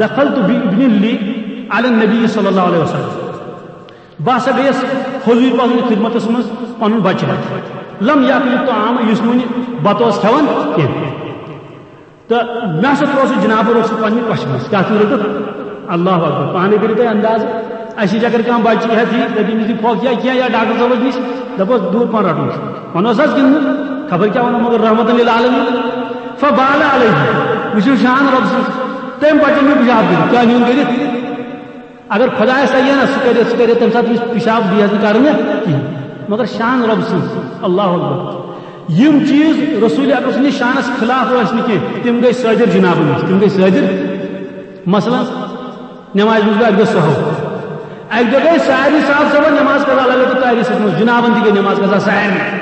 "دخلت بابن لی علی النبی صلی اللہ علیہ وسلم"، بہٕ ہسا گٔیس حضور پاک سٕنٛدِس خدمتس منٛز پنُن بچہٕ ہٮ۪تھ۔ لم یاکل الطعام، یُس نہٕ وُنہِ بتہٕ اوس کھٮ۪وان کینٛہہ۔ تہٕ مےٚ ہسا ترٛوو سُہ جناب روٚٹ سُہ پننہِ کۄچھہِ منٛز۔ کیٛاہ چھُ روٚٹُکھ؟ اللہ اکبر۔ پانے کٔرِو تُہۍ انداز۔ اَسہِ نِش اگر کانٛہہ بچہٕ ہٮ۪تھ یی، دَپہِ، "أمِس دِ پھۄکھ یا کینٛہہ یا ڈاکٹر صٲبس نِش"، دپوس، "دوٗر پہن رٹُن چھُ۔" ونوس حظ کِنہٕ نہٕ؟ خبر کیٛاہ ونو، مگر رحمتن للعالمین۔ فبال علیہ۔ وٕچھِو شان رۄب سٕنٛز۔ تٔمۍ بچن نیوٗ پِشاب کٔرِتھ۔ کیٛاہ نیوٗن کٔرِتھ؟ اگر خۄدایَس تَگہِ ہا نہ، سُہ کَرِ، سُہ کَرِ تَمہِ ساتہٕ یُس پِشاب بیٚیہِ حظ نہٕ کَرُن کِہیٖنۍ۔ مگر شان رۄب سٕنٛز، اللہ اکبر۔ یِم چیٖز رسول اکرم سٕنٛدِس شانَس خلاف ٲسۍ نہٕ کینٛہہ، تِم گٔے صٲدِر جنابَن نِش، تِم گٔے صٲدِر۔ مثلاً، نمازِ منٛز گوٚو اَکہِ دۄہ سہو۔ اَکہِ دۄہ گٔے سارنٕے صاحب صٲبَن نماز قضا لگٲوِتھ تٲریٖخَس منٛز، جنابَن تہِ گٔے نماز قضا سارنٕے۔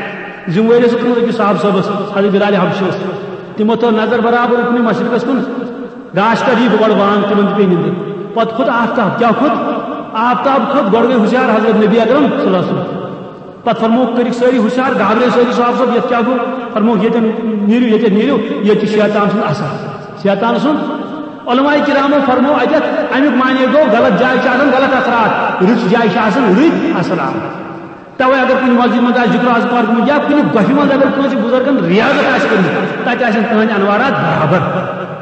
ذمہٕ وٲری ٲس أکِس صاحب صٲبَس، حضرت بلال حبشی اوس۔ تِمو تھٲو نظر برابر اُکنُے مشرقَس کُن۔ گاش کر یی بہٕ گۄڈٕ وان، تِمن تہِ پیٚیہِ نِندٕر۔ پتہٕ کھوٚت آفتاب۔ کیٛاہ کھوٚت؟ آفتاب کھوٚت۔ گۄڈٕ گٔے ہُشیار حضرت نبی اکرم صلی اللہ علیہ وسلم۔ پتہٕ فرمووُکھ، کٔرِکھ سٲری ہُشیار، گابرے سٲری صاحب صٲب، یتھ کیٛاہ گوٚو؟ فرمووُکھ، ییٚتٮ۪ن نیٖرِو، ییٚتٮ۪ن نیٖرِو، ییٚتہِ چھُ شیطان سُنٛد اثر۔ شیطان سُنٛد۔ علماء کرامو فرموو اَتٮ۪تھ، امیُک معنی گوٚو، غلط جایہِ چھِ آسان غلط اثرات، رٕژ جایہِ چھِ آسان رٕتۍ اثرات۔ توے اگر کُنہِ مسجد منٛز آسہِ ذکر اذکار گوٚمُت یا کُنہِ گۄپھِ منٛز اگر کٲنٛسہِ بُزرگن ریاضت آسہِ کٔرمٕژ، تتہِ آسن تُہنٛدۍ انوارات برابر۔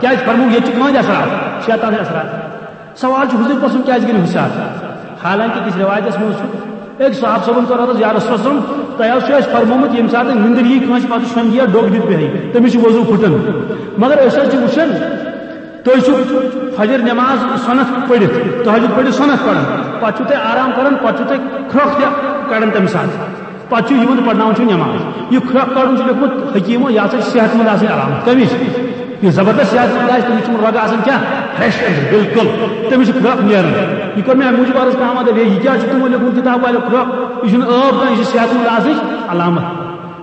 کیازِ فرموو ییٚتہِ چھِ کٕہٕنٛدۍ اثرات، شیطان ہٕنٛدۍ اثرات۔ سوال چھُ، حضور پسُن کیازِ گٔے نہٕ حُشیار؟ حالانکہِ أکِس روایتس منٛز چھُ، أکۍ صحابہٕ صٲبن کوٚر عرض، "یا رسول اللہ صلی اللہ علیہ وسلم، تۄہہِ حظ چھُ اَسہِ فرمومُت ییٚمہِ ساتہٕ نِندٕر یی کٲنٛسہِ، پتہٕ چھُ شۄنٛگہِ یا ڈوٚگ دِتھ بیٚہہِ، تٔمِس چھُ وضوٗ پھُٹان۔ مگر أسۍ حظ چھِ وٕچھان، تُہۍ چھِو فجر نماز سۄنتھ پٔرِتھ، تہجد پٔرِتھ سۄنتھ پران، پتہٕ چھِو تُہۍ آرام کران، پتہٕ چھِو تُہۍ کھرٛۄکھ تہِ کڑان تمہِ ساتہٕ، پتہٕ چھِو یِوان تہٕ پرناوان چھِو نماز۔ یہِ کھرٛۄکھ کڑُن چھُ لیوٚکھمُت حکیٖمو، یہِ ہسا چھِ صحت مند آسٕنۍ علامت۔ کمِچ؟ یُس زبردست صحت مند آسہِ، تٔمِس چھُنہٕ رگہٕ آسان کیٛاہ؟ fresh أنٛدرٕ، بالکل۔ تٔمِس چھُ کھرٛۄکھ نیران۔ یہِ کوٚر مےٚ اَمہِ موٗجوٗب عرض، کانٛہہ ما دَپہِ، "ہے، یہِ کیٛاہ چھُ تُہُنٛد لیوٚکھمُت کِتاب والٮ۪و کھرٛۄکھ؟ یہِ چھُنہٕ ٲب کانٛہہ، یہِ چھِ صحت مند آسنٕچ علامت۔"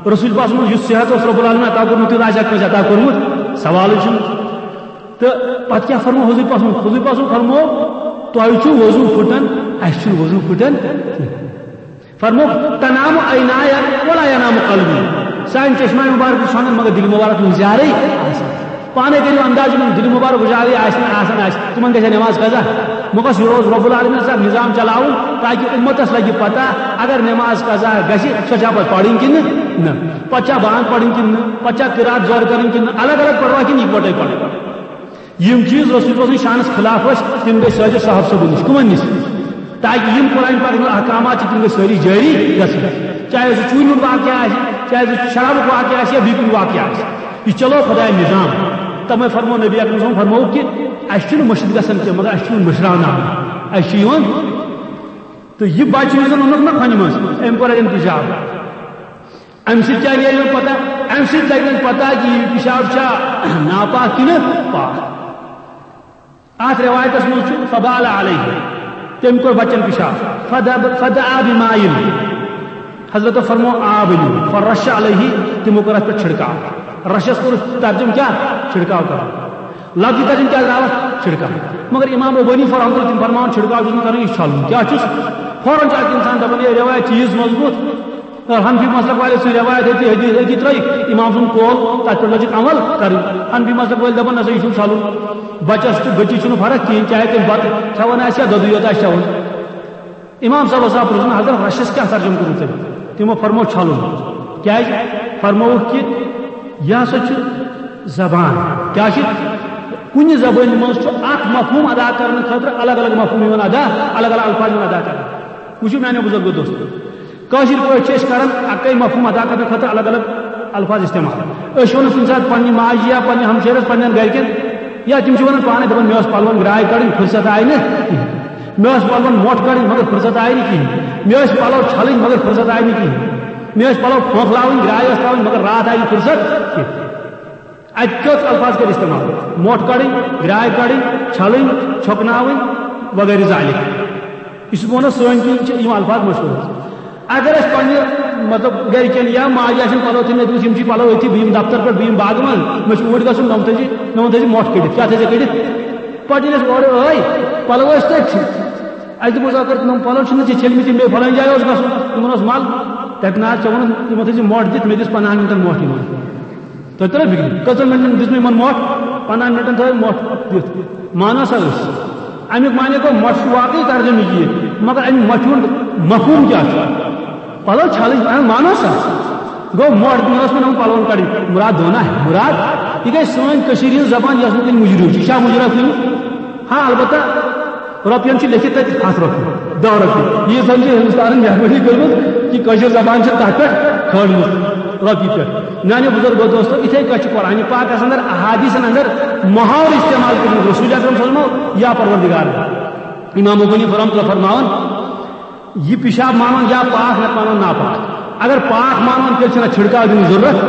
رسول پاک سُنٛد یُس صحت اوس رب العالمین عطا کوٚرمُت، تیُتھ آسہِ ہا کٲنٛسہِ عطا کوٚرمُت؟ سوالٕے چھُنہٕ۔ تہٕ پتہٕ کیٛاہ فرموو حضور پاک سُنٛد؟ حضور پاک سُنٛد فرموو، "تۄہہِ چھُ وضوٗ پھُٹان، اَسہِ چھُنہٕ وضوٗ پھُٹان کینٛہہ۔" فرموو، "تنام عینایا ولا ینام قلبی۔" سانہِ چشمہ مبارک چھُ شۄنٛگان، مگر دِل مبارک چھُنہٕ زیادَے آسان۔ پانے کٔرِو انداز، یِمن دِل مبارک اُجالٕے آسہِ نہٕ آسان آسہِ، تِمن گژھِ نماز قضا۔ مگر یہِ اوس رب العالمین سُنٛد نظام چلاوُن، تاکہِ اُمتس لگہِ پتہ، اگر نماز قضا گژھِ، سۄ چھا پتہٕ پرٕنۍ کِنہٕ نہ؟ پتہٕ چھا بانگ پرٕنۍ کِنہٕ نہ؟ پتہٕ چھا قرات زورٕ کرٕنۍ کِنہٕ نہ؟ الگ الگ پروا کِنہٕ یکوٹے پرٕنۍ؟ یِم چیٖز رسول پاک سٕنٛدِس شانس خلاف ٲسۍ، تِم گٔے صٲدِر صاحب صٲبن نِش۔ کٕمن نِش؟ تاکہِ یِم قرآن پاکس منٛز احکامات چھِ، تِم گٔژھۍ سٲری جٲری گژھٕنۍ۔ چاہے سُہ چوٗنہِ ہُنٛد واقعہ آسہِ، چاہے سُہ شرابُک واقعہ آسہِ یا بیٚیہِ کُنہِ واقعہ آسہِ، یہِ چلو خۄدایَن نظام۔ تَوَے فرموو نبی اکرم صٲبن، فرمووُکھ کہِ اَسہِ چھُنہٕ مٔشِد گژھان کینٛہہ، مگر اَسہِ چھُ یِوان مٔشراونہٕ۔ اَسہِ چھُ یِوان، تہٕ یہِ بچہٕ یُس زَن اوٚنُکھ نہ کھۄنہِ منٛز، أمۍ کوٚر اَتہِ اِنتِظام۔ اَمہِ سۭتۍ کیٛاہ نیرِ وۄنۍ پتہ؟ اَمہِ سۭتۍ لگہِ وۄنۍ پتہ کہِ یہِ پِشاب چھا ناپاک کِنہٕ پاک۔ اَتھ رِوایتَس منٛز چھُ فبال علیہ، تٔمۍ کوٚر بچن پِشاب۔ فدب-، فدعا بماء، حضرت فرمو آب أنِو۔ فرش علیہ، تِمو کوٚر اَتھ پٮ۪ٹھ چھِڑکاو۔ رشس کوٚر ترجمہٕ کیٛاہ؟ چھِڑکاو کرُن۔ لفظی ترجمہٕ کیٛاہ درٛاو اَتھ؟ چھِڑکاو۔ مگر امام ابو حنیفہ رحمۃ اللہ تِم فرماوان چھِڑکاو چھُنہٕ کرُن، یہِ چھُ چھلُن۔ کیٛاہ چھُس؟ فوراً چھُ اکھ انسان دپان، ہے، رِوایت چھِ یِژھ مضبوٗط، حنفی مسلک والے سٕنٛز رِوایت ہیٚتہِ حدیث ہیٚتہِ ترٛٲیِتھ، امام سُنٛد قول، تَتھ پٮ۪ٹھ لٔجِکھ عمل کَرٕنۍ۔ حنفی مسلک وٲلۍ دَپان، نہ سا، یہِ چھُنہٕ ژھَلُن۔ بَچَس تہٕ بٔچی چھُنہٕ فرق کِہیٖنۍ، چاہے تٔمۍ بَتہٕ کھٮ۪وان آسہِ یا دۄدٕے یوت آسہِ چٮ۪وان۔ امام صٲبَس آو پرٛژھنہٕ، حضرت، رَشَس کیٛاہ ترجمہٕ کوٚروٕ تۄہہِ؟ تِمو فرموو، "چھَلُن۔" کیٛازِ؟ فرمووُکھ کہِ یہِ ہسا چھُ زبان۔ کیٛاہ چھِ؟ کُنہِ زبٲنۍ منٛز چھُ اَکھ مفہوٗم ادا کرنہٕ خٲطرٕ الگ الگ مفہوٗم یِوان ادا، الگ الگ الفاظ یِوان ادا کرنہٕ۔ وٕچھِو میانیو بُزرگو دوستو، کٲشِر پٲٹھۍ چھِ أسۍ کران اَکٕے مفہوٗم ادا کرنہٕ خٲطرٕ الگ الگ الفاظ استعمال۔ أسۍ چھِ وَنان کُنہِ ساتہٕ پننہِ ماجہِ یا پننہِ ہمشیرس، پننٮ۪ن گرِکٮ۪ن، یا تِم چھِ وَنان پانے، دَپان، "مےٚ ٲس پلون گرٛاے کڑٕنۍ، فرصت آیہِ نہٕ کِہیٖنۍ۔" مےٚ ٲس پلون مۄٹھ کڑٕنۍ، مگر فرصت آیہِ نہٕ کِہیٖنۍ۔ مےٚ ٲسۍ پلو چھلٕنۍ، مگر فرصت آیہِ نہٕ کِہیٖنۍ۔ مےٚ ٲسۍ پلو پھۄکھ لاوٕنۍ، گرٛاے ٲس ترٛاوٕنۍ، مگر راتھ آیہِ نہٕ فرصت کینٛہہ۔ اَتہِ کٔژ الفاظ کٔرۍ استعمال؟ مۄٹھ کڑٕنۍ، گرٛاے کڑٕنۍ، چھلٕنۍ، چھۄکناوٕنۍ، وغیرہ ذالک۔ یہِ چھُس بہٕ وَنان، سٲنۍ کِنۍ چھِ یِم الفاظ مشہوٗر۔ اگر أسۍ پننہِ، مطلب، گرِکٮ۪ن یا ماجہِ آسن پلو تھٲومٕتۍ، مےٚ دوٚپُس، یِم چھِ پلو أتھی، بہٕ یِمہٕ دفتر پٮ۪ٹھ، بہٕ یِمہٕ باغہٕ منٛز، مےٚ چھُ اوٗرۍ گژھُن، نۄم تھٲیزِ، نۄم تھٲیزِ مۄٹھ کٔڑِتھ۔ کیٛاہ تھٲیزِ کٔڑِتھ؟ پتہٕ ییٚلہِ أسۍ اورٕ ٲے، پلو ٲسۍ تٔتھۍ۔ اَسہِ دوٚپُس، اگر نۄم پلو چھِنہٕ ژےٚ چھٔلمٕتۍ، یِم بیٚیہِ فلٲنۍ جایہِ اوس گژھُن، تِمن اوس مل، تتہِ نہ حظ، ژےٚ ووٚنُتھ، یِمو تھٲیزِ مۄٹھ دِتھ، مےٚ دِژ پنٛدہن مِنٹن مۄٹھ یِمن۔ تۄہہِ ترٲو فِکرِ؟ کٔژَن مِنٹَن دِژ مےٚ یِمَن مۄٹھ؟ پنٛدہَن مِنٹَن تھٲو مۄٹھ دِتھ۔ مانو سا أسۍ؟ اَمیُک معنی گوٚو، مۄٹھ چھُ واقعی ترجمہٕ یہِ، مگر اَمہِ مۄٹھِ ہُنٛد مفہوٗم کیٛاہ چھُ؟ پَلو چھَلٕنۍ، اَہَن، مانو سا؟ گوٚو، مۄٹھ دِنۍ ٲس مےٚ یِمَن پَلوَن کَڑٕنۍ۔ مُراد دھونا ہے، مُراد، یہِ گٔے سٲنۍ کٔشیٖرِ ہِنٛز زبان، یۄس نہٕ کُنہِ مُجرِ چھِ۔ یہِ چھا مُجرا کُنہِ؟ ہاں، البتہ رۄپین چھِ لیکھِتھ تَتہِ ہَتھ رۄپیہِ، دَہ رۄپیہِ۔ ییٖژ ہن چھِ ہِندُستانن مہربٲنی کٔرمٕژ کہِ کٲشِر زبان چھِ تَتھ پٮ۪ٹھ کھٲلمٕژ رۄپیہِ پٮ۪ٹھ۔ میانیو بُزرگو دوستو، یِتھے کٔنۍ چھِ قرآنِ پاکس اندر، احادیثن اندر محاورٕ استعمال کٔرمٕتۍ رسول اکرم صلی اللہ علیہ وسلمو یا پروردگار۔ امام مغنی رحمۃ اللہ فرماوان، یہِ پِشاب مانُن یا پاک، نتہٕ مانُن ناپاک۔ اگر پاک مانُن، تیٚلہِ چھُنہٕ چھِڑکاو دِنٕچ ضروٗرت۔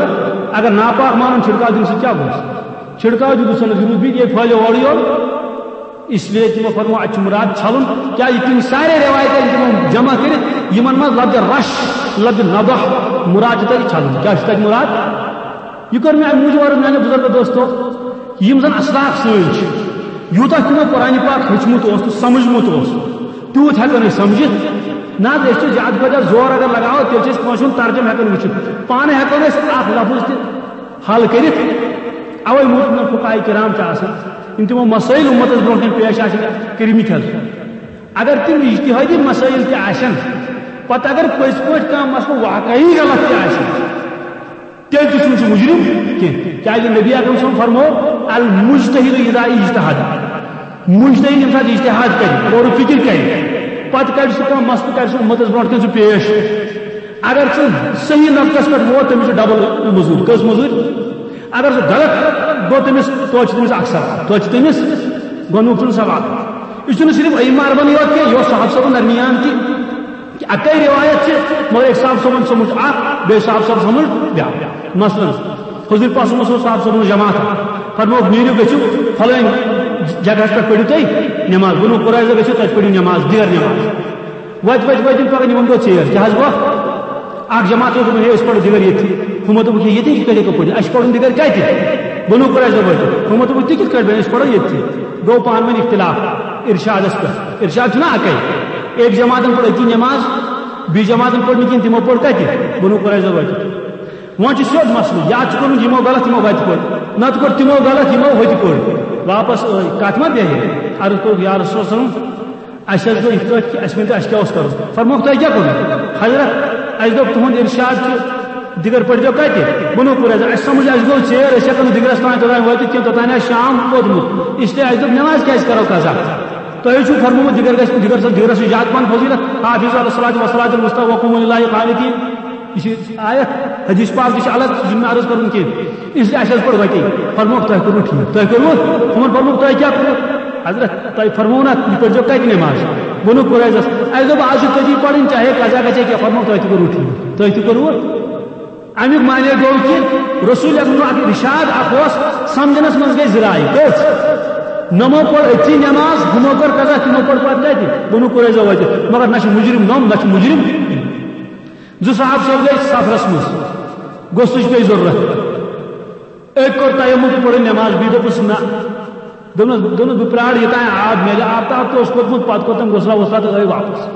اگر ناپاک مانُن، چھِڑکاو دِنہٕ سۭتۍ کیٛاہ گوٚژھ؟ چھِڑکاو دیُت سا نہٕ ضروٗرت، بیٚیہِ یہِ پھٲلیو اورٕ یور۔ اس لیے تِمو فرموو، اَتہِ چھُ مُراد چھَلُن۔ کیٛازِ تِم سارے رِوایتہٕ یِم تِمو جمع کٔرِتھ، یِمن منٛز لفظ رش، لفظ نضح، مُراد چھُ تَتہِ چھَلُن۔ کیٛاہ چھُ تَتہِ مُراد؟ یہِ کٔر مےٚ اَمہِ موٗجوٗب عرض، میٛانیو بُزرگو دوستو، یِم زَن اسلاف سٲنۍ چھِ، یوٗتاہ تِمو قرآنِ پاک ہیوٚچھمُت اوس تہٕ سمجھمُت اوس، تیوٗت ہٮ۪کو نہٕ أسۍ سمجھِتھ۔ نہ حظ، أسۍ چھِ زیادٕ کھۄتہٕ زیادٕ زور اگر لگاوو، تیٚلہِ چھِ أسۍ کٲنٛسہِ ہُنٛد ترجمہٕ ہٮ۪کو نہٕ وٕچھِتھ۔ پانہٕ ہٮ۪کو نہٕ أسۍ اَکھ لفظ تہِ حل کٔرِتھ۔ اوے موٗجوٗب فقہاء کرام چھِ آسان، یِم تِمو مسائل اُمتس برونٛہہ کَنہِ پیش آسہِ کٔرمٕتۍ حظ۔ اگر تِم اجتہادی مسائل تہِ آسن، پتہٕ اگر پٔزۍ پٲٹھۍ کانٛہہ مسلہٕ واقعی غلط تہِ آسہِ، تیٚلہِ تہِ چھُنہٕ سُہ مُجرم کینٛہہ۔ کیٛازِ نبی اکرم صٲبن فرموو، "المجتہد اذا اجتہد"، مُجتہد ییٚمہِ ساتہٕ اجتہاد کرِ، غور و فکر کرِ، پتہٕ کڑِ سُہ کانٛہہ مسلہٕ، کڑِ سُہ اُمتس برونٛٹھ کَنہِ سُہ پیش۔ اگر سُہ صحیح نقطس پٮ۪ٹھ ووت، تٔمِس چھُ ڈبل مٔزوٗرۍ۔ کٔژ مٔزوٗرۍ؟ اگر سُہ غلط گوٚو، تٔمِس، توتہِ چھُ تٔمِس اکھ ثواب، توتہِ چھُ تٔمِس گۄڈٕنیُک چھُنہٕ ثواب۔ یہِ چھُنہٕ صرف عمار بن یوت کینٛہہ، یہِ اوس صحابہٕ صٲبن درمیان تہِ۔ اکے روایت چھِ، مگر أکۍ صحابہٕ صٲبن سمجھ اکھ، بیٚیہِ صحابہٕ صٲبن سمجھ بیٛاکھ۔ مثلاً، حضور پاک صلی اللہ علیہ وسلم صحابہٕ صٲبن جماعت فرمووُکھ، "نیٖرِو، گٔژھِو فلٲنۍ جگہس پٮ۪ٹھ، پٔرِو تُہۍ نماز، بنو قریظہ گٔژھِو، تتہِ پٔرِو نماز، دِگر نماز۔" وتہِ وتہِ وتہِ یِم پکان، یِمن گوٚو ژیر۔ کیٛاہ حظ گوٚو؟ اکھ جماعت اوس دوٚپمُت، "ہے، أسۍ پرو دِگر ییٚتھی۔" ہُمو دوٚپُکھ، "ہے، ییٚتہِ کِتھ کٔنۍ ہٮ۪کو پٔرِتھ؟ اَسہِ چھُ پرُن دِگر کتہِ؟" بنو قریظہ وٲتۍ۔ ہُمو دوٚپُکھ، "تُہۍ کِتھ کٔنۍ پٔرِو؟ أسۍ پرو ییٚتھی۔" گوٚو پانہٕ ؤنۍ اختلاف ارشادس پٮ۪ٹھ۔ ارشاد چھُنہ اکے، أکۍ جماعتن پٔر أتی نماز، بیٚیہِ جماعتن پٔر نہٕ کِہیٖنۍ، تِمو پٔر کتہِ؟ بنو قریظہ وٲتۍ۔ وۄنۍ چھُ سیوٚد مسلہٕ، یا چھُ کوٚرمُت یِمو غلط، یِمو وتہِ پٔر، نتہٕ کوٚر تِمو غلط، یِمو ہوٚتہِ پٔر۔ واپس ٲے، کتھ ما بیٚہہِ؟ عرض کوٚرُکھ، یا رسول اللہ صلی اللہ علیہ وسلم، اَسہِ حظ گوٚو یِتھ پٲٹھۍ کہِ اَسہِ ؤنۍ تو، اَسہِ کیٛاہ اوس کَرُن؟ فرمووُکھ، "تۄہہِ کیٛاہ کوٚروٕ؟" حضرت، اَسہِ دوٚپ، "تُہُنٛد اِرشاد چھُ، دِگر پٔرۍزیو کَتہِ؟" بنو قریظہ۔ اَسہِ سَمٕجھ، اَسہِ گوٚو ژیر، أسۍ ہٮ۪کو نہٕ دِگرَس تام توٚتام وٲتِتھ کینٛہہ، توٚتام آسہِ شام ووتمُت۔ اس لیے اَسہِ دوٚپ، نٮ۪ماز کیٛازِ کَرو قضا؟ تۄہہِ چھُو فرموومُت، دِگر گژھِ، دِگر، دِگرَس چھُ زیادٕ پَہَن فضیلت، "حافظوا علی الصلاۃ والصلاۃ الوسطیٰ وقوموا للہ قانتین۔" یہِ چھِ آیت، حدیث پاک تہِ چھِ الگ، یہِ چھُنہٕ مےٚ عرض کَرُن کینٛہہ۔ اس لیے اَسہِ حظ پٔر وَتی۔ فرمووُکھ، "تۄہہِ کوٚروٕ ٹھیٖک؟" تۄہہِ کوٚروٕ؟ ہُمَن فرمووُکھ، "تۄہہِ کیٛاہ کوٚروٕ؟" حضرت، تۄہہِ فرموو نا، یہِ پٔرۍزیو کَتہِ نٮ۪ماز؟ بنو قریظس۔ اَسہِ دوٚپ، "آز چھِ تٔتی پَرٕنۍ، چاہے قضا گژھِ کیٛاہ۔" فرمووُکھ، "تۄہہِ تہِ کوٚروٕ ٹھیٖک، تۄہہِ تہِ کوٚروٕ۔" اَمیُک معنی گوٚو کہِ رسول اکرم اکھ ارشاد اکھ اوس، سمجھنس منٛز گٔے زٕ رایہِ۔ کٔژ؟ نمو پٔر أتھی نٮ۪ماز، ہُمو کٔر قضا، تِمو پٔر پتہٕ کتہِ؟ بنو قریظہ وٲتِتھ۔ مگر نہ چھُ مجرم نوٚم، نہ چھُ مجرم۔ زٕ صحابہٕ صٲب گٔے سفرس منٛز، غسلٕچ پیٚیہِ ضروٗرت۔ أکۍ کوٚر تیمم تہٕ پٔرٕن نٮ۪ماز، بیٚیہِ دوٚپُس، "نہ۔" دوٚپنَس، دوٚپنَس، "بہٕ پرٛارٕ یوٚتام آب میلہِ۔" آب تہٕ آب تہِ اوس کوٚرمُت، پتہٕ کوٚر تٔمۍ غسلہ وسلہ تہٕ ٲے واپس۔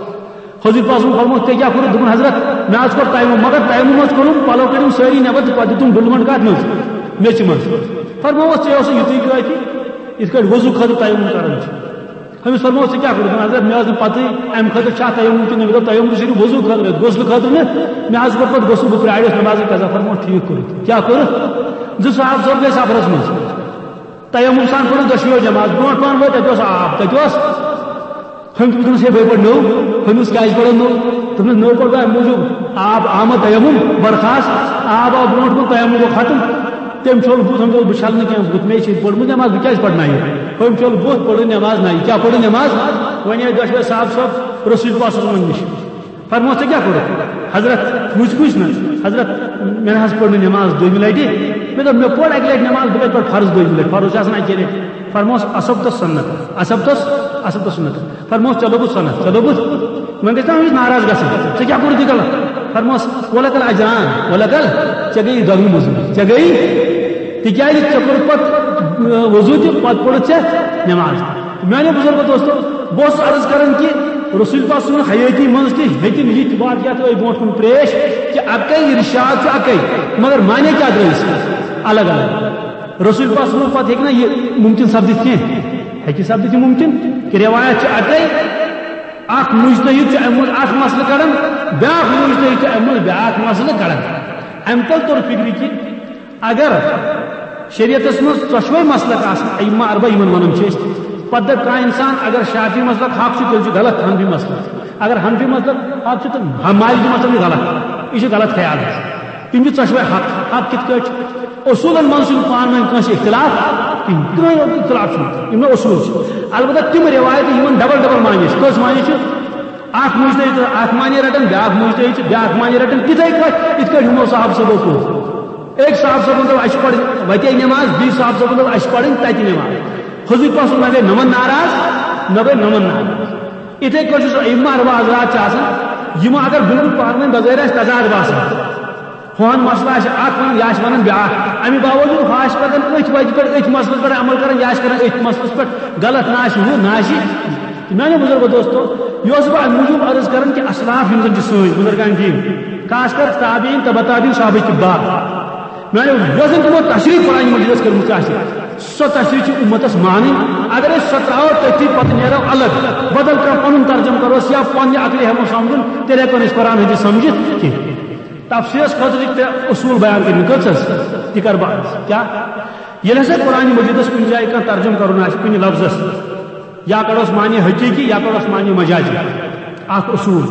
حضوٗر پاک صٲبَن فرمووُکھ، "ژےٚ کیٛاہ کوٚرُتھ؟" دوٚپُن، "حضرت، مےٚ حظ کوٚر تیمم، مگر تیمم حظ کوٚرُم، پَلو کٔڑِم سٲری نٮ۪بر تہٕ پَتہٕ دیُتُم ڈُلمَن کَتھ منٛز؟ میٚژِ منٛز۔" فرمووُس، "ژےٚ اوسُے یُتُے کٲفی، یِتھ کٲٹھۍ وضوٗ خٲطرٕ تیمم کَران چھِ۔" أمِس فرموو، "ژےٚ کیٛاہ کوٚرُتھ؟" دوٚپُن، "حضرت، مےٚ ٲس نہٕ پَتہٕے اَمہِ خٲطرٕ چھا تیمم کِنہٕ نہٕ، مےٚ دوٚپ تیمم چھُ صرف وضوٗ خٲطرٕ، غسلہٕ خٲطرٕ نہٕ، مےٚ حظ کوٚر پَتہٕ غسل، بہٕ پرٛاریوس نٮ۪مازٕے قضا۔" فرموو، "ٹھیٖک کوٚرُتھ۔" کیٛاہ کوٚرُتھ؟ زٕ صحابہٕ صٲب گٔے سفرس منٛز، تیمم سان پٔرٕن دۄشوٕیو نٮ۪ماز، برونٛٹھ پہن وٲتۍ، تَتہِ اوس آب، تَتہِ اوس، ہُمۍ دوٚپُس، "ہے، بہٕ پَرٕ نوٚو۔" ہُمِس، "کیٛازِ پَرو نوٚو؟" دوٚپنَس، "نوٚو پَرٕ بہٕ اَمہِ موٗجوٗب، آب آمد تیمم، برخاست، آب آو برونٛٹھ کُن، تیمم گوٚو ختم۔" تٔمۍ چھوٚل بُتھ، ہم چھوٚل بُتھ چھلنہٕ کینٛہہ، بُتھ مے چھِ پوٚرمُت نٮ۪ماز، بہٕ کیٛازِ پرناوٕ؟ ہُمۍ چھوٚل بُتھ، پٔرٕن نٮ۪ماز نَیہِ۔ کیٛاہ پٔرٕن نٮ۪ماز؟ وۄنۍ آے دۄشوے صاحب صٲب رسول پاک صلی اللہ علیہ وسلم نِش۔ فرموس، "ژےٚ کیٛاہ کوٚرُتھ؟" حضرت وٕچھ، وٕچھ نہ، حضرت، مےٚ نہ حظ پٔر نہٕ نٮ۪ماز دوٚیمہِ لَٹہِ۔ مےٚ دوٚپ، "مےٚ پٔر اَکہِ لَٹہِ نٮ۪ماز، بہٕ کَتہِ پَرٕ فرض دوٚیمہِ لَٹہِ؟ فرض چھِ آسان اَکے لَٹہِ۔" فرموس، "اصبت السنت، اصبت، اصبت السنت۔" فرموس، "ژےٚ لوٚگُتھ سنت، ژےٚ لوٚگُتھ۔" وۄنۍ گژھِ نا أمِس ناراض گژھُن، "ژےٚ کیٛاہ کوٚرُتھ یہِ غلط؟" فرموس، "ولک الاجران، ولک ال، ژےٚ گٔیی دۄگنہٕ مٔزوٗرۍ، ژےٚ گٔیی، تِکیٛازِ ژےٚ کوٚرُتھ پَتہٕ، اۭں، وضوٗ تہِ، پَتہٕ پوٚرُتھ ژےٚ نٮ۪ماز۔" میانیو بزرگو دوستو، بہٕ اوسُس عرض کران کہِ رسول پاک سٕنٛز حیٲتی منٛز تہِ ہیٚتِم یِتھۍ واقعات ٲے برونٛٹھ کُن پیش کہِ اَکَے ارشاد چھُ اَکَے، مگر معنی کیٛاہ درٛٲیِس الگ الگ۔ رسول پاک سٕنٛز پتہٕ ہیٚکہِ نہ یہِ مُمکِن سپدِتھ کینٛہہ؟ ہیٚکہِ سپدِتھ یہِ مُمکِن کہِ روایت چھِ اَکَے، اَکھ مُجتہِد چھُ اَمہِ منٛز اَکھ مسلہٕ کڑان، بیٛاکھ مُجتہِد چھُ اَمہِ منٛز بیٛاکھ مسلہٕ کڑان۔ اَمہِ تَل توٚر فِکرِ کہِ اگر شریعتس منٛز ژۄشوے مسلک آسن، ائمہ اربع یِمن ونان چھِ أسۍ، پتہٕ دپہِ کانٛہہ انسان، اگر شافعی مسلک حق چھُ، تیٚلہِ چھُ غلط حنفی مسلک۔ اگر حنفی مسلک حق چھُ، تہٕ مالکی مسلک چھُ غلط۔ یہِ چھُ غلط خیال حظ۔ تِم چھِ ژۄشوے حق۔ حق کِتھ کٲٹھۍ چھُ؟ اصوٗلن منٛز چھُنہٕ پانہٕ ؤنۍ کٲنٛسہِ اختلاف کِہیٖنۍ، کٕہٕنۍ اختلاف چھُنہٕ۔ یِم نہٕ اصوٗل چھِ۔ البتہ تِم رِوایتہٕ یِمن ڈبل ڈبل معنی چھِ۔ کٔژ معنی چھِ؟ اکھ مُجتہِد چھُ اکھ معنی رٹان، بیٛاکھ مُجتہِد چھُ بیٛاکھ معنی رٹان، تِتھے پٲٹھۍ یِتھ کٲٹھۍ یِمو صاحب صٲبو کوٚر۔ أکۍ صاحب صٲبن دوٚپ، "اَسہِ پَرٕنۍ وَتے نٮ۪ماز"، بیٚیہِ صاحب صٲبن دوٚپ، "اَسہِ پَرٕنۍ تَتہِ نٮ۪ماز"۔ حضوٗر پاک صٲب نہ گٔے نَمَن ناراض، نہ گٔے نَمَن ناراض۔ یِتھے کٲٹھۍ چھُ سُہ ائمہ اربع حضرات چھِ آسان، یِم اگر بالکل پانہٕ ؤنۍ بغٲر آسہِ تضاد باسان، ہُہن مسلہٕ آسہِ اکھ ونان، یہِ آسہِ ونان بیٛاکھ۔ اَمہِ باوجوٗد ہُہ آسہِ پَتہٕ أتھۍ وَتہِ پٮ۪ٹھ، أتھۍ مسلس پٮ۪ٹھ عمل کران، یہِ آسہِ کران أتھۍ مسلس پٮ۪ٹھ غلط، نہ آسہِ ہُہ، نہ آسہِ۔ میانیو بزرگو دوستو، یہِ اوسُس بہٕ اَمہِ موٗجوٗب عرض کران کہِ اسلاف یِم زن چھِ سٲنۍ بزرگان دین، خاص کر تابعین، تبع تابعین، صحابہ کبار، میانیو یۄس زن تِمو تشریح قرآن مجیدس کٔرمٕژ آسہِ، سۄ تشریح چھِ اُمتس مانٕنۍ۔ اگر أسۍ سۄ ترٛاوو، تٔتھی پتہٕ نیرو الگ، بدل کانٛہہ پنُن ترجمہٕ کرو یا پننہِ عقلہِ ہٮ۪مو سمجھُن، تیٚلہِ ہٮ۪کو نہٕ أسۍ قرآن حدیث سمجھِتھ کینٛہہ۔ تفسیرس خٲطرٕ چھِ ترٛےٚ اصوٗل بیان کٔرمٕتۍ۔ کٔژ حظ؟ تہِ کر بہٕ عرض۔ کیٛاہ؟ ییٚلہِ ہسا قرآن مجیدس کُنہِ جایہِ کانٛہہ ترجمہٕ کرُن آسہِ کُنہِ لفظس یا کڑوس معنی حقیقی یا کڑوس معنی مجازی۔ اکھ اصول۔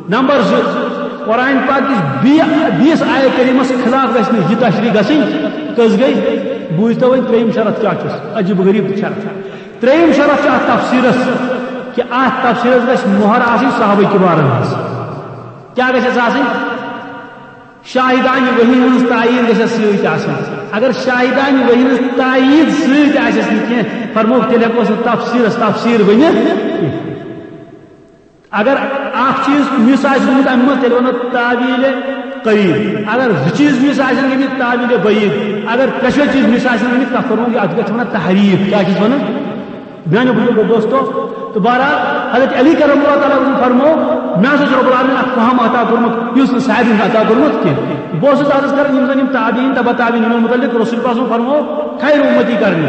نمبر زٕ، قرآن پاک کِس بیٚیہِ، بیٚیِس آیت کریمس خلاف گژھِ نہٕ یہِ تشریح گژھٕنۍ۔ کٔژ گٔے؟ بوٗزتو وۄنۍ ترٛیٚیِم شرط کیٛاہ چھُس، عجیب غریب شرط۔ ترٛیٚیِم شرط چھُ اتھ تفسیرس کہِ اتھ تفسیرس گژھِ مۄہر آسٕنۍ صحابہ کبارن ہٕنٛز۔ کیٛاہ گژھٮ۪س آسٕنۍ؟ شاہدانِ وحی ہٕنٛز تایید گژھٮ۪س سۭتۍ آسٕنۍ۔ اگر شاہدانِ وحی ہٕنٛز تایید سۭتۍ آسٮ۪س نہٕ کینٛہہ، فرمووُکھ، تیٚلہِ ہٮ۪کوس نہٕ تفسیٖرس تفسیٖر ؤنِتھ کینٛہہ۔ اگر اکھ چیٖز مِس آسہِ گوٚمُت اَمہِ منٛز، تیٚلہِ وَنو تاویٖلِ قریٖب۔ اگر زٕ چیٖز مِس آسن گٔمٕتۍ، تاویٖلِ بعیٖد۔ اگر ترٛٮ۪شوَے چیٖز مِس آسن گٔمٕتۍ، تَتھ فرمووُکھ، اَتھ گژھِ وَنان تحریٖف۔ کیٛاہ چھِس وَنان؟ میانیو بزرگو دوستو، تہٕ بہرحال حضرت علی کرم اللہ تعالیٰ عرض فرمو، مےٚ ہسا چھُ رب العالمین اکھ فہم عطا کوٚرمُت، یُس نہٕ سارنٕے چھُ عطا کوٚرمُت کینٛہہ۔ بہٕ اوسُس عرض کران، یِم زن یِم تابعین، تبع تابعین، یِمن متعلق رسول پاک صلی اللہ علیہ وسلم فرمو، خیر امتی کرنی۔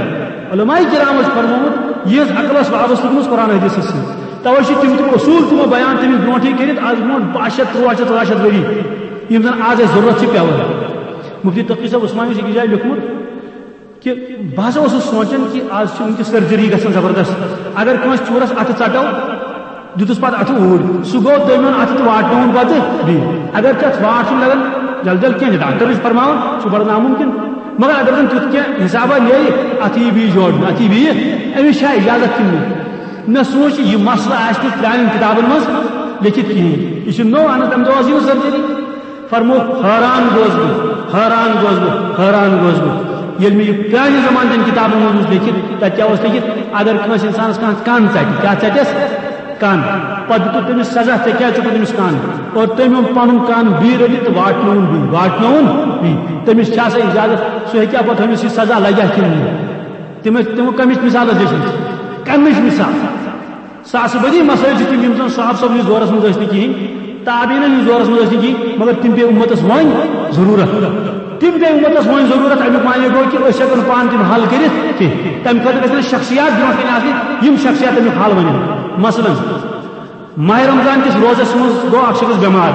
علماء کرام ٲسۍ فرمومُت، یِہنٛز عقلس وابستہٕ گٔمٕژ قرآن حدیثس سۭتۍ۔ توے چھِ تِم تِم اصوٗل تِمو بیان تٔمِس برونٛٹھٕے کٔرِتھ، از برونٛٹھ باہ شیٚتھ، تُرٛواہ شیٚتھ، ژۄداہ شیٚتھ ؤری، یِم زن از اَسہِ ضروٗرت چھِ پٮ۪وان۔ مفتی تقی صٲب عثمانی چھِ أکِس جایہِ لیوٚکھمُت، کہ بہٕ ہسا اوسُس سونٛچان کہ از چھِ وٕنکیٚس سرجری گژھان زبردست۔ اگر کٲنٛسہِ ژوٗرس اتھٕ ژٹو، دیُتُس پتہٕ اتھٕ اوٗرۍ، سُہ گوٚو دوٚیمہِ ہُنٛد اتھٕ تہٕ واٹنووُن پتہٕ بیٚیہِ۔ اگر ژےٚ اتھ واٹھ چھُنہٕ لگان، جل جل کینٛہہ، ڈاکٹر چھُ فرماوان، سُہ چھُ بڑٕ ناممکن۔ مگر اگر زن تیُتھ کینٛہہ حسابہ نیرِ، اتھٕ یی بیٚیہِ جوڑنہٕ، اتھٕ یی بیٚیہِ، أمِس چھا اجازت کِنہٕ نہٕ؟ مےٚ سوٗنٛچ، یہِ مسلہٕ آسہِ نہٕ پرٛانٮ۪ن کِتابن منٛز لیٚکھِتھ کِہیٖنۍ۔ یہِ چھُ نوٚو، اہن حظ، تَمہِ دۄہ ٲس یِوان سرجری۔ فرمووُکھ، حٲران گوس بہٕ، حٲران گوس بہٕ، حٲران گوس بہٕ۔ ییٚلہِ مےٚ یہِ پرٛانہِ زمانہٕ چٮ۪ن کِتابَن منٛز وُچھ لیٚکھِتھ، تَتہِ کیٛاہ اوس لیٚکھِتھ؟ اگر کٲنٛسہِ اِنسانَس کانٛہہ کَن ژَٹہِ، کیٛاہ ژَٹٮ۪س؟ کَن۔ پَتہٕ دیُتُکھ تٔمِس سزا، ژےٚ کیٛازِ ژوٚٹُتھ تٔمِس کَن؟ اور تٔمۍ اوٚن پَنُن کَن بیٚیہِ رٔٹِتھ تہٕ واٹنووُن بیٚیہِ، واٹنووُن بیٚیہِ۔ تٔمِس چھا سا اِجازت؟ سُہ ہیٚکیٛاہ پَتہٕ ہُمِس یہِ سزا لَگیٛاہ کِنہٕ نہٕ؟ تٔمِس، تِمو کَمِچ مِثال حظ لیٚچھمٕژ؟ کَمِچ مِثال؟ ساسہٕ بٔدی مسٲیل چھِ تِم، یِم زن صحابہٕ صٲبنِس دورس منٛز ٲسۍ نہٕ کِہیٖنۍ، تابعیٖنن ہٕنٛدِس دورس منٛز ٲسۍ نہٕ کِہیٖنۍ، مگر تِم پیٚیہِ اُمتس وۄنۍ ضروٗرت۔ تِم پیٚیہِ اُمتس وۄنۍ ضروٗرت، اَمیُک معنی گوٚو کہِ أسۍ ہٮ۪کو نہٕ پانہٕ تِم حل کٔرِتھ کینٛہہ۔ تَمہِ خٲطرٕ گژھِ نہٕ شخصیات برونٛٹھ کنہِ آسٕنۍ، یِم شخصیات تَمیُک حل وَنن۔ مثلاً، ماہِ رمضان کِس روزس منٛز گوٚو اکھ شخص بٮ۪مار،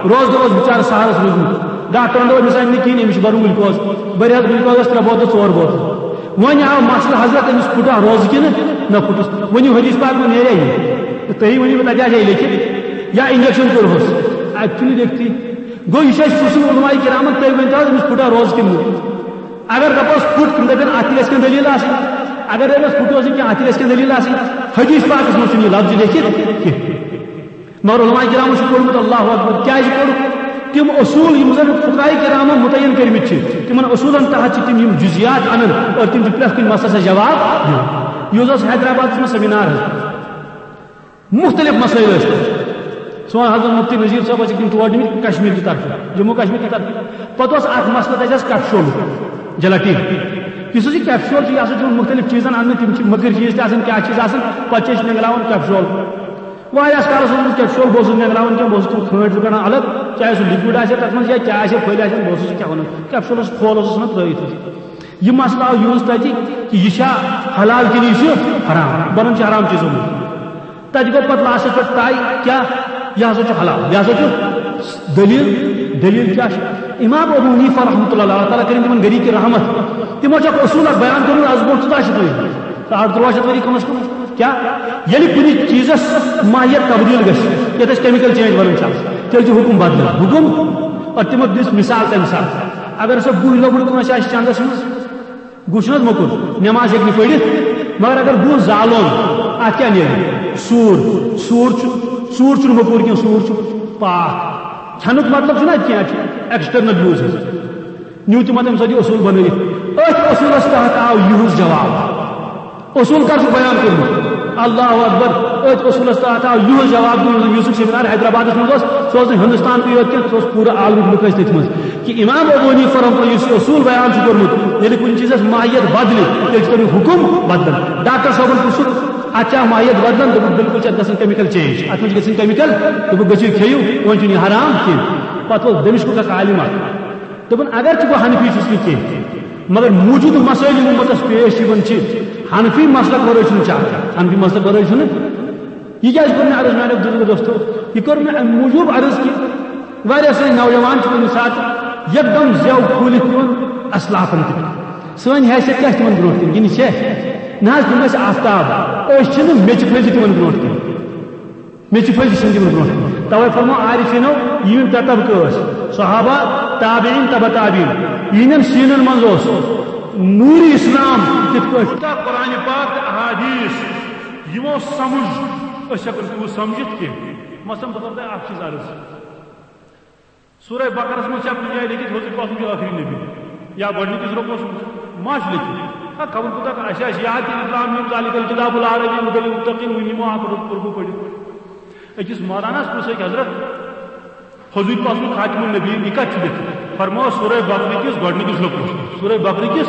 روزدر اوس بِچارٕ سہرس روٗدمُت، ڈاکٹرن دوٚپ، أمِس آسہِ نہٕ کِہیٖنۍ، أمِس چھُ بَرُن گلوکوز، بٔرۍ حظ گلوکوزس ترٛےٚ بوتلہٕ، ژور بوتلہٕ۔ وۄنۍ آو مسلہٕ، حضرت، أمِس پھُٹا روزٕ کِنہٕ نہ پھُٹُس؟ ؤنِو حدیث پاک منٛز نیرے یہِ؟ تہٕ تُہی ؤنِو مےٚ، تَتہِ آسہِ ہے لیٚکھِتھ یا injection کوٚرہوس؟ اَتہِ چھُنہٕ لیٚکھتھٕے۔ گوٚو، یہِ چھُ اَسہِ پرٛژھُن علماء کرامن، تُہۍ ؤنۍ تو حظ، أمِس پھُٹا روزٕ کِنہٕ نہٕ؟ اگر دپوس پھُٹ، تِم دپن اتھ تہِ گژھِ کینٛہہ دٔلیٖل آسٕنۍ۔ اگر دپس پھُٹ اوس نہٕ کینٛہہ، اتھ تہِ گژھِ کینٛہہ دٔلیٖل آسٕنۍ۔ حدیث پاکس منٛز چھُنہٕ یہِ لفظ لیکھِتھ کینٛہہ۔ مگر علماء کرامو چھُ پوٚرمُت، اللہ اکبر، کیازِ پوٚرُکھ؟ تِم اصوٗل یِم زن فقہاء کرامو متعین کٔرمٕتۍ چھِ، تِمن اصوٗلن تحت چھِ تِم یِم جزیات انان اور تِم چھِ پرٛٮ۪تھ کُنہِ مسلس جواب دِوان۔ یُس اوس حیدرآبادس منٛز سیمینار حظ، مختلف مسائل ٲسۍ تَتہِ۔ سون حضرت مفتی نذیر صٲب ٲسۍ تِم تور نِمٕتۍ کشمیر کہِ طرفہٕ، جموں کشمیر کہِ طرفہٕ۔ پتہٕ اوس اکھ مسلہٕ تَتہِ حظ کپشول، جلاٹین۔ یُس حظ یہِ کپشول چھُ، یہِ ہسا چھُ مختلف چیٖزن اندر، تِم چھِ مٔکٕرۍ چیٖز تہِ آسان، کیٛاہ چیٖز آسان، پتہٕ چھِ أسۍ نینگلاوان کپشول۔ واریاہس کالس اوسُس بہٕ کپشول، بہٕ اوسُس نینگلاوان کینٛہہ، بہٕ اوسُس تِم کھٲنٛٹۍ زٕ کڑان الگ، چاہے سُہ liquid آسہِ ہا تتھ منٛز یا کیٛاہ آسہِ ہا، پھٔلۍ آسن، بہٕ اوسُس یہِ کھٮ۪وان۔ کپشولس کھول اوسُس ژھٕنان ترٲیِتھ حظ۔ یہِ مسلہٕ آو یوٗز تَتہِ کہِ یہِ چھا حلال کِنہٕ یہِ چھُ حرام، بنان چھُ حرام چیٖزو منٛز۔ تَتہِ گوٚو پَتہٕ لاسٹَس پٮ۪ٹھ طے کیٛاہ؟ یہِ ہسا چھُ حلال، یہِ ہسا چھُ دٔلیٖل۔ دٔلیٖل کیٛاہ چھِ؟ امام ابو حنیفہ رحمۃ اللہ، اللہ تعالیٰ کٔرِنۍ تِمن گَرِکۍ رحمت، تِمو چھُ اکھ اصوٗل اکھ بیان کوٚرمُت از برونٛہہ ژۄداہ شیٚتھ ؤری، ساڑ تُرٛواہ شیٚتھ ؤری کم از کم۔ کیٛاہ؟ ییٚلہِ کُنہِ چیٖزَس ماہیت تبدیٖل گژھِ، یَتھ أسۍ chemical change وَنان چھِ، تیٚلہِ چھُ حُکُم بدلان۔ حُکُم، اور تِمو دِژ مثال تَمہِ ساتہٕ۔ اگر ہسا گُہہ لۄکُٹ کٲنٛسہِ آسہِ چندس منٛز، گُہہ چھُنہٕ حظ موٚکُر، نٮ۪ماز ہیٚکہِ نہٕ پٔرِتھ، مگر اگر گُہہ زالون، اَتھ کیٛاہ نیرِ؟ سوٗر۔ سوٗر چھُ، سوٗر چھُنہٕ موٚکُر کینٛہہ، سوٗر چھُ پاک۔ کھٮ۪نُک مطلب چھُنہٕ اَتہِ کینٛہہ، اَتہِ چھُ external use حظ۔ نیوٗ تِمو تَمہِ ساتہٕ یہِ اصوٗل بنٲوِتھ۔ أتھۍ اصوٗلس تحت آو یِہُنٛد جواب۔ اصوٗل کر چھُ بیان کوٚرمُت؟ اللہ اکبر۔ أتھۍ اصوٗلس تحت آو یِہُنٛد جواب دِنہٕ۔ یوٗسف سیمینار حیدرآبادس منٛز اوس، سُہ اوس نہٕ ہندوستانکُے یوت کینٛہہ، سُہ اوس پوٗرٕ عالمُک لُکھ ٲسۍ تٔتھۍ منٛز۔ کہ امام ابو حنیفہ رحمۃ اللہ یُس یہِ اصوٗل بیان چھُ کوٚرمُت، ییٚلہِ کُنہِ چیٖزس ماہیت بدلہِ، تیٚلہِ چھُ تَمیُک حُکُم بدلان۔ ڈاکٹر صٲبن پرٛژھُکھ، اتھ چھا ماہیت بدلان؟ دوٚپُکھ، بِلکُل چھِ اتھ گژھان chemical change، اتھ منٛز چھِ گژھان chemical۔ دوٚپُکھ، گٔژھِو کھیٚیِو، وۄنۍ چھُنہٕ یہِ حرام کینٛہہ۔ پتہٕ اوس دمشقُک اکھ عالم اکھ، دوٚپُن، اگر چھُ بہٕ حنفی چھُس نہٕ کینٛہہ، مگر موجودٕ مسائل یِم امتس پیش یِوان چھِ، حنفی مسلک ورٲے چھُنہٕ چلان، حنفی مسلک ورٲے چھُنہٕ۔ یہِ کیٛازِ کوٚر مےٚ عرض میانیو بزرگو دوستو؟ یہِ کوٚر مےٚ امہِ موٗجوٗب عرض کہِ واریاہ سٲنۍ نوجوان چھِ کُنہِ ساتہٕ یکدم زٮ۪و کھوٗلِتھ یِوان اسلافن تہِ۔ سٲنۍ حیثیت کیٛاہ چھِ تِمن برونٛٹھ کِنۍ؟ یہِ نہٕ چھےٚ۔ نہ حظ، تِم ٲسۍ آفتاب، أسۍ چھِنہٕ میٚژِ پھٔلۍ تہِ تِمن برونٛٹھ کِنۍ۔ میٚژِ پھٔلۍ تہِ چھِنہٕ تِمن برونٛٹھ کِنۍ۔ توے فرمو عارفینو، یِم ترٛےٚ طبقہٕ ٲسۍ، صحابہ، تابعین، تبع تابعین۔ یِہنٛدٮ۪ن سیٖنن منٛز اوس نوٗرِ اسلام کِتھ پٲٹھۍ؟ یوٗتاہ قرآن پاک تہٕ احادیث یِمو سمجھ، أسۍ ہٮ۪کو نہٕ تیوٗت سمجھِتھ کینٛہہ۔ مثلاً بہٕ کرٕ تۄہہِ اکھ چیٖز عرض۔ سورہ بقرس منٛز چھا کُنہِ جایہِ لیکھِتھ حضور پاک چھُ ٲخری نبی؟ یا گۄڈٕنِکِس رۄکوَس منٛز ما چھُ لیکھِتھ؟ ہا، خبر کوٗتاہ کانٛہہ، اَسہِ آسہِ یاد کہِ الم ذالک الکتاب لا ریب فیہ ھدی للمتقین، وۄنۍ نِمو اکھ رۄک پوٚرمُت پٔرِتھ۔ أکِس مولاناہَس پرٛژھ أکۍ، حضرت، حضور پاک چھُ خاتم النبیین، یہِ کَتہِ چھُ لیکھِتھ؟ فرمووُس سورہ بقرہ کِس گۄڈٕنِکِس رۄکوَس منٛز۔ سورہ بقرہ کِس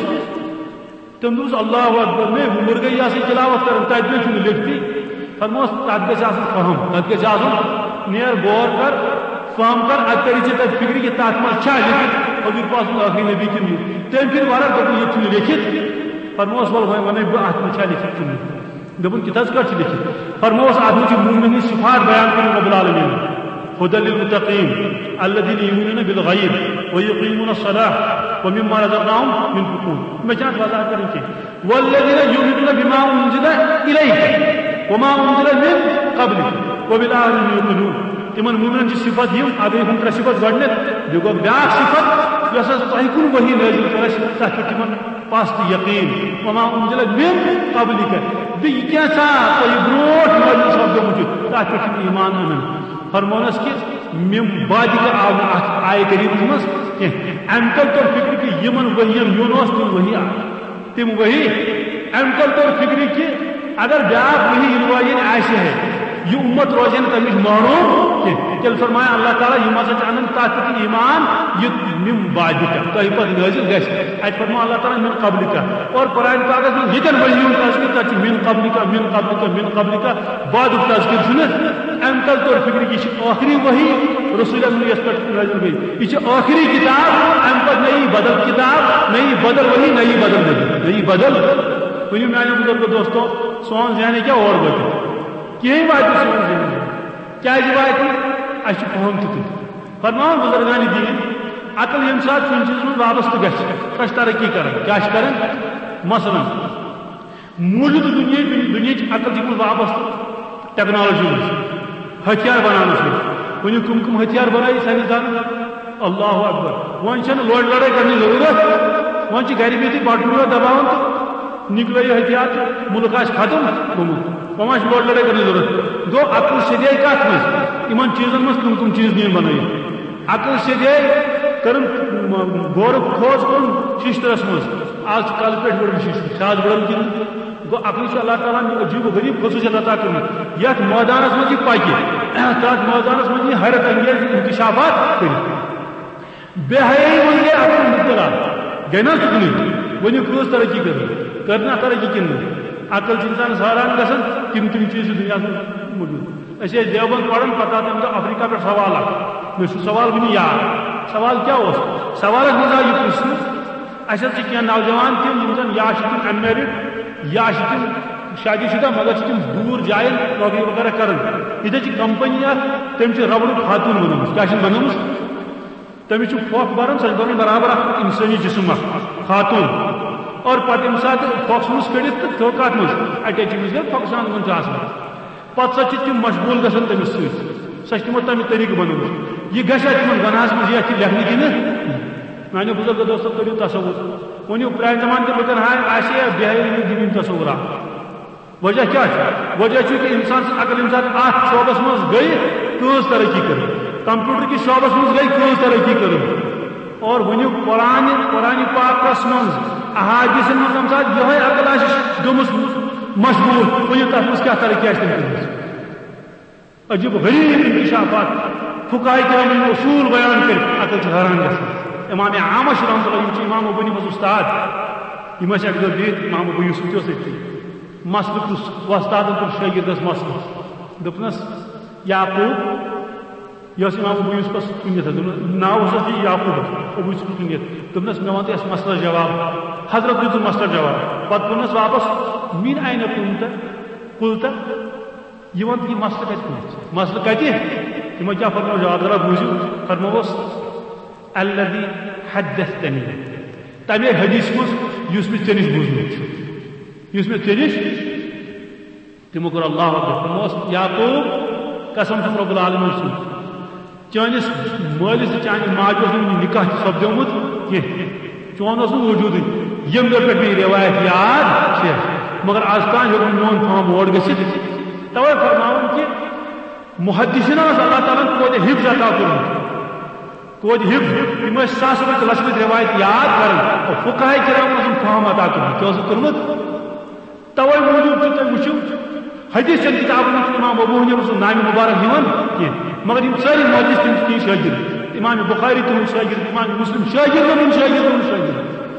تٔمۍ دوٚپُس، اللہ اکبر، مے وُمر گٔے یہِ ہسا یہِ تلاوت کران، تتہِ نَے چھُنہٕ لیکھتٕے۔ فرموس، تتھ گژھِ آسُن فہم، تتھ گژھِ آسُن، نیر غور کر، فہم کر، اتہِ تری ژےٚ تتہِ فکرِ کہِ تتھ منٛز چھا لیکھِتھ حضور پاک سُنٛد ٲخری نبی کِنہٕ یہِ۔ تٔمۍ پھِرِ ورق، دوٚپُن، یہِ چھُنہٕ لیکھِتھ۔ فرموس، ول وۄنۍ ونے بہٕ اتھ منٛز چھا لیکھِتھ کِنہٕ نہٕ۔ دوٚپُن، کِتھ حظ کٲٹھۍ چھِ لیکھِتھ؟ فرموس، اتھ منٛز چھِ مومنن ہٕنٛدۍ صفات بیان کٔرمٕتۍ رب العالمین۔ ھدی للمتقین الذین یؤمنون بالغیب ویقیمون الصلاۃ ومما رزقناہم ینفقون۔ مےٚ چھَنہٕ اَتھ وضاحت کَرٕنۍ کینٛہہ۔ والذین یؤمنون بما انزل الیک وما انزل من قبلک وبالآخرۃ ھم یوقنون۔ تِمن مومنن چھِ صفت یِم، اَتھ گٔے ہُم ترٛےٚ صفت گۄڈٕنٮ۪تھ، بیٚیہِ گوٚو بیٛاکھ صفت، یۄس حظ تۄہہِ کُن وحی نٲزِل کٔر اَسہِ، تَتھ پٮ۪ٹھ تِمن پَژھ تہٕ یقیٖن۔ وما انزل من قبلک، بیٚیہِ یہِ کینٛژھا تۄہہِ برونٛٹھ نٲزِل سپدیومُت چھُ، تَتھ پٮ۪ٹھ چھِ تِم ایمان اَنان۔ فرمونس کہِ من بعدک آو نہٕ اتھ آیہِ کریمس منٛز کینٛہہ۔ امہِ تل توٚر فکرِ کہِ یِمن ؤحین یُن اوس، تِم ؤحی آ-، تِم ؤحی۔ امہِ تل توٚر فکرِ کہِ اگر بیاکھ ؤحی یِنہٕ واجیٚنۍ آسہِ ہے، یہِ اُمت روزِ ہے نہٕ تمہِ نِش محروم کینٛہہ۔ تیٚلہِ فرمایہِ اللہ تعالیٰ، یِم ہسا چھِ انان تتھ پٮ۪ٹھ ایمان، یہِ من بعدک، تۄہہِ پتہٕ نٲزِل گژھِ۔ اتہِ فرموو اللہ تعالیٰ من قبلک۔ اور قرآن پاکس منٛز ییٚتٮ۪ن ؤحی ہُنٛد تذکرٕ، تتہِ چھُ من قبلک، من قبلک، من قبلک۔ بعدُک تذکرٕ چھُنہٕ۔ اَمہِ تل توٚر فِکرِ، یہِ چھِ ٲخری وحی رسول اکرم یَس پٮ۪ٹھ نٲزِل گٔے۔ یہِ چھِ ٲخری کِتاب، اَمہِ پتہٕ نہ یی بدل کِتاب، نہ یی بدل وحی، نہ یی بدل نبی، نہ یی بدل۔ ؤنِو میانیو بزرگو دوستو، سون ذہن ہیٚکیٛاہ اور وٲتِتھ؟ کِہیٖنۍ واتہِ نہٕ سون ذہن۔ کیٛازِ واتہِ؟ اَسہِ چھُ فہم تیُتُے۔ فرماوان بزرگان دین، عقل ییٚمہِ ساتہٕ کُنہِ چیٖزس منٛز وابستہٕ گژھِ، سۄ چھِ ترقی کران۔ کیٛاہ چھِ کران؟ مثلاً، موٗجوٗدٕ دُنیاہٕچ، دُنیاہٕچ عقل چھِ گٔمٕژ وابستہٕ ٹیکنالوجی منٛز، ہتھیار بناونس منٛز۔ وۄنۍ کٕم کٕم ہتھیار بنٲیِکھ ساینس دانن؟ اللہ اکبر۔ وۄنۍ چھنہٕ لڑٲے کرنٕچ ضروٗرت۔ وۄنۍ چھِ گرِ بِہتٕے بٹہٕ ٹُکڑا دباوان تہٕ نِکلٲیِو ہتھیار تہٕ مُلک آسہِ ختم گوٚمُت۔ وۄنۍ ما چھِ لوڈ لڑٲے کرنٕچ ضروٗرت؟ گوٚو عقل سیٚدے کتھ منٛز؟ یِمن چیٖزن منٛز کٕم کٕم چیٖز نِن بنٲیِتھ؟ عقل سیٚدے کٔرٕن غورُک کھوژ کوٚرُن ششترس منٛز۔ آز چھِ کلہٕ پٮ۪ٹھ وٕڑان ششتٕر، چھِ آز وٕڑان کِنہٕ؟ گوٚو عقلٕے چھُ اللہ تعالیٰ ہن عجیب و غریب خصوٗصیت عطا کٔرمٕژ۔ یتھ مٲدانس منٛز یہِ پکہِ، تتھ مٲدانس منٛز یہِ حیرت انگیز انکشافات کٔرِتھ۔ بے حیٲیی منٛز گٔے عقل مُبتلا، گٔے نہ تُکنُے؟ ؤنِو کۭژ ترقی کٔر؟ کٔر نہ ترقی کِنہٕ نہٕ؟ عقل چھِ اِنسانَس حٲران گژھان، تِم تِم چیٖز چھِ دُنیاہَس منٛز موٗجوٗد۔ أسۍ ٲسۍ دیوبند پران، پتہٕ آو تَمہِ دۄہ افریقہ پٮ۪ٹھ سوال اکھ۔ مےٚ چھُ سوال وُنہِ یاد۔ سوال کیٛاہ اوس؟ سوالَس منٛز آو یہِ پرٛژھنہٕ، اَسہِ حظ چھِ کینٛہہ نوجوان تِم، یِم زَن یا چھِ تِم unmarried، یا چھِ تِم شادی شُدہ، مگر چھِ تِم دوٗر جایَن نوکری وغیرہ کران۔ ییٚتہِ حظ چھِ کمپنی اکھ، تٔمۍ چھِ ربڑُک خاتوٗن بنٲومٕژ۔ کیٛاہ چھِ بنٲومٕژ؟ تٔمِس چھُ پھۄکھ بَران، سۄ چھِ بَران برابر اَکھ اِنسٲنی جِسم اَکھ، خاتوٗن۔ اور پَتہٕ ییٚمہِ ساتہٕ پھۄکھ ژھٕنُس کٔڑِتھ تہٕ تھوٚو کَتھ منٛز؟ اَٹیچی منٛز، ییٚلہِ پھۄکھ سان گُن چھُ آسان۔ پَتہٕ سۄ چھِ تِم مشغوٗل گژھان تٔمِس سۭتۍ۔ سۄ چھِ تِمو تَمہِ طریٖقہٕ بَنٲومٕژ۔ یہِ گژھِ اَتھ تِمَن گۄناہَس منٛز یہِ اَتھ یہِ لیکھنہٕ کِنہٕ؟ میٛانیو بُزرگو دوستو، کٔرِو تصوُر۔ وۄنۍ یِم پرٛانہِ زمانہٕ کہِ لُکَن ہاے آسہِ ہے بے حیٲیی ہُنٛد دِوِنۍ تصوُرا۔ وجہ کیٛاہ چھُ؟ وجہ چھُ کہِ اِنسان سٕنٛز عقل ییٚمہِ ساتہٕ اَتھ شعبَس منٛز گٔے، کۭژ ترقی کٔر؟ کمپیوٹر کِس شعبَس منٛز گٔے، کۭژ ترقی کٔر؟ اور وۄنۍ قرآن، قرآن پاکَس منٛز، احادیثن منٛز ییٚمہِ ساتہٕ یِہوٚے عقل آسہِ گٔمٕژ مشغوٗل، ؤنِو تَتھ منٛز کیٛاہ ترقی آسہِ تٔمۍ کٔرمٕژ؟ عجیب غریب انکشافات۔ فقہاء کرامن یِم اصوٗل بیان کٔرِتھ عقل چھِ حٲران گژھان۔ امام اعمش رحمۃ اللہ، یِم چھِ امام ابو حنیفس استاد، یِم ٲسۍ اکہِ دۄہ بِہِتھ، امام ابو یوسف تہِ اوس أتھی۔ مسلہٕ پرُژھ، وۄستادن پرُژھ شٲگِردس مسلہٕ۔ دوٚپنس، یعقوب، یہِ اوس امام ابو یوسفس کُنیت حظ، دوٚپنس، ناو اوس اَتھ یہِ یعقوب حظ، ابو یوسفس کُنیت۔ دوٚپنس، مےٚ وَن تہٕ یَتھ مسلس جواب۔ حضرت دیُت مسلس جواب۔ پتہٕ ووٚننس واپس، من این قلت؟ قلت؟ یہِ وَن تہٕ یہِ مسلہٕ کَتہِ کُنتھ؟ مسلہٕ کَتہِ؟ تِمو کیٛاہ فرموو؟ جواب، ذرا بوٗزِو۔ فرمووُس، الذی حدثتنی، تَمے حدیث منٛز یُس مےٚ ژےٚ نِش بوٗزمُت چھُ، یُس مےٚ ژےٚ نِش، تِمو کوٚر اللہ اکبر۔ فرمووُس، یعقوب، قسم چھُم رب العالمین سُنٛد، چٲنِس مٲلِس تہٕ چانہِ ماجہِ اوس نہٕ وُنہِ نکاح تہِ سپدیومُت کینٛہہ۔ چون اوس نہٕ وجوٗدٕے۔ ییٚمہِ دۄہ پٮ۪ٹھ مےٚ یہِ رِوایت یاد چھےٚ، مگر از تام ہیوٚک نہٕ میون فہم اور گٔژھِتھ۔ توے فرماوُن کہِ محدثینن اوس اللہ تعالیٰ ہن توتہِ حفظ عطا کوٚرمُت۔ توتہِ حفظ، یِم ٲسۍ ساسہٕ بٔدۍ لچھِ بٔدۍ رِوایت یاد کران۔ اور فقہاء کرامن اوسُن فہم عطا کوٚرمُت۔ کیٛاہ اوسُکھ کوٚرمُت؟ توے موٗجوٗب چھُ تُہۍ وٕچھِو، حدیث چٮ۪ن کِتابَن منٛز چھُنہٕ امام ابو حنیفہ سُنٛد ناوِ مُبارک یِوان کینٛہہ، مگر یِم سٲری محدث تِم چھِ تِہِنٛدۍ شٲگِرد، امام بخاری تِہُنٛد شٲگِرد، امام مسلم شٲگِرد، تِہُنٛد شٲگِرد، تِہُنٛد شٲگِرد۔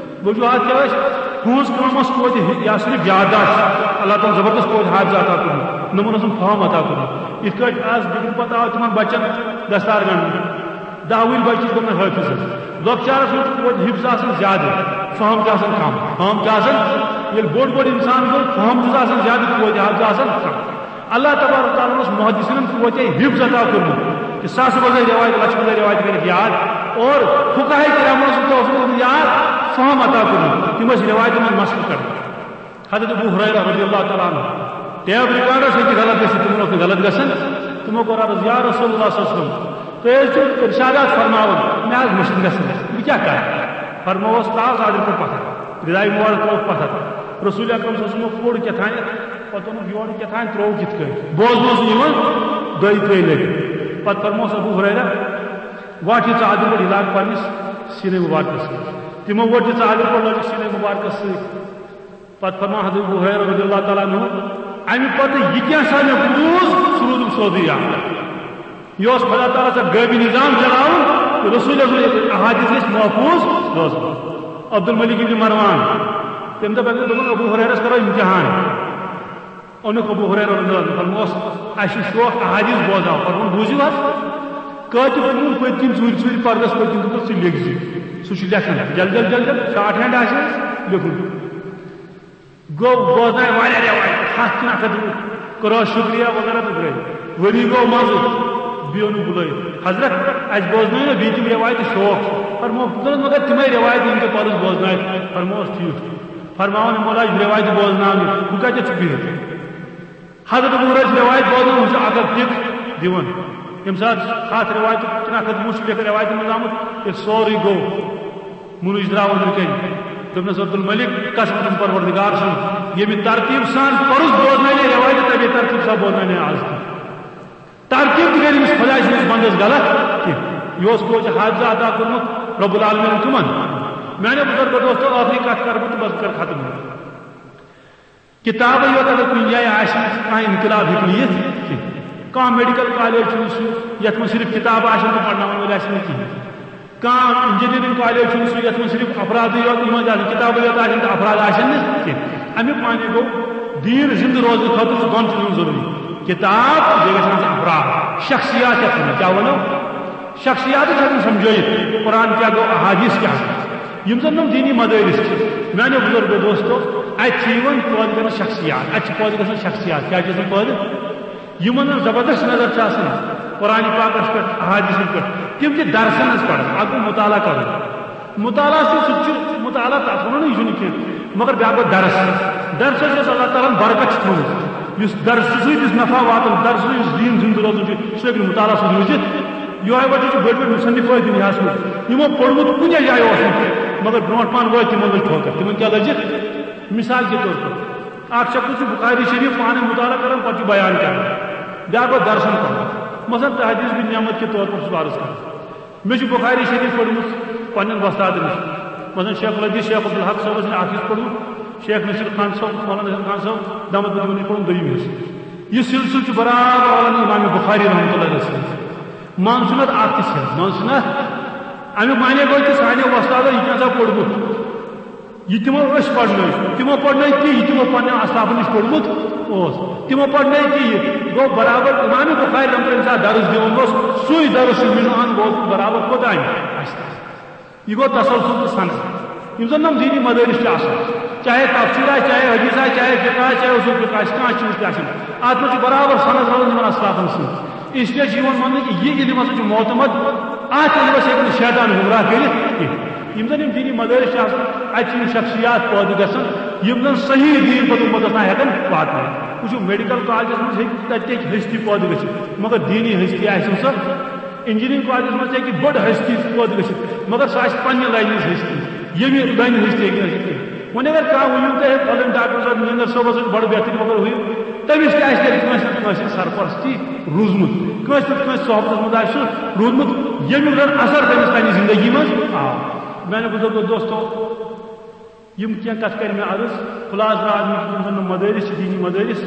وجوہات کیٛاہ ٲسۍ؟ تُہٕنٛز کٲم ٲس توتہِ یہِ ہسا یہِ یادداشت، اللہ تعالیٰ ہن زبردست توتہِ حافظ عطا کوٚرمُت، نوٚمَن اوسُن فہم عطا کوٚرمُت۔ یِتھ کٲٹھۍ آز بِگرِ پتہٕ آو تِمن بچن دستار گنٛڈنہٕ۔ دَہ وُہٕرۍ بچہِ چھِ گٔمٕتۍ حٲفظ حظ۔ لۄکچارس منٛز چھُ توتہِ حفظ آسان زیادٕ، فہم چھُ آسان کم۔ فہم چھُ آسان، ییٚلہِ بوٚڑ بوٚڑ انسان گوٚو، فہم چھُس آسان زیادٕ، توتہِ حظ چھُ آسان کم۔ اللہ تبارک تعالیٰ ہن اوس محدثینن توتہِ حفظ عطا کوٚرمُت کہ ساسہٕ بٔدۍ روایت، لچھِ بٔدۍ روایت کٔرِکھ یاد، اور فقہاء کرامن اوس توفیق یاد، فہم عطا کوٚرمُت۔ تِم ٲسۍ روایتن منٛز مسلہٕ کران۔ حضرت ابو ہریرہ رضی اللہ تعالیٰ عنہ، ٹیپ ریکارڈس ہیٚکہِ غلط گٔژھِتھ، تِمن اوس نہٕ غلط گژھان۔ تِمو کوٚر عرض، یا رسول اللہ صلی اللہ علیہ وسلم، تُہۍ ٲسۍ زیو ارشادات فرماوان، مےٚ حظ مٔشِتھ گژھان، بہٕ کیٛاہ کرٕ؟ فرمووس، ترٛاو ژادرِ پٮ۪ٹھ پتھر، رداے مبارک ترٛووُکھ پتھر۔ رسول اکرم صلی اللہ علیہ وسلمو کوٚڑ کیٛاہ تام، پتہٕ اوٚنُکھ یورٕ کیٛاہ تام، ترٛووُکھ یِتھ کٔنۍ، بوزنہٕ اوس نہٕ یِوان دۄیہِ ترٛیٚیہِ لٹہِ۔ پتہٕ فرمووس ابو ہریرہ، وۄٹھ یہِ ژادرِ پٮ۪ٹھ، یہِ لاگ پننِس سینے مبارکس سۭتۍ۔ تِمو وۄٹھ یہِ ژادرِ پٮ۪ٹھ، لٲج یہِ سینے مبارکس سۭتۍ۔ پتہٕ فرموو حضرت ابو ہریرہ رضی اللہ تعالیٰ عنہ، امہِ پتہٕ یہِ کینٛہہ سا مےٚ بوٗز، سُہ روٗدُم سعودی یاد۔ یہِ اوس خدا تعالیٰ سا غٲبی نظام چلاوُن، تہٕ رسول اللہ سٕنٛدۍ احادیث گژھِ محفوظ روزُن۔ عبدالملک ابن مروان، تٔمۍ دوٚپ، اگر دوٚپُن، ابو ہریرس کرو امتحان۔ اوٚنُکھ ابو ہریرہ رضی اللہ عنہ، فرموس، اسہِ چھُ شوق احادیث بوزناو، فرمووُن، بوٗزِو حظ، کٲتِب چھُ پٔتۍ کِنۍ ژوٗرِ ژوٗرِ پردس پٔتۍ کِنۍ دوٚپُس، ژٕ لیکھ زِ، سُہ چھُ لیکھان، جل جل جل جل، شارٹ ہینڈ آسہِ حظ لیکھُن۔ گوٚو بوزنایہِ واریاہ رٮ۪وایت، ہتھ کِنہٕ اکھ ہتھ، کوٚرہس شُکریہ وغیرہ تہٕ درٛٲے۔ ؤری گوٚو منٛزٕ، بیوٚن بُلٲوِتھ، حضرت، اسہِ بوزنٲیِو نا بیٚیہِ تِم رٮ۪وایتہٕ شوق۔ فرموو، دوٚپنس، مگر تِمے رٮ۪وایتہٕ یِم تۄہہِ پرُس بوزنایہِ۔ فرمووس، ٹھیٖک چھُ۔ فرماوان، یہِ مولا، یہِ چھِ رٮ۪وایتہٕ بوزناونہِ، بہٕ کتٮ۪تھ چھُ بِہِتھ؟ حضرت ابو ہریرہ چھِ رٮ۪وایت بوزناوان، ہُہ چھُ اکھ اکھ ٹِک دِوان۔ ییٚمہِ ساتہٕ ہتھ رٮ۪وایتہٕ کِنہٕ اکھ ہتھ وُہ چھُ لیکھان رٮ۪وایتن منٛز آمُت، ییٚلہِ سورُے گوٚو، مُنٕچ درٛاو أنٛدرٕ کَنہِ۔ دوٚپنَس، "عبدالملک، قسم چھُم پروردگار سُنٛد، ییٚمہِ ترتیٖب سان پوٚرُس بوزناونے رٮ۪وایتہٕ، تَمے ترتیٖب سان بوزناونے آز تہِ۔" ترتیٖب تہِ کَرِ أمِس خۄداے سٕنٛدِس بنٛدَس غلط کینٛہہ۔ یہِ اوس توتہِ حافظہ عطا کوٚرمُت رب العالمیٖنَن کٕمَن؟ میٛانیو بُزرگو دوستو، ٲخری کَتھ کَرٕ بہٕ تہٕ بَس کَرٕ ختم۔ کِتابٕے یوت اگر کُنہِ جایہِ آسہِ نہٕ، کانٛہہ انقلاب ہیٚکہِ نہٕ یِتھ کینٛہہ۔ کانٛہہ میڈیکل کالج چھُنہٕ سُہ یَتھ منٛز صرف کِتابہٕ آسن تہٕ پَرناوَن وٲلۍ آسن نہٕ کِہیٖنۍ۔ کانٛہہ انجینئرنگ کالج چھُنہٕ سُہ یَتھ منٛز صرف افرادٕے یوت، یِم ٲسۍ آسان، کِتابٕے یوت آسن تہٕ افراد آسن نہٕ کینٛہہ۔ اَمیُک معنی گوٚو، دیٖن زِندٕ روزنہٕ خٲطرٕ چھُ دۄن چیٖزن ضروٗری، کِتاب تہٕ بیٚیہِ گژھِ آسٕنۍ افراد، شخصیات یَتھ وَنو۔ کیٛاہ وَنو؟ شخصیات چھِ ہٮ۪کان سمجھٲیِتھ، قرآن کیٛاہ گوٚو، احادیث کیٛاہ گوٚو۔ یِم زَن یِم دیٖنی مدٲرِس چھِ، میٛانیو بُزرگو دوستو، اَتہِ چھِ یِوان پٲدٕ کرنہٕ شخصیات، اَتہِ چھِ پٲدٕ گژھان شخصیات۔ کیٛاہ چھِ گژھان پٲدٕ؟ یِمن زبردست نظر چھِ آسان قرآن پاکس پٮ۪ٹھ، احادیثن پٮ۪ٹھ، تِم چھِ درسن ہٕنٛز پران، اکھ گوٚو مطالعہ کرُن۔ مطالعہ چھُ، سُہ تہِ چھُ مطالعہ، تتھ ونو نہٕ یہِ چھُنہٕ کینٛہہ، مگر بیٛاکھ گوٚو درس۔ درسس یۄس اللہ تعالیٰ ہن برکت چھِ تھٲومٕژ، یُس درسہٕ سۭتۍ یُس نفع واتان، درسہٕ سۭتۍ یُس دیٖن زِندٕ روزان چھُ، سُہ ہیٚکہِ نہٕ مطالعہ سۭتۍ روٗزِتھ۔ یِہوے وجہ چھُ بٔڑۍ بٔڑۍ مصنف ٲسۍ دُنیاہس منٛز، یِمو پوٚرمُت کُنے جایہِ اوس نہٕ کینٛہہ، مگر برونٛٹھ پہن وٲتۍ تِمن لٔج ٹھوکر۔ تِمن کیٛاہ لٔجِکھ؟ مثال کے طور پر، اکھ شخص چھُ بخاری شریف پانے مطالعہ کران، پتہٕ چھُ بیان کران، بیٛاکھ گوٚو درسن پران۔ مثلاً تحدیث بن نعمت کے طور پر چھُس بہٕ عرض کران، مےٚ چھُ بخاری شریف پٔرمٕژ پننٮ۪ن وۄستادن نِش، مثلاً شیخ الحدیث شیخ عبدالحق صٲبس نِش اکھ حصہٕ پوٚرمُت، شیخ نصیر خان صٲب، مولانا نصیر خان صٲب، دامت برکاتہم العالیٰ، پوٚرُم دوٚیِم حصہٕ۔ یہِ سلسلہٕ چھُ برابر مولانا امام بخاری رحمۃ اللہ علیہ سۭتۍ۔ منٛز چھُنہٕ اتھ اکھ تہِ صحت، منٛز چھُنہٕ اتھ۔ امیُک معنی گوٚو کہِ سانیو وۄستادو یہِ کیٛاہ سا پوٚرمُت۔ یہِ تِمو أسۍ پرنٲوۍ، تِمو پرنٲوۍ تی، یہِ تِمو پننٮ۪ن اصحابن نِش پوٚرمُت اوس۔ تِمو پرنٲوۍ تی، یہِ گوٚو برابر امام بخاری رحمۃ اللہ ساتھ درس دِوان اوس، سُے درس چھُ مِنہٕ عن بوزُن برابر کوٚت آمہِ اَسہِ تام۔ یہِ گوٚو تسلسل تہٕ سند۔ یِم زن یِم دیٖنی مدٲرس چھِ آسان، چاہے تفسیر آسہِ، چاہے حدیث آسہِ، چاہے فقہ آسہِ، چاہے اصول فقہ آسہِ، کانٛہہ چیٖز تہِ آسہِ، اتھ منٛز چھُ برابر سند روزان یِمن اصحابن سۭتۍ۔ اس لیے چھُ یِوان وننہٕ کہِ یہِ علم ہسا چھُ معتمد، اتھ علمس ہیٚکہِ نہٕ شیطان گمراہ کٔرِتھ کینٛہہ۔ یِم زن یِم دیٖنی مدٲرس چھِ آسان، اتہِ چھِ یِم شخصیات پٲدٕ گژھان، یِم زن صحیح دیٖن پتہٕ امتس تام ہیٚکن واتنٲوِتھ۔ وٕچھِو، میڈیکل کالجس منٛز ہیٚکہِ تتہِ تہِ ہیٚکہِ ہستی پٲدٕ گٔژھِتھ، مگر دیٖنی ہستی آسہِ نہٕ سۄ۔ انجینئرنگ کالجس منٛز تہِ ہیٚکہِ بٔڑ ہستی پٲدٕ گٔژھِتھ، مگر سۄ آسہِ پننہِ لاینہِ ہٕنٛز ہستی، ییٚمہِ لاینہِ ہٕنٛز تہِ ہیٚکہِ نہٕ ٲسِتھ کینٛہہ۔ وۄنۍ اگر کانٛہہ ؤنِو تۄہہِ، ہے، فلٲنۍ ڈاکٹر صٲب، مینجر صٲبس سۭتۍ بڑٕ بہتریٖن، مگر ہُہ، تٔمِس تہِ آسہِ تیٚلہِ کٲنٛسہِ نتہٕ کٲنٛسہِ سرپرستی روٗزمُت، کٲنٛسہِ نتہٕ کٲنٛسہِ صحبتس منٛز آسہِ سُہ روٗدمُت، ییٚمیُک زن اثر تٔمِس پننہِ زندگی منٛز آو۔ میانہِ بزرگو دوستو، یِم کینٛہہ کتھ کرِ مےٚ عرض، خلاصہٕ درٛاو اَمیُک یِم زن مدٲرس چھِ، دیٖنی مدٲرس،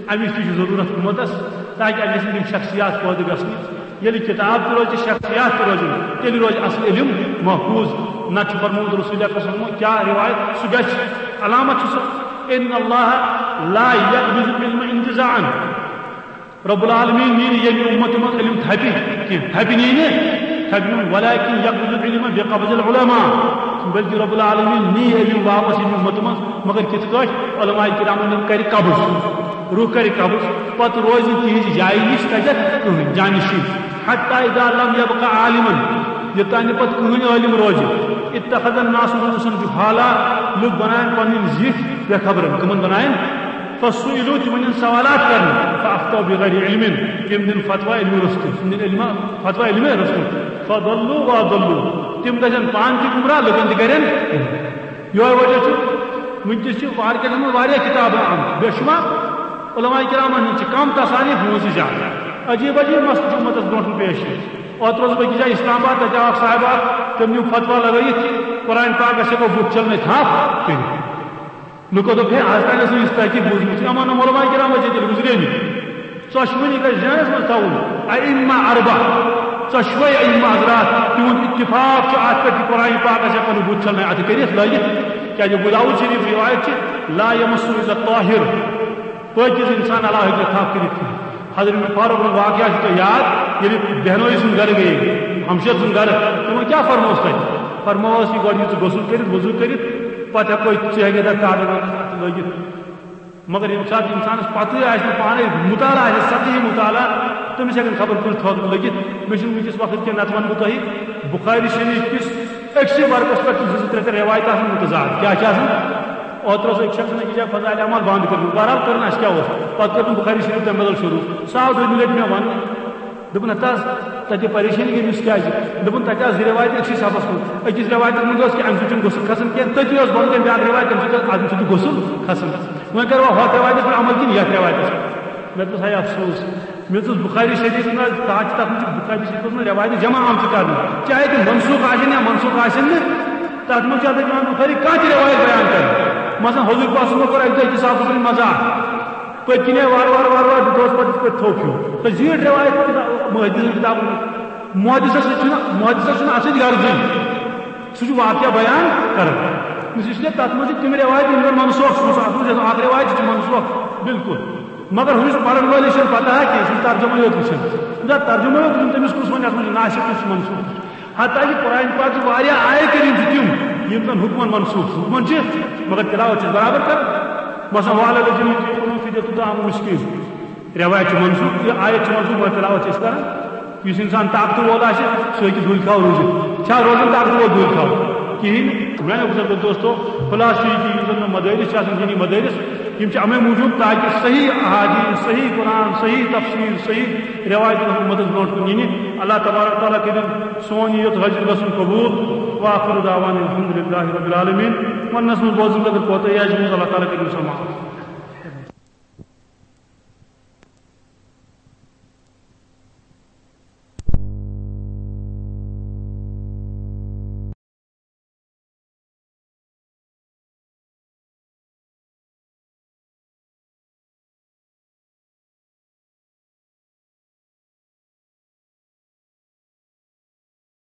اَمِچ تہِ چھِ ضروٗرت اُمتس، تاکہِ اَتہِ گژھن تِم شخصیات پٲدٕ گژھنہِ۔ ییٚلہِ کِتاب تہِ روزِ، شخصیات تہِ روزن، تیٚلہِ روزِ اصل علم محفوظ۔ نتہٕ چھُ فرمومُت رسول اکرم صلی اللہ علیہ وسلمو کیٛاہ روایت، سُہ گژھِ، علامت چھُ سُہ، ان اللہ لا یقبض العلم انتزاعا۔ رب العالمین نی نہٕ ییٚمہِ اُمتہٕ منٛز علم تھپہِ کینٛہہ، تھپہِ نی نہٕ، تھپہِ نی نہٕ، ولکن یقبض العلم بقبض العلماء، بلکہ رب العالمین نی علم واپس ییٚمہِ اُمتہٕ منٛز، مگر کِتھ کٲٹھۍ؟ علماء کرامن کرِ قبض، روح کرِ قبض، پتہٕ روزِ نہٕ تِہنٛزِ جایہِ نِش تتٮ۪تھ کٕہٕنۍ جانشین، حتی اذا لم یبق عالما، یوٚتام نہٕ پتہٕ کٕہٕنۍ عٲلم روزِ، اتخذ الناس رؤوسا جہالا، لُکھ بناون پنٕنۍ زِٹھۍ بے خبرن، کٕمن بناون؟ فسئلوا، تِمن یِن سوالات کرنہٕ، فافتوا بغیر علم، تِم دِن فتوا علمہٕ روٚستُے، تِم دِن علمہ، فتوا علمہٕ روٚستُے، فضلوا واضلوا، تِم گژھن پانہٕ تہِ گمراہ، لُکن تہِ کرن۔ یہے وجہ چھُ، وٕنکیٚس چھِ مارکیٹس منٛز واریاہ کِتابہٕ آمژٕ، بے شمار علماء کرامن ہٕنٛز چھِ کم تصانیف، ہٕنٛز چھِ زیادٕ۔ عجیب عجیب مسلہٕ چھِ اُمتس برونٛٹھ کُن پیش یِوان۔ اوترٕ اوسُس بہٕ أکِس جایہِ اسلام آباد، تتہِ آو اکھ صاحب اکھ، تٔمۍ نیوٗ فتوا لگٲیِتھ کہِ قرآن پاکس ہٮ۪کو بُتھ چھلنٲوِتھ، تھپھ کٔرِتھ۔ لُکو دوٚپ، ہے، از تام ٲس نہٕ یِژھ تحقیق بوٗزمٕژ۔ اَما نہٕ علماء کرام ٲسۍ ییٚتہِ گُزرے نہٕ۔ ژۄشوٕنی گژھِ ذہنس منٛز تھاوُن، ائمہ اربع، ژۄشوے ائمہ حضرات، تِہُنٛد اتفاق چھُ اتھ پٮ۪ٹھ کہِ قرآن پاکس ہٮ۪کو نہٕ بُتھ چھلنٲوِتھ، اتھٕ کٔرِتھ لٲگِتھ۔ کیازِ ابو داؤد شریف روایت چھِ، لا یمسہ الا الطاہر، پٲکیز انسان علاوٕ ہیٚکہِ نہٕ تھپھ کٔرِتھ کِہیٖنۍ۔ حضرت عمر فاروق سُنٛد واقعہ چھُ تۄہہِ یاد، ییٚلہِ بہنوئی سُنٛد گرٕ گٔیے، ہمشیر سُنٛد گرٕ، تِمن کیٛاہ فرمووُس تۄہہِ؟ فرمووُس یہِ گۄڈٕ یہِ ژٕ غسل کٔرِتھ، وضو کٔرِتھ، پتہٕ ہٮ۪کو ژٕ ہیٚکہِ تتھ کاغذ واغذ اتھ لٲگِتھ۔ مگر ییٚمہِ ساتہٕ انسانس پتہٕ آسہِ نہٕ پانے مطالعہ آسہِ، سطحی مطالعہ، تٔمِس ہیٚکن خبر کۭژ تھۄکھ لٔگِتھ۔ مےٚ چھُنہٕ وٕنکیٚس وقت کینٛہہ، نتہٕ ونہٕ بہٕ تۄہہِ بخاری شریف کِس أکسٕے ورقس پٮ۪ٹھ چھِ زٕ زٕ ترٛےٚ ترٛےٚ روایتہٕ آسان متضاد۔ کیٛاہ چھِ آسان؟ اوترٕ اوس أکۍ شخصن أکِس جایہِ فضائل اعمال بنٛد کٔرمٕژ۔ بہرحال کٔر نہٕ اَسہِ کیٛاہ اوس۔ پتہٕ کٔر تٔمۍ بخاری شریف تَمہِ بدل شروٗع۔ سُہ آو دوٚیمہِ لٹہِ مےٚ وننہٕ۔ دوٚپُن، ہتا حظ، تتہِ پریشٲنی گٔے، أمِس کیازِ؟ دوٚپُن، تتہِ آسہٕ زٕ رٮ۪وایتہٕ أکسٕے صفس منٛز۔ أکِس رٮ۪وایتس منٛز ٲس کہِ امہِ سۭتۍ چھُنہٕ غسل کھسان کینٛہہ، تٔتی ٲس بۄنہٕ کَنہِ بیٛاکھ رٮ۪وایت، امہِ سۭتۍ ٲس، امہِ سۭتۍ چھُ غسل کھسان۔ وۄنۍ کروا ہۄتھ رٮ۪وایتس پٮ۪ٹھ عمل کِنہٕ یتھ رٮ۪وایتس پٮ۪ٹھ؟ مےٚ دوٚپُس، ہے افسوس، مےٚ دوٚپُس، بخاری شریفس منٛز، تتھ چھِ، تتھ منٛز چھِ بخاری شریفس منٛز رٮ۪وایتہٕ جمع آمژٕ کرنہٕ، چاہے تِم منسوخ آسن یا منسوخ آسن نہٕ، تتھ منٛز چھُ حضرت امام بخاری کانٛہہ تہِ رٮ۪وایت بیان کران۔ مثلاً حضور پاک صٲبن کوٚر اکہِ دۄہ أکِس صحابس سۭتۍ مذاق، پٔتۍ کِنۍ آیہِ وارٕ وارٕ وارٕ وارٕ، دِتہوس پتہٕ یِتھ پٲٹھۍ تھوٚپ ہیوٗ۔ تہٕ زیٖٹھ رٮ۪وایت تہِ محدثن کِتابن منٛز۔ محدثس سۭتۍ چھُنہٕ، محدثس چھُنہٕ اتھ سۭتۍ غرضٕے۔ سُہ چھُ واقعہ بیان کران۔ اس لیے تتھ منٛز چھِ تِم رٮ۪وایت، یِم زن منسوخ چھِ، سُہ اکھ رٮ۪وایت چھِ منسوخ، بالکل۔ مگر ہُمِس پرن وٲلِس چھَنہٕ پتہ کینٛہہ، سُہ چھُ ترجمے یوت وٕچھان۔ نہ، ترجمے یوت وٕچھُن، تٔمِس کُس وَنہِ اَتھ منٛز چھُ ناسخ، کُس چھُ منسوخ۔ حتیٰ کہِ قرآن پاک چھِ واریاہ آیہِ کریٖم چھِ تِم، یِم زَن حُکمَن منسوخ چھِ، حُکمَن چھِ، مگر تِلاوت چھِ برابر کران۔ مثلاً، وَعَلَى الَّذِينَ يُطِيقُونَهُ فِدْيَةٌ طَعَامُ مِسْكِينٍ۔ رٮ۪وایت چھِ منسوخ، یہِ آیت چھِ منسوخ، مگر تِلاوت چھِ أسۍ کران۔ یُس اِنسان طاقتہٕ وول آسہِ، سُہ ہیٚکہِ دُلۍ کھاو روٗزِتھ۔ چھا روزان طاقتہٕ وول دُلۍ کھاو؟ کِہیٖنۍ۔ میٛانیو بُزرگو دوستو، خلاصہٕ چھُ یہِ کہِ یِم زَن مےٚ مدٲرِس چھِ آسان، دینی مدٲرِس، یِم چھِ اَمے موٗجوٗب تاکہِ صحیح احادیث، صحیح قرآن، صحیح تفسیر، صحیح رٮ۪وایتَن ہُنٛد مدد برونٛٹھ کُن یِنہِ۔ اللہ تبارک تعالیٰ کٔرِن سون یہِ یوٚت حٲضِر گژھُن قبوٗل۔ وآخر دعوانا الحمد للہ رب العالمین۔ وَننَس منٛز بوزنَس اگر کوتاہی آسہِ گٔمٕژ، اللہ تعالیٰ کٔرِن سۄ معاف۔